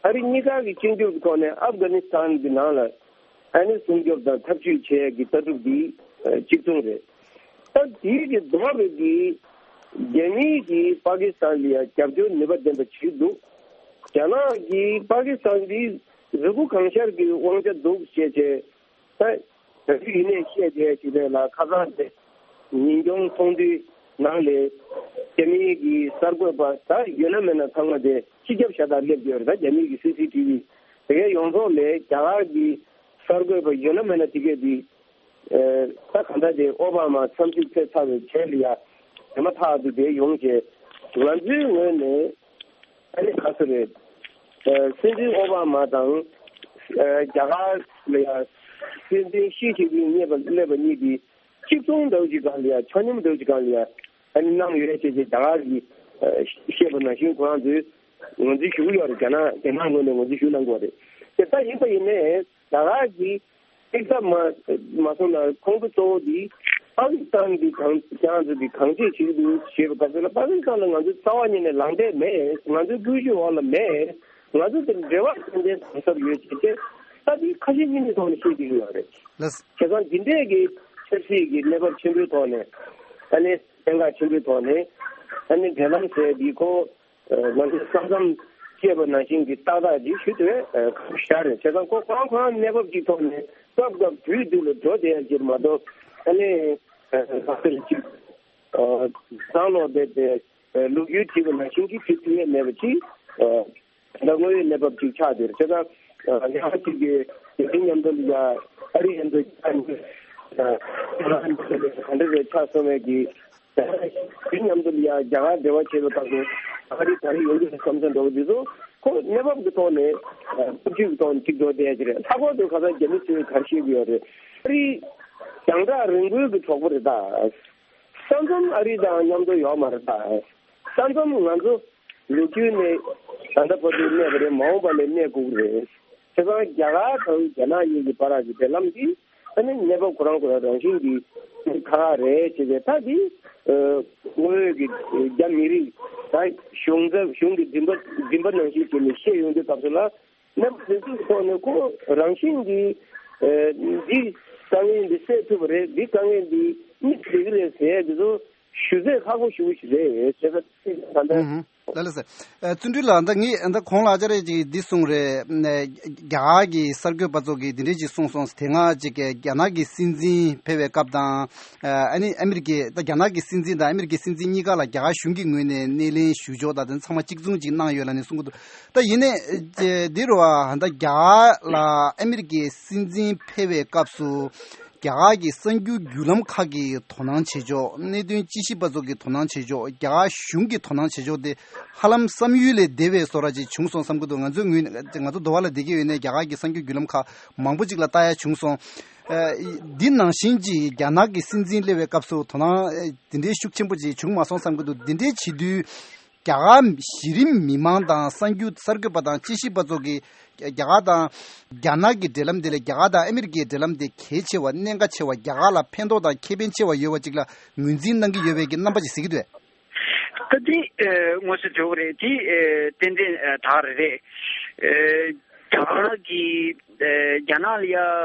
ཨ་རི་གཉིས་ཀ་གི་གཅིག་གྱུར་གྱི་ཐོག་ནས་ཨབ་གྷ་ནི་སི་ཐན་གྱི་ནང་ལ་ཨ་ནི་སྲུང་སྐྱོབ་དང་ཐབས་ཇུས་བྱེད་ཡག་གི་ལྟ་གྲུབ་འདི་གཅིག་མཚུངས་རེད། ད་དེའི་གི་ལྡོག་པའི་གི་རྒྱ་མིའི་གི་པ་ཀི་སི་ཐན་ལ་ཡ་རྒྱབ་སྐྱོར་ནུས་པ་ལྡན་པ་ཞིག་འདུག་རྒྱ་ནག་གིས་པ་ཀི་སི་ཐན་འདི་རི་མགོ་གང་ཤར་གྱི་དབང་ཆ་འདུག་ཅེས་བྱས། ད་ད་དུས་ཡིན་ནའི་བཤད་བསྡད་ཅིག་རེད་ལ། ཁ་སང་དེ་ཉིན་གུང་ཚོགས་འདུའི་ནང་ལས་རྒྱ་མིའི་གི་གསར་འགོད་པ་ད་ཡོད་ན་མེད་ན་ཚང་མ་དེ་སྤྱི་ཁྱབ་ཤ་སྟག་སླེབས་ཡོད་རེད། ད་རྒྱ་མིའི་གི་སི་སི་ཊི་ཝི་དེ་གའི་ཡོངས་རྫོགས་ལས་རྒྱ་གར་གི་གསར་འགོད་པ་ཡོད་ན་མེད་ན་དེ་གས་དེ་ད་ག་འདྲ་དེ་ཨོ་བྷ་མ་འཚམས་གཟིགས་ཕེབས་ཚར་བའི་རྗེས་ལ་ཡ་དེ་མ་ཐག་ཏུ་དེ་ཡོང་བྱས་ང་ཚོའི་ངོས་ནས། ཨ་ནི་ག་ཚོད་རེད། ཨ་སྲིད་འཛིན་ཨོ་བྷ་མ་དང་ཨ་རྒྱ་གར་ལ་ཡ་སྲིད་འཛིན་ཞི་ཅིན་ཕིང་སླེབས་པ་གཉིས་དེ་གཅིག་མཚུངས་འདྲ་བོ་ཅིག་སྒང་ལ་ཡ་ཆ་སྙོམས་འདྲ་བོ་ཅིག་སྒང་ལ་ཡ་ཨ་ནི་གནང་ཡོད་ཅེས་ཅེས་རྒྱ་གར་གྱིས་ཨ་བཤད་པ་ནང་བཞིན་ཁོ་རང་ཚོས་ངོས་འཛིན་ཞུ་གི་ཡོད་རེད། རྒྱ་ནག་རྒྱ་ནག་ངོས་ནས་ངོས་འཛིན་ཞུ་གནང་གི་ཡོད་རེད། དེ་ལྟ་ཡིན་པ་ཡིན་ནའི་རྒྱ་གར་གྱིས་གཅིག་ལྟ་མ་མ་སོང་ན་ཁོང་ཚོ་གཙོ་བོ་འདི་པ་ཀི་སི་ཐན་གྱི་གང་ཁྱེད་རང་ཚོ་གིས་གང་བྱེད་བྱེད་ཀྱི་འདུག་ཞེས་པའི་སྐབས་སུ་ལ་པ་ཀི་སི་ཐན་ལ་ང་ཚོ་རྩ་བ་ཉིད་ནས་ལངས་འབྲས་མེད། ང་ཚོའི་སྐུལ་ཞུགས་འོག་ལ་མེད། ང་ཚོ་དེ་འབྲེལ་བ་ཏན་ཏན་དམ་ཟབ་ཡོད་ཅེས་བྱས་ད་འདི་ཁ་ཞེ་གཉིས་མེད་ཐོག་ནས་བཤད་ཀྱི་ཡོད་རེད། ལགས། བྱས་ཙང་འདི་འདྲས་ཀྱི་ཆབ་སྲིད་ཀྱི་གནས་བབ་ཆེན་པོའི་ཐོག་ནས་ཨ་ནི་གནད་འགག་ཆེན་པོའི་ཐོག་ནས་ཨ་ནི་འབྲེལ་ལམ་ཟེར་འདི་ཁོ། ང་ཚོས་ས་མཚམས་བཅད་པ་ནང་བཞིན་གྱི་ཏག་ཏག་ཅིག་ཞུ་ཐུབ་པའི་ཁ་ཤ་རེད། བྱས་ཙང་ཁོ་ཁོ་རང་ཁོ་རང་གནས་བབ་ཅིག་ཐོག་ནས་སྐབས་སྐབས་དུས་དུས་ལ་འགྲོ་བསྡད་ཡ་ཅིག་མ་གཏོགས་ཨ་ནི་ཁ་ཤས་ཅིག་བཟང་ལོག་བསྡད་དེ་ལོ་རྒྱུས་བྲིས་པ་ནང་བཞིན་གྱི་བྲིས་ཐུབ་ཡས་མེད་པ་ཅིག་ད་དངོས་ཡོད་གནས་བབ་ཅིག་ཆགས་བསྡད་རེད། བྱས་ཙང་ཉག་གཅིག་གི་དེ་མཉམ་དུ་ལ་ཡ་ཨ་རི་ཡན་དུ་ཡ་ག་འདྲ་རེད་ཆགས་སོང་བས་ཀྱི། དེ་མཉམ་དུ་ཡང་རྒྱ་གར་འབྲེལ་བ་བྱེད་པའི་སྐབས་སུ་ཨ་རི་ག་རེ་ཡོང་གི་རེད་བསམ་བསམ་འདྲ་བོ་འདི་ཚོ་ཁོ་གནས་བབ་ཀྱི་ཐོག་ནས་སྟོབས་ཤུགས་ཀྱི་ཐོག་ནས་གཅིག་འགྲོ་བསྡད་ཀྱི་རེད། ལྷག་པར་དུ་ཁ་སང་རྒྱ་མི་ཚོས་ག་རེ་བཤད་ཀྱི་ཡོད་རེད། ཨ་རི་རྒྱང་གྲགས་རིང་པོའི་གི་གྲོགས་པོ་རེད་ད། ས་མཚམས་ཨ་རི་དང་མཉམ་དུ་ཡོད་མ་རེད་ད། ས་མཚམས་ང་ཚོ་ལོ་རྒྱུས་ནས་ད་ལྟ་བར་དུ་གནས་པ་རེད། མ་འོངས་པ་ལ་གནས་དགོས་ཀྱི་རེད། བྱས་ཙང་རྒྱ་གར་དང་རྒྱ་ནག་གཉིས་ཀྱི་བར་གྱི་འབྲེལ་ལམ་འདི་ཨ་ནི་གནས་བབ་ཁོ་རང་ཁོ་རང་རང་བཞིན་གྱིས་ཁག་ཁག་རེད་ཅེས་པའི་ཐད་འདི་དངོས་ཡོད་ཀྱི་རྒྱ་མི་རིགས་དང་གཞུང་ཚབ་གཞུང་གི་འཛིན་པ་འཛིན་པ་ནང་བཞིན་བྱས་ནས་བཤད་ཡོང་དུས་སྐབས་སུ་ལ་གནས་བབ་འདི་ཚོའི་ཐོག་ནས་ཁོ་རང་བཞིན་གྱིས་འདི་དཀའ་ངལ་འདི་སེལ་ཐུབ་པ་རེད། འདི་དཀའ་ངལ་འདི་གཉིས་སེལ་གྱི་རེད་ཟེར་ཡ་འདི་ཚོ་ཞུ་ཚད་ཁག་པོ་ཞེ་པོ་ཞིག་རེད་ཟེར་ད་ལྟ། ལགས་ལགས་སེ། ཨ་བརྩོན་འགྲུས་ལགས་ད་ངས་ད་གོང་ལ་ཅ་རེ་ཅིག་འདི་གསུངས་རེད། ཨ་རྒྱ་གར་གྱི་གསར་འགོད་པ་ཚོ་གིས་འདི་འདྲས་ཅིག་གསུངས་སོང་། དེ་སྔ་ཅིག་རྒྱ་ནག་གི་སྲིད་འཛིན་ཕེབས་པའི་སྐབས་དང་། ཨ་ནི་ཨ་མི་རི་ཀའི་ད་རྒྱ་ནག་གི་སྲིད་འཛིན་དང་ཨ་མི་རི་ཀའི་སྲིད་འཛིན་གཉིས་ཀ་ལ་རྒྱ་གར་གཞུང་གི་ངོས་ནས་སྣེ་ལེན་ཞུ་ཕྱོགས་དང་དེ་ཚང་མ་གཅིག་མཚུངས་ཅིག་གནང་ཡོད་ལབ་ནས་གསུང་གི་འདུག་ད་ཡིན་ནའི་འདི་རུ་ཨ་ད་རྒྱ་གར་ལ་ཨ་མི་རི་ཀའི་སྲིད་འཛིན་ཕེབས་པའི་སྐབས་སུ། རྒྱ་གར་གྱི་གསར་འགྱུར་བརྒྱུད་ལམ་ཁག་གིས་དོ་སྣང་བྱེད་ཕྱོགས། གནད་དོན་དཔྱད་ཞིབ་པ་ཚོ་གིས་དོ་སྣང་བྱེད་ཕྱོགས། རྒྱ་གར་གཞུང་གིས་དོ་སྣང་བྱེད་ཕྱོགས་དེ་ཧ་ལམ་བསམ་ཡུལ་ལས་འདས་པའི་བཟོ་འདྲ་ཅིག་བྱུང་སོང་བསམ་གྱི་འདུག་ང་ཚོའི་ངོས་ནས་ང་ཚོ་འདི་བ་ལ་བསྡད་ཀྱི་ཡོད་ནའི་རྒྱ་གར་གྱི་གསར་འགྱུར་བརྒྱུད་ལམ་ཁག་མང་པོ་ཅིག་ལ་ལྟ་ཡ་བྱུང་སོང་། ཨ་འདི་ནང་བཞིན་གྱི་རྒྱ་ནག་གི་སྲིད་འཛིན་སླེབས་པའི་སྐབས་སུ་དོ་སྣང་ཨ་འདི་འདྲའི་ཤུགས་ཆེན་པོ་ཅིག་བྱུང་མ་སོང་བསམ་གྱི་འདུག་འདི་འདྲའི་བྱེད་དུས། རྒྱ་གར་གཞི་རིམ་མི་མང་དང་གསར་འགྱུར་གསར་འགོད་པ་དང་དཔྱད་ཞིབ་པ་ཚོ་གིས་རྒྱ་གར་དང་རྒྱ་ནག་གི་འབྲེལ་ལམ་དེ་ལས་རྒྱ་གར་དང་ཨ་མི་རི་ཀའི་འབྲེལ་ལམ་དེ་གལ་ཆེ་བ། གནད་འགག་ཆེ་བ། རྒྱ་གར་ལ་ཕན་ཐོགས་དང་ཁེ་ཕན་ཆེ་བ་ཡོད་པ་ཅིག་ལ་ངོས་འཛིན་གནང་གི་ཡོད་པའི་གི་རྣམ་པ་ཅིག་གཟིགས་ཀྱི་འདུག་ད་དེ་ཨེ་དངོས་སུ་འགྲོ་གི་རེད། དེ་ཨེ་ཏན་ཏན་ཨེ་དག་རེད་རེད། ཨེ་རྒྱ་གར་གྱི་ཨེ་རྒྱ་ནག་ལ་ཡ་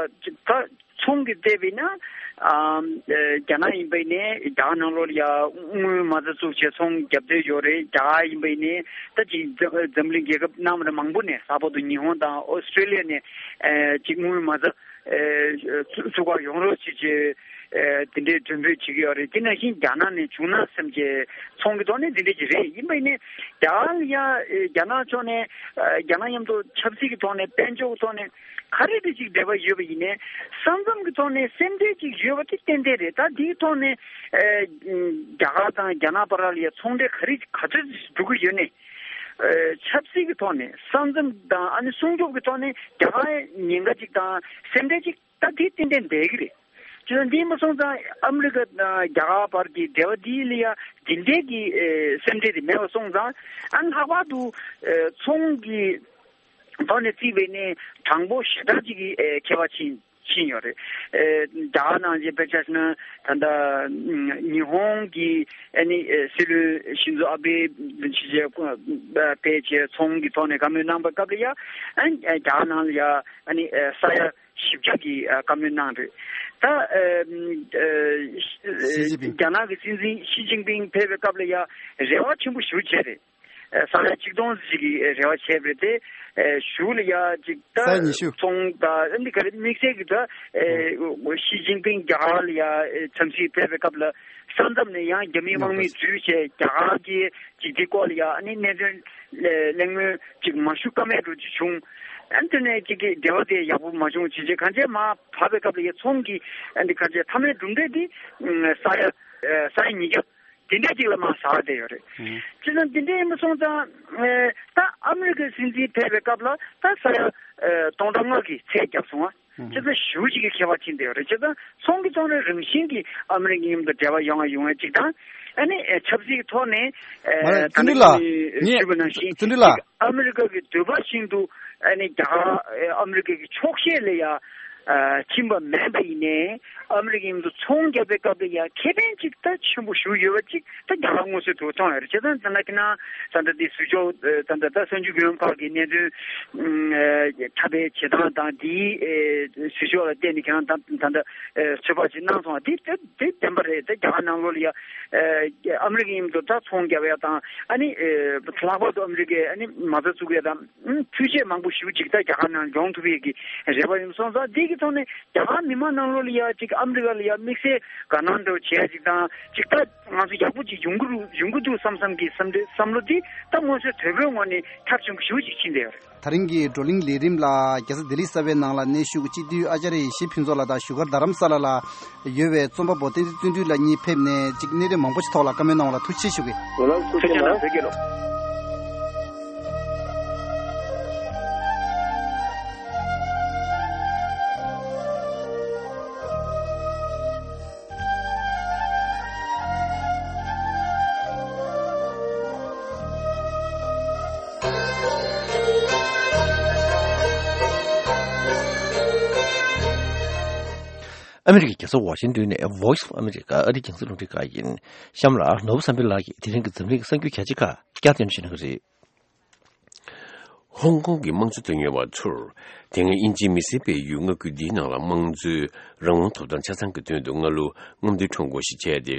ད། ཚོང་གི་བལྟས་པས་ན། ཨམ། ཨེ་རྒྱ་ནག་ཡིན་པ་ཡིན་ནའི་རྒྱ་གར་ནང་ལོགས་ལ་ཡ་དངུལ་མ་རྩ་བཙུགས་བྱས་ཚོང་རྒྱབ་བསྡད་ཡོད་རེད། རྒྱ་གར་ཡིན་པ་ཡིན་ནའི་ད་ཅིག་འཛམ་འཛམ་གླིང་རྒྱལ་ཁབ་གནའ་མ་ད་མང་པོ་ནས་ལྷག་པར་དུ་ཉི་ཧོང་དང་ཨོ་སི་ཀྲེ་ལི་ཡ་ནས་ཨེ་ཅིག་དངུལ་མ་རྩ་ཨེ་བཙུགས་པ་ཡོང་རོགས་བྱེད་ཅེས་ཨེ་དེ་འདྲའི་མགྲོན་འབོད་བྱེད་ཀྱི་ཡོད་རེད། དེ་ནང་བཞིན་རྒྱ་ནག་ནས་བྱུང་ན་བསམ་བྱས་ཚོང་གི་ཐོག་ནས་དེ་འདྲ་ཅིག་རེད། ཡིན་པ་ཡིན་ནའི་རྒྱ་གར་ལ་ཡ་ཨེ་རྒྱ་ནག་ཕྱོགས་ནས་ཨེ་རྒྱ་ནག་མཉམ་དུ་ཆབ་སྲིད་ཀྱི་ཐོག་ནས་དཔལ་འབྱོར་གྱི་ཐོག་ནས། ག་རེ་དེ་ཅིག་འབྲེལ་བ་ཡོད་པ་ཡིན་ནའི་ས་མཚམས་ཀྱི་ཐོག་ནས་སེམས་ཁྲལ་ཅིག་ཡོད་པ་དེ་ཏན་ཏན་རེད། ད་དེའི་ཐོག་ནས་ཨེ་རྒྱ་གར་དང་རྒྱ་ནག་བར་ལ་ཡ་ཚོང་འབྲེལ་ག་རེ་ག་ཚོད་འགྲོ་གི་ཡོད་ནའི་ཨེ་ཆབ་སྲིད་ཀྱི་ཐོག་ནས་ས་མཚམས་དང་ཨ་ནི་སྲུང་སྐྱོབ་ཀྱི་ཐོག་ནས་རྒྱ་གར་ཉེན་ཁ་ཅིག་དང་སེམས་ཁྲལ་ཅིག་ད་དེ་ཏན་ཏན་འདས་ཀྱི་རེད། ཅི་ན་འདི་མ་སོང་ཙང་ཨ་མི་རི་ཀ་དང་རྒྱ་གར་བར་གྱི་འབྲེལ་བ་འདི་ལ་ཡ་འདི་འདྲའི་གི་ཨེ་སེམས་ཁྲལ་དེ་མེད་པ་སོང་ཙང་ཨ་ནི་ལྷག་པར་དུ་ཨེ་ཚོང་གི་ཐོག་ནས་བརྩིས་པས་ནི་དྲང་པོ་ཞེ་དྲག་ཅིག་གི་ཨེ་ཁྱད་པར་ཕྱིན་ ཕྱིན་ཡོད་རེད། ཨེ། རྒྱ་གར་ནང་བཞིན་དཔེ་ཆ་བཞག་ན་ད་ལྟ་ཉི་ཧོང་གི་ཨ་ནི་ཨེ་སྲིད་བློན་ཤིན་ཛོ་ཨ་བྷེ་ཕེབས་བྱས་ཚོང་གི་ཐོག་ནས་བཀའ་མོལ་གནང་པའི་སྐབས་ལ་ཡ་ཨ་ནི་རྒྱ་གར་ནང་ལ་ཡ་ཨ་ནི་ཨེ་ས་ཡ་བཞི་བཅུ་གི་ཨ་བཀའ་མོལ་གནང་རེད། ད་ཨེ་ཨེ་ཞི་ཅིན་ཕིང་རྒྱ་ནག་གི་སྲིད་འཛིན་ཞི་ཅིན་ཕིང་ཕེབས་པའི་སྐབས་ལ་ཡ་རེ་བ་ཆེན་པོ་ཞེ་པོ་བྱས་རེད། ཨེ་ས་ཡ་ཆིག་སྟོང་ཞིག་གི་རེ་བ་བྱས་པ་རེད་དེ། ཨེ་གཞུག་ལ་ཡ་ཅིག་ས་ཡ་ད་ཉི་ཤུ། ཚོང་དང་ཨ་ནི་ག་རེ་དམིགས་བསལ་གྱི་ད་ཨེ་ཞི་ཅིན་ཕིང་རྒྱ་གར་ལ་ཡ་ཨེ་འཚམས་ཤིག་ཕེབས་པའི་སྐབས་ལ་ས་མཚམས་ནས་ཡང་རྒྱ་མིའི་དམག་མི་འཛུལ་བྱས་རྒྱ་གར་གྱི་ཅིག་དེ་སྐོར་ལ་ཡ་ཨ་ནི་གནད་དོན་གླེང་མོལ་ཅིག་མ་ཞུ་ཀ་མེད་འགྲོ་ཅིག་བྱུང་། ཨ་ནི་དེ་ནས་ཅིག་གི་འབྲེལ་བ་དེ་ཡག་པོ་མ་བྱུང་། ཅིག་ཅིག་གང་བྱས་མར་བབས་པའི་སྐབས་ལ་ཡ་ཚོང་གི་ཨ་ནི་གང་བྱས་མཐའ་མའི་གྲུབ་འབྲས་དེ་ས་ཡ་ཨེ་ས་ཡ་ཉིས་བརྒྱ། དེ་འདྲའི་ཅིག་ལ་མར་ཟག་བསྡད་ཡོད་རེད། ཨང་། བྱས་ཙང་དེ་འདྲ་ཡིན་པ་སོང་ཙང་ཨེ་ད་ཨ་མི་རི་ཀའི་སྲིད་འཛིན་ཕེབས་པའི་སྐབས་ལ་ད་ས་ཡ་ཨེ་སྟོང་ཕྲག་ལྔ་གི་ཚད་བརྒྱབ་སོང་ཨ། ཨང་། བྱས་ཙང་ཞེ་པོ་ཅིག་གི་ཁྱད་པར་ཕྱིན་བསྡད་ཡོད་རེད། བྱས་ཙང་ཚོང་གི་ཐོག་ནས་རང་བཞིན་གྱིས་ཨ་མི་རི་ཀའི་མཉམ་དུ་འབྲེལ་བ་ཡོང་བ་ཡོང་བ་ཅིག་དང་ཨ་ནི་ཨེ་ཆབ་སྲིད་ཀྱི་ཐོག་ནས་ཨེ་མ་རེད། ད་བརྩོན་འགྲུས་ལགས། ངས་ཞུས་པ་ནང་བཞིན་བརྩོན་འགྲུས་ཅིག་ལགས། ཨ་མི་རི་ཀ་གི་འདོད་པ་བཞིན་དུ་ཨ་ནི་རྒྱ་གར་ཨ་མི་རི་ཀ་གི་ཕྱོགས་ཞེན་ལ་ཡ་ཨ་ཕྱིན་པ་མིན་པ་ཡིན་ནའི་ཨ་མི་རི་ཀའི་མཉམ་དུ་ཚོང་རྒྱག་པའི་སྐབས་ལ་ཡ་ཁེ་ཕན་ཅིག་ད་ཆེན་པོ་ཞིག་ཡོད་པ་ཅིག་ད་རྒྱ་གར་དངོས་སུ་དུ་མཐོང་ཡོད་རེད། བྱས་ཙང་ད་ལྟ་ཁྱེད་རང་ད་ལྟ་དེ་ཟུར་ཕྱོགས་ད་ལྟ་ད་གསར་འགྱུར་བརྒྱུད་ལམ་ཁག་གི་གནད་དོན་ཨ་འཁྲབ་པའི་བྱེད་སྟངས་དང་དེའི་ཨ་ཟུར་ཕྱོགས་ལ་བལྟས་ནས་ཁྱེད་རང་ད་ད་ལྟ་ཨ་ཚོད་དཔག་ཅིག་གནང་སོང་བ་དེ་དེ་དེ་བདེན་པ་རེད། ད་རྒྱ་གར་ནང་ལོགས་ལ་ཡ་ཨ་ཨ་མི་རི་ཀའི་མཉམ་དུ་ད་ཚོང་རྒྱག་ཡ་དང་ཨ་ནི་ཨ་ལྷག་པར་དུ་ཨ་མི་རི་ཀའི་ཨ་ནི་མ་རྩ་བཙུགས་ཡ་དང་འཕྲུལ་ཆས་མང་པོ་ཞེ་པོ་ཅིག་ད་རྒྱ་གར་ནང་ཡོང་ཐུབ་ཡས་ཀྱི་རེ་བ་ཡོད་སོང་ཙང་། འདི་གི་ཐོག་ནས་རྒྱ་གར་མི་མང་ནང་ལོགས་ལ་ཡ་ཅིག་ཨ་མི་རི་ཀ་ལ་ཡ་དམིགས་བསལ་དགའ་སྣང་འདྲ་བོ་བྱས་ཅིག་དང་ཅིག་ད་ང་ཚོ་ཡག་པོ་ཅིག་ཡོང་གི་རུ་ཡོང་གི་འདུག་བསམ་བསམ་གྱི་བསམ་བསམ་བློ་འདི་ད་དངོས་སུ་དོལ་པོའི་ངོས་ནས་ཐབས་ཆེན་པོ་ཞེ་པོ་ཅིག་ཕྱིན་བསྡད་ཡོད་རེད། ད་རིང་གི་བགྲོ་གླེང་ལས་རིམ་ལ་རྒྱལ་ས་ལྡི་ལི་གསར་པའི་ནང་ལ་གནས་བཞུགས་སྤྱི་འཐུས་ཨ་ཅཱརྱ་ཡེ་ཤེས་ཕུན་ཚོགས་ལགས་དང་བཞུགས་སྒར་རྡ་རམ་ས་ལ་ལ་ཡོད་པའི་རྩོམ་པ་པོ་བསྟན་འཛིན་བརྩོན་འགྲུས་ལགས་གཉིས་ཕེབས་ནས་ཅིག་གནད་དོན་མང་པོ་ཞིག་ཐོག་ལ་བཀའ་མོལ་གནང་བ་ལ་ཐུགས་རྗེ་ཆེ་ཞུ་གི། ཐུགས་རྗེ་གནང་། བོད་རྒྱལ་ལོ། ཨ་མི་རི་ཀའི་རྒྱལ་ས་ཝ་ཤིང་ཏོན་ནས་Voice of America ཨ་རིའི་རྒྱང་སྲིང་རླུང་འཕྲིན་ཁང་ཡིན། གཤམ་ལ་ནོར་བུ་བསམ་འཕེལ་ལགས་ཀྱིས་དེ་རིང་གི་འཛམ་གླིང་གི་གསར་འགྱུར་རྒྱ་ཆེ་ཁག་བསྐྱར་སྟོན་ཞུ་གནང་གི་རེད། ཧོང་ཀོང་གི་དམངས་གཙོ་དོན་གཉེར་བ་ཚོར་དེ་སྔ་དབྱིན་ཇིའི་མི་སེར་སྤེལ་ཡུལ་མངའ་ཁུལ་འདིའི་ནང་ལ་དམངས་གཙོའི་རང་དབང་ཐོབ་ཐང་ཆ་ཚང་གི་དོན་དུ་སྔ་ལོ་རྔམ་སྟོན་ཁྲོམ་སྐོར་ཞིག་བྱས་ཏེ།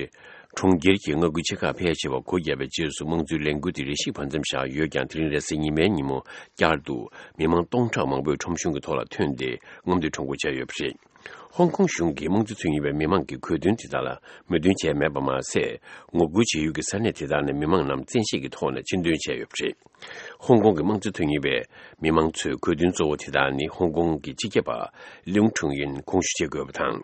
གྲོང་ཁྱེར་གྱི་མངའ་ཁུལ་ཆེ་ཁག་ཕལ་ཆེ་བ་སྒོ་བརྒྱབ་པའི་རྗེས་སུ་དམངས་གཙོའི་ལས་འགུལ་དེ་རེ་ཞིག་བར་མཚམས་བཞག་ཡོད་ཀྱང་། དེ་རིང་རེས་གཟའ་ཉི་མའི་ཉིན་མོ་བསྐྱར་དུ་མི་མང་སྟོང་ཕྲག་མང་པོས་ཁྲོམ་གཞུང་གི་ཐོག་ལ་ཐོན་ཏེ་རྔམ་སྟོན་ཁྲོམ་སྐོར་བྱས་ཡོད་པ་རེད། ཧོང་ཀོང་གཞུང་གིས་དམངས་གཙོ་མཚོན་ཡོད་པའི་མི་མང་གི་གོ་སྟོན་དེ་དག་ལ་མོས་མཐུན་བྱས་མེད་པ་མ་ཟད། ངོ་རྒོལ་བྱེད་ཡུལ་གྱི་ས་གནས་དེ་དག་ནས་མི་མང་རྣམས་བཙན་ཤེད་ཀྱི་ཐོག་ནས་ཕྱིར་འདོན་བྱས་ཡོད་པ་རེད། ཧོང་ཀོང་གི་དམངས་གཙོ་དོན་གཉེར་བའི་མི་མང་ཚོའི་གོ་སྟོན་གཙོ་བོ་དེ་དག་ནི་ཧོང་ཀོང་གི་སྤྱི་ཁྱབ་པ་ལིའུ་ཁྲུང་ཡུན་དགོངས་ཞུ་བྱེད་དགོས་པ་དང་།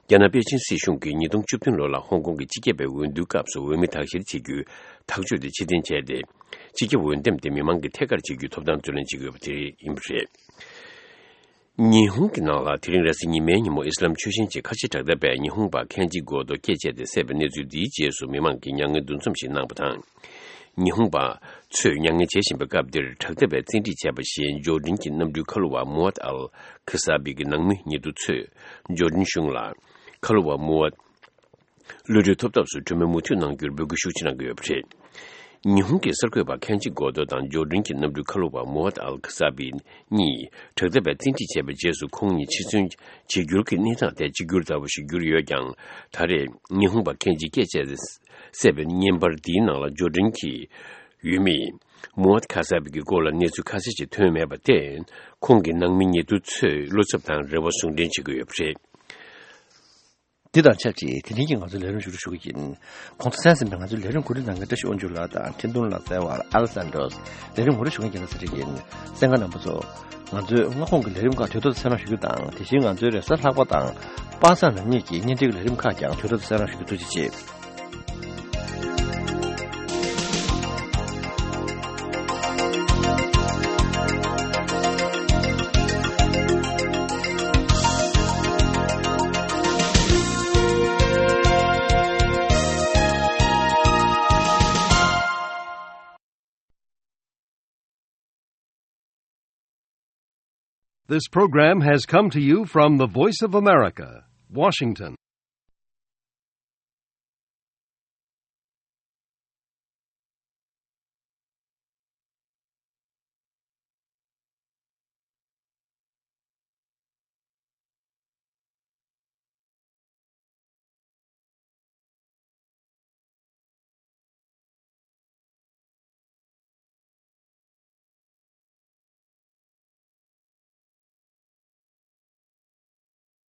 རྒྱ་ནག་པེ་ཅིན་སྲིད་གཞུང་གིས་ཉིས་སྟོང་བཅུ་བདུན་ལོ་ལ་ཧོང་ཀོང་གི་སྤྱི་ཁྱབ་པའི་འོས་བསྡུའི་སྐབས་སུ་འོས་མི་དག་བཤེར་བྱེད་རྒྱུའི་ཐག་གཅོད་དེ་ཕྱིར་འཐེན་བྱས་ཏེ། སྤྱི་ཁྱབ་འོས་འདེམས་དེ་མི་མང་གིས་ཐད་ཀར་བྱེད་རྒྱུའི་ཐོབ་ཐང་རྩོད་ལེན་བྱེད་དགོས་པ་དེ་ཡིན་པ་རེད། ཉི་ཧོང་གི་ནང་ལ་དེ་རིང་རེས་གཟའ་ཉི་མའི་ཉིན་མོ་ཨི་སི་ལམ་ཆོས་ཞེན་ཅན་ཁ་ཆེ་དྲག་འཐབ་པས་ཉི་ཧོང་པ་ཁན་ཇི་གོ་ཏོ་སྐེ་བཅད་དེ་བསད་པའི་གནས་ཚུལ་འདིའི་རྗེས་སུ་མི་མང་གིས་མྱ་ངན་འདུ་འཛོམས་ཤིག་གནང་བ་དང་། ཉི་ཧོང་པ་ཚོས་མྱ་ངན་བྱེད་བཞིན་པའི་སྐབས་འདིར་དྲག་འཐབ་པས་བཙན་ཁྲིད་བྱས་པ་བཞིན་འབྱོར་འབྲིང་གི་གནམ་གྲུའི་ཁ་ལོ་བ་མུ་ཨད་ཨལ་ཁི་ས་བི་གི་ནང་མི་ཉེ་དུ་ཚོས་འབྱོར་འབྲིང་གཞུང་ལ་ཁ་ལོ་བ་མུ་ཨད་གློད་གྲོལ་ཐོབ་ཐབས་སུ་གྲོས་མོལ་མུ་མཐུད་གནང་རྒྱུར་འབོད་སྐུལ་ཤུགས་ཆེ་གནང་གི་ཡོད་པ་རེད། ཉི་ཧོང་གི་གསར་འགོད་པ་ཁན་ཇི་གོ་ཏོ་དང་འབྱོར་འབྲིང་གི་གནམ་གྲུའི་ཁ་ལོ་བ་མུ་ཨད་ཨལ་ཁི་ས་བི་གཉིས་དྲག་འཐབ་པས་བཙན་ཁྲིད་བྱས་པའི་རྗེས་སུ་ཁོང་གཉིས་འཆི་གསོན་བྱེད་འགྱུར་གྱི་གནས་སྟངས་ཐད་གཅིག་གྱུར་ལྟ་བུ་ཞིག་གྱུར་ཡོད་ཀྱང་། ད་རེས་ཉི་ཧོང་པ་ཁན་ཇི་སྐེ་བཅད་དེ་བསད་པའི་བརྙན་པར་འདིའི་ནང་ལ་འབྱོར་འབྲིང་གི་ཡུལ་མི་མུ་ཨད་ཁ་ས་བི་གི་སྐོར་ལ་གནས་ཚུལ་ཁ་གསལ་ཞིག་ཐོན་མེད་པར་བརྟེན། ཁོང་གི་ནང་མི་ཉེ་དུ་ཚོས་བློ་འཚབ་དང་རེ་བ་ཟུང་འབྲེལ་བྱེད་ཀྱི་ཡོད་པ་རེད། འདི་དང་ཆབས་ཅིག་དེ་རིང་གི་ང་ཚོའི་ལས་རིམ་མཇུག་སྒྲིལ་ཞུ་གི་ཡིན། གོང་དུ་གསན་ཟིན་པའི་ང་ཚོའི་ལས་རིམ་གོ་སྒྲིག་གནང་མཁན་བཀྲ་ཤིས་དབང་ཕྱུག་ལགས་དང་འཕྲིན་གཏོང་ལག་རྩལ་བ་ཨ་ལེ་སན་ཌྲོས། ལས་རིམ་ངོ་སྤྲོད་ཞུ་མཁན་རྒྱལ་ལ་ཚེ་རིང་ཡིན། གསན་མཁན་རྣམ་པ་ཚོ། ང་ཚོའི་སྔ་དགོང་གི་ལས་རིམ་ཁག་དུས་ཐོག་ཏུ་གསན་རོགས་ཞུ་རྒྱུ་དང་། དེ་བཞིན་ང་ཚོའི་རེས་གཟའ་ལྷག་པ་དང་པ་སངས་ནམ་གཉིས་ཀྱི་བརྙན་འཕྲིན་གྱི་ལས་རིམ་ཁག་ཀྱང་དུས་ཐོག་ཏུ་གསན་རོགས་ཞུ་རྒྱུ། ཐུགས་རྗེ་ཆེ། This program has come to you from the Voice of America, Washington.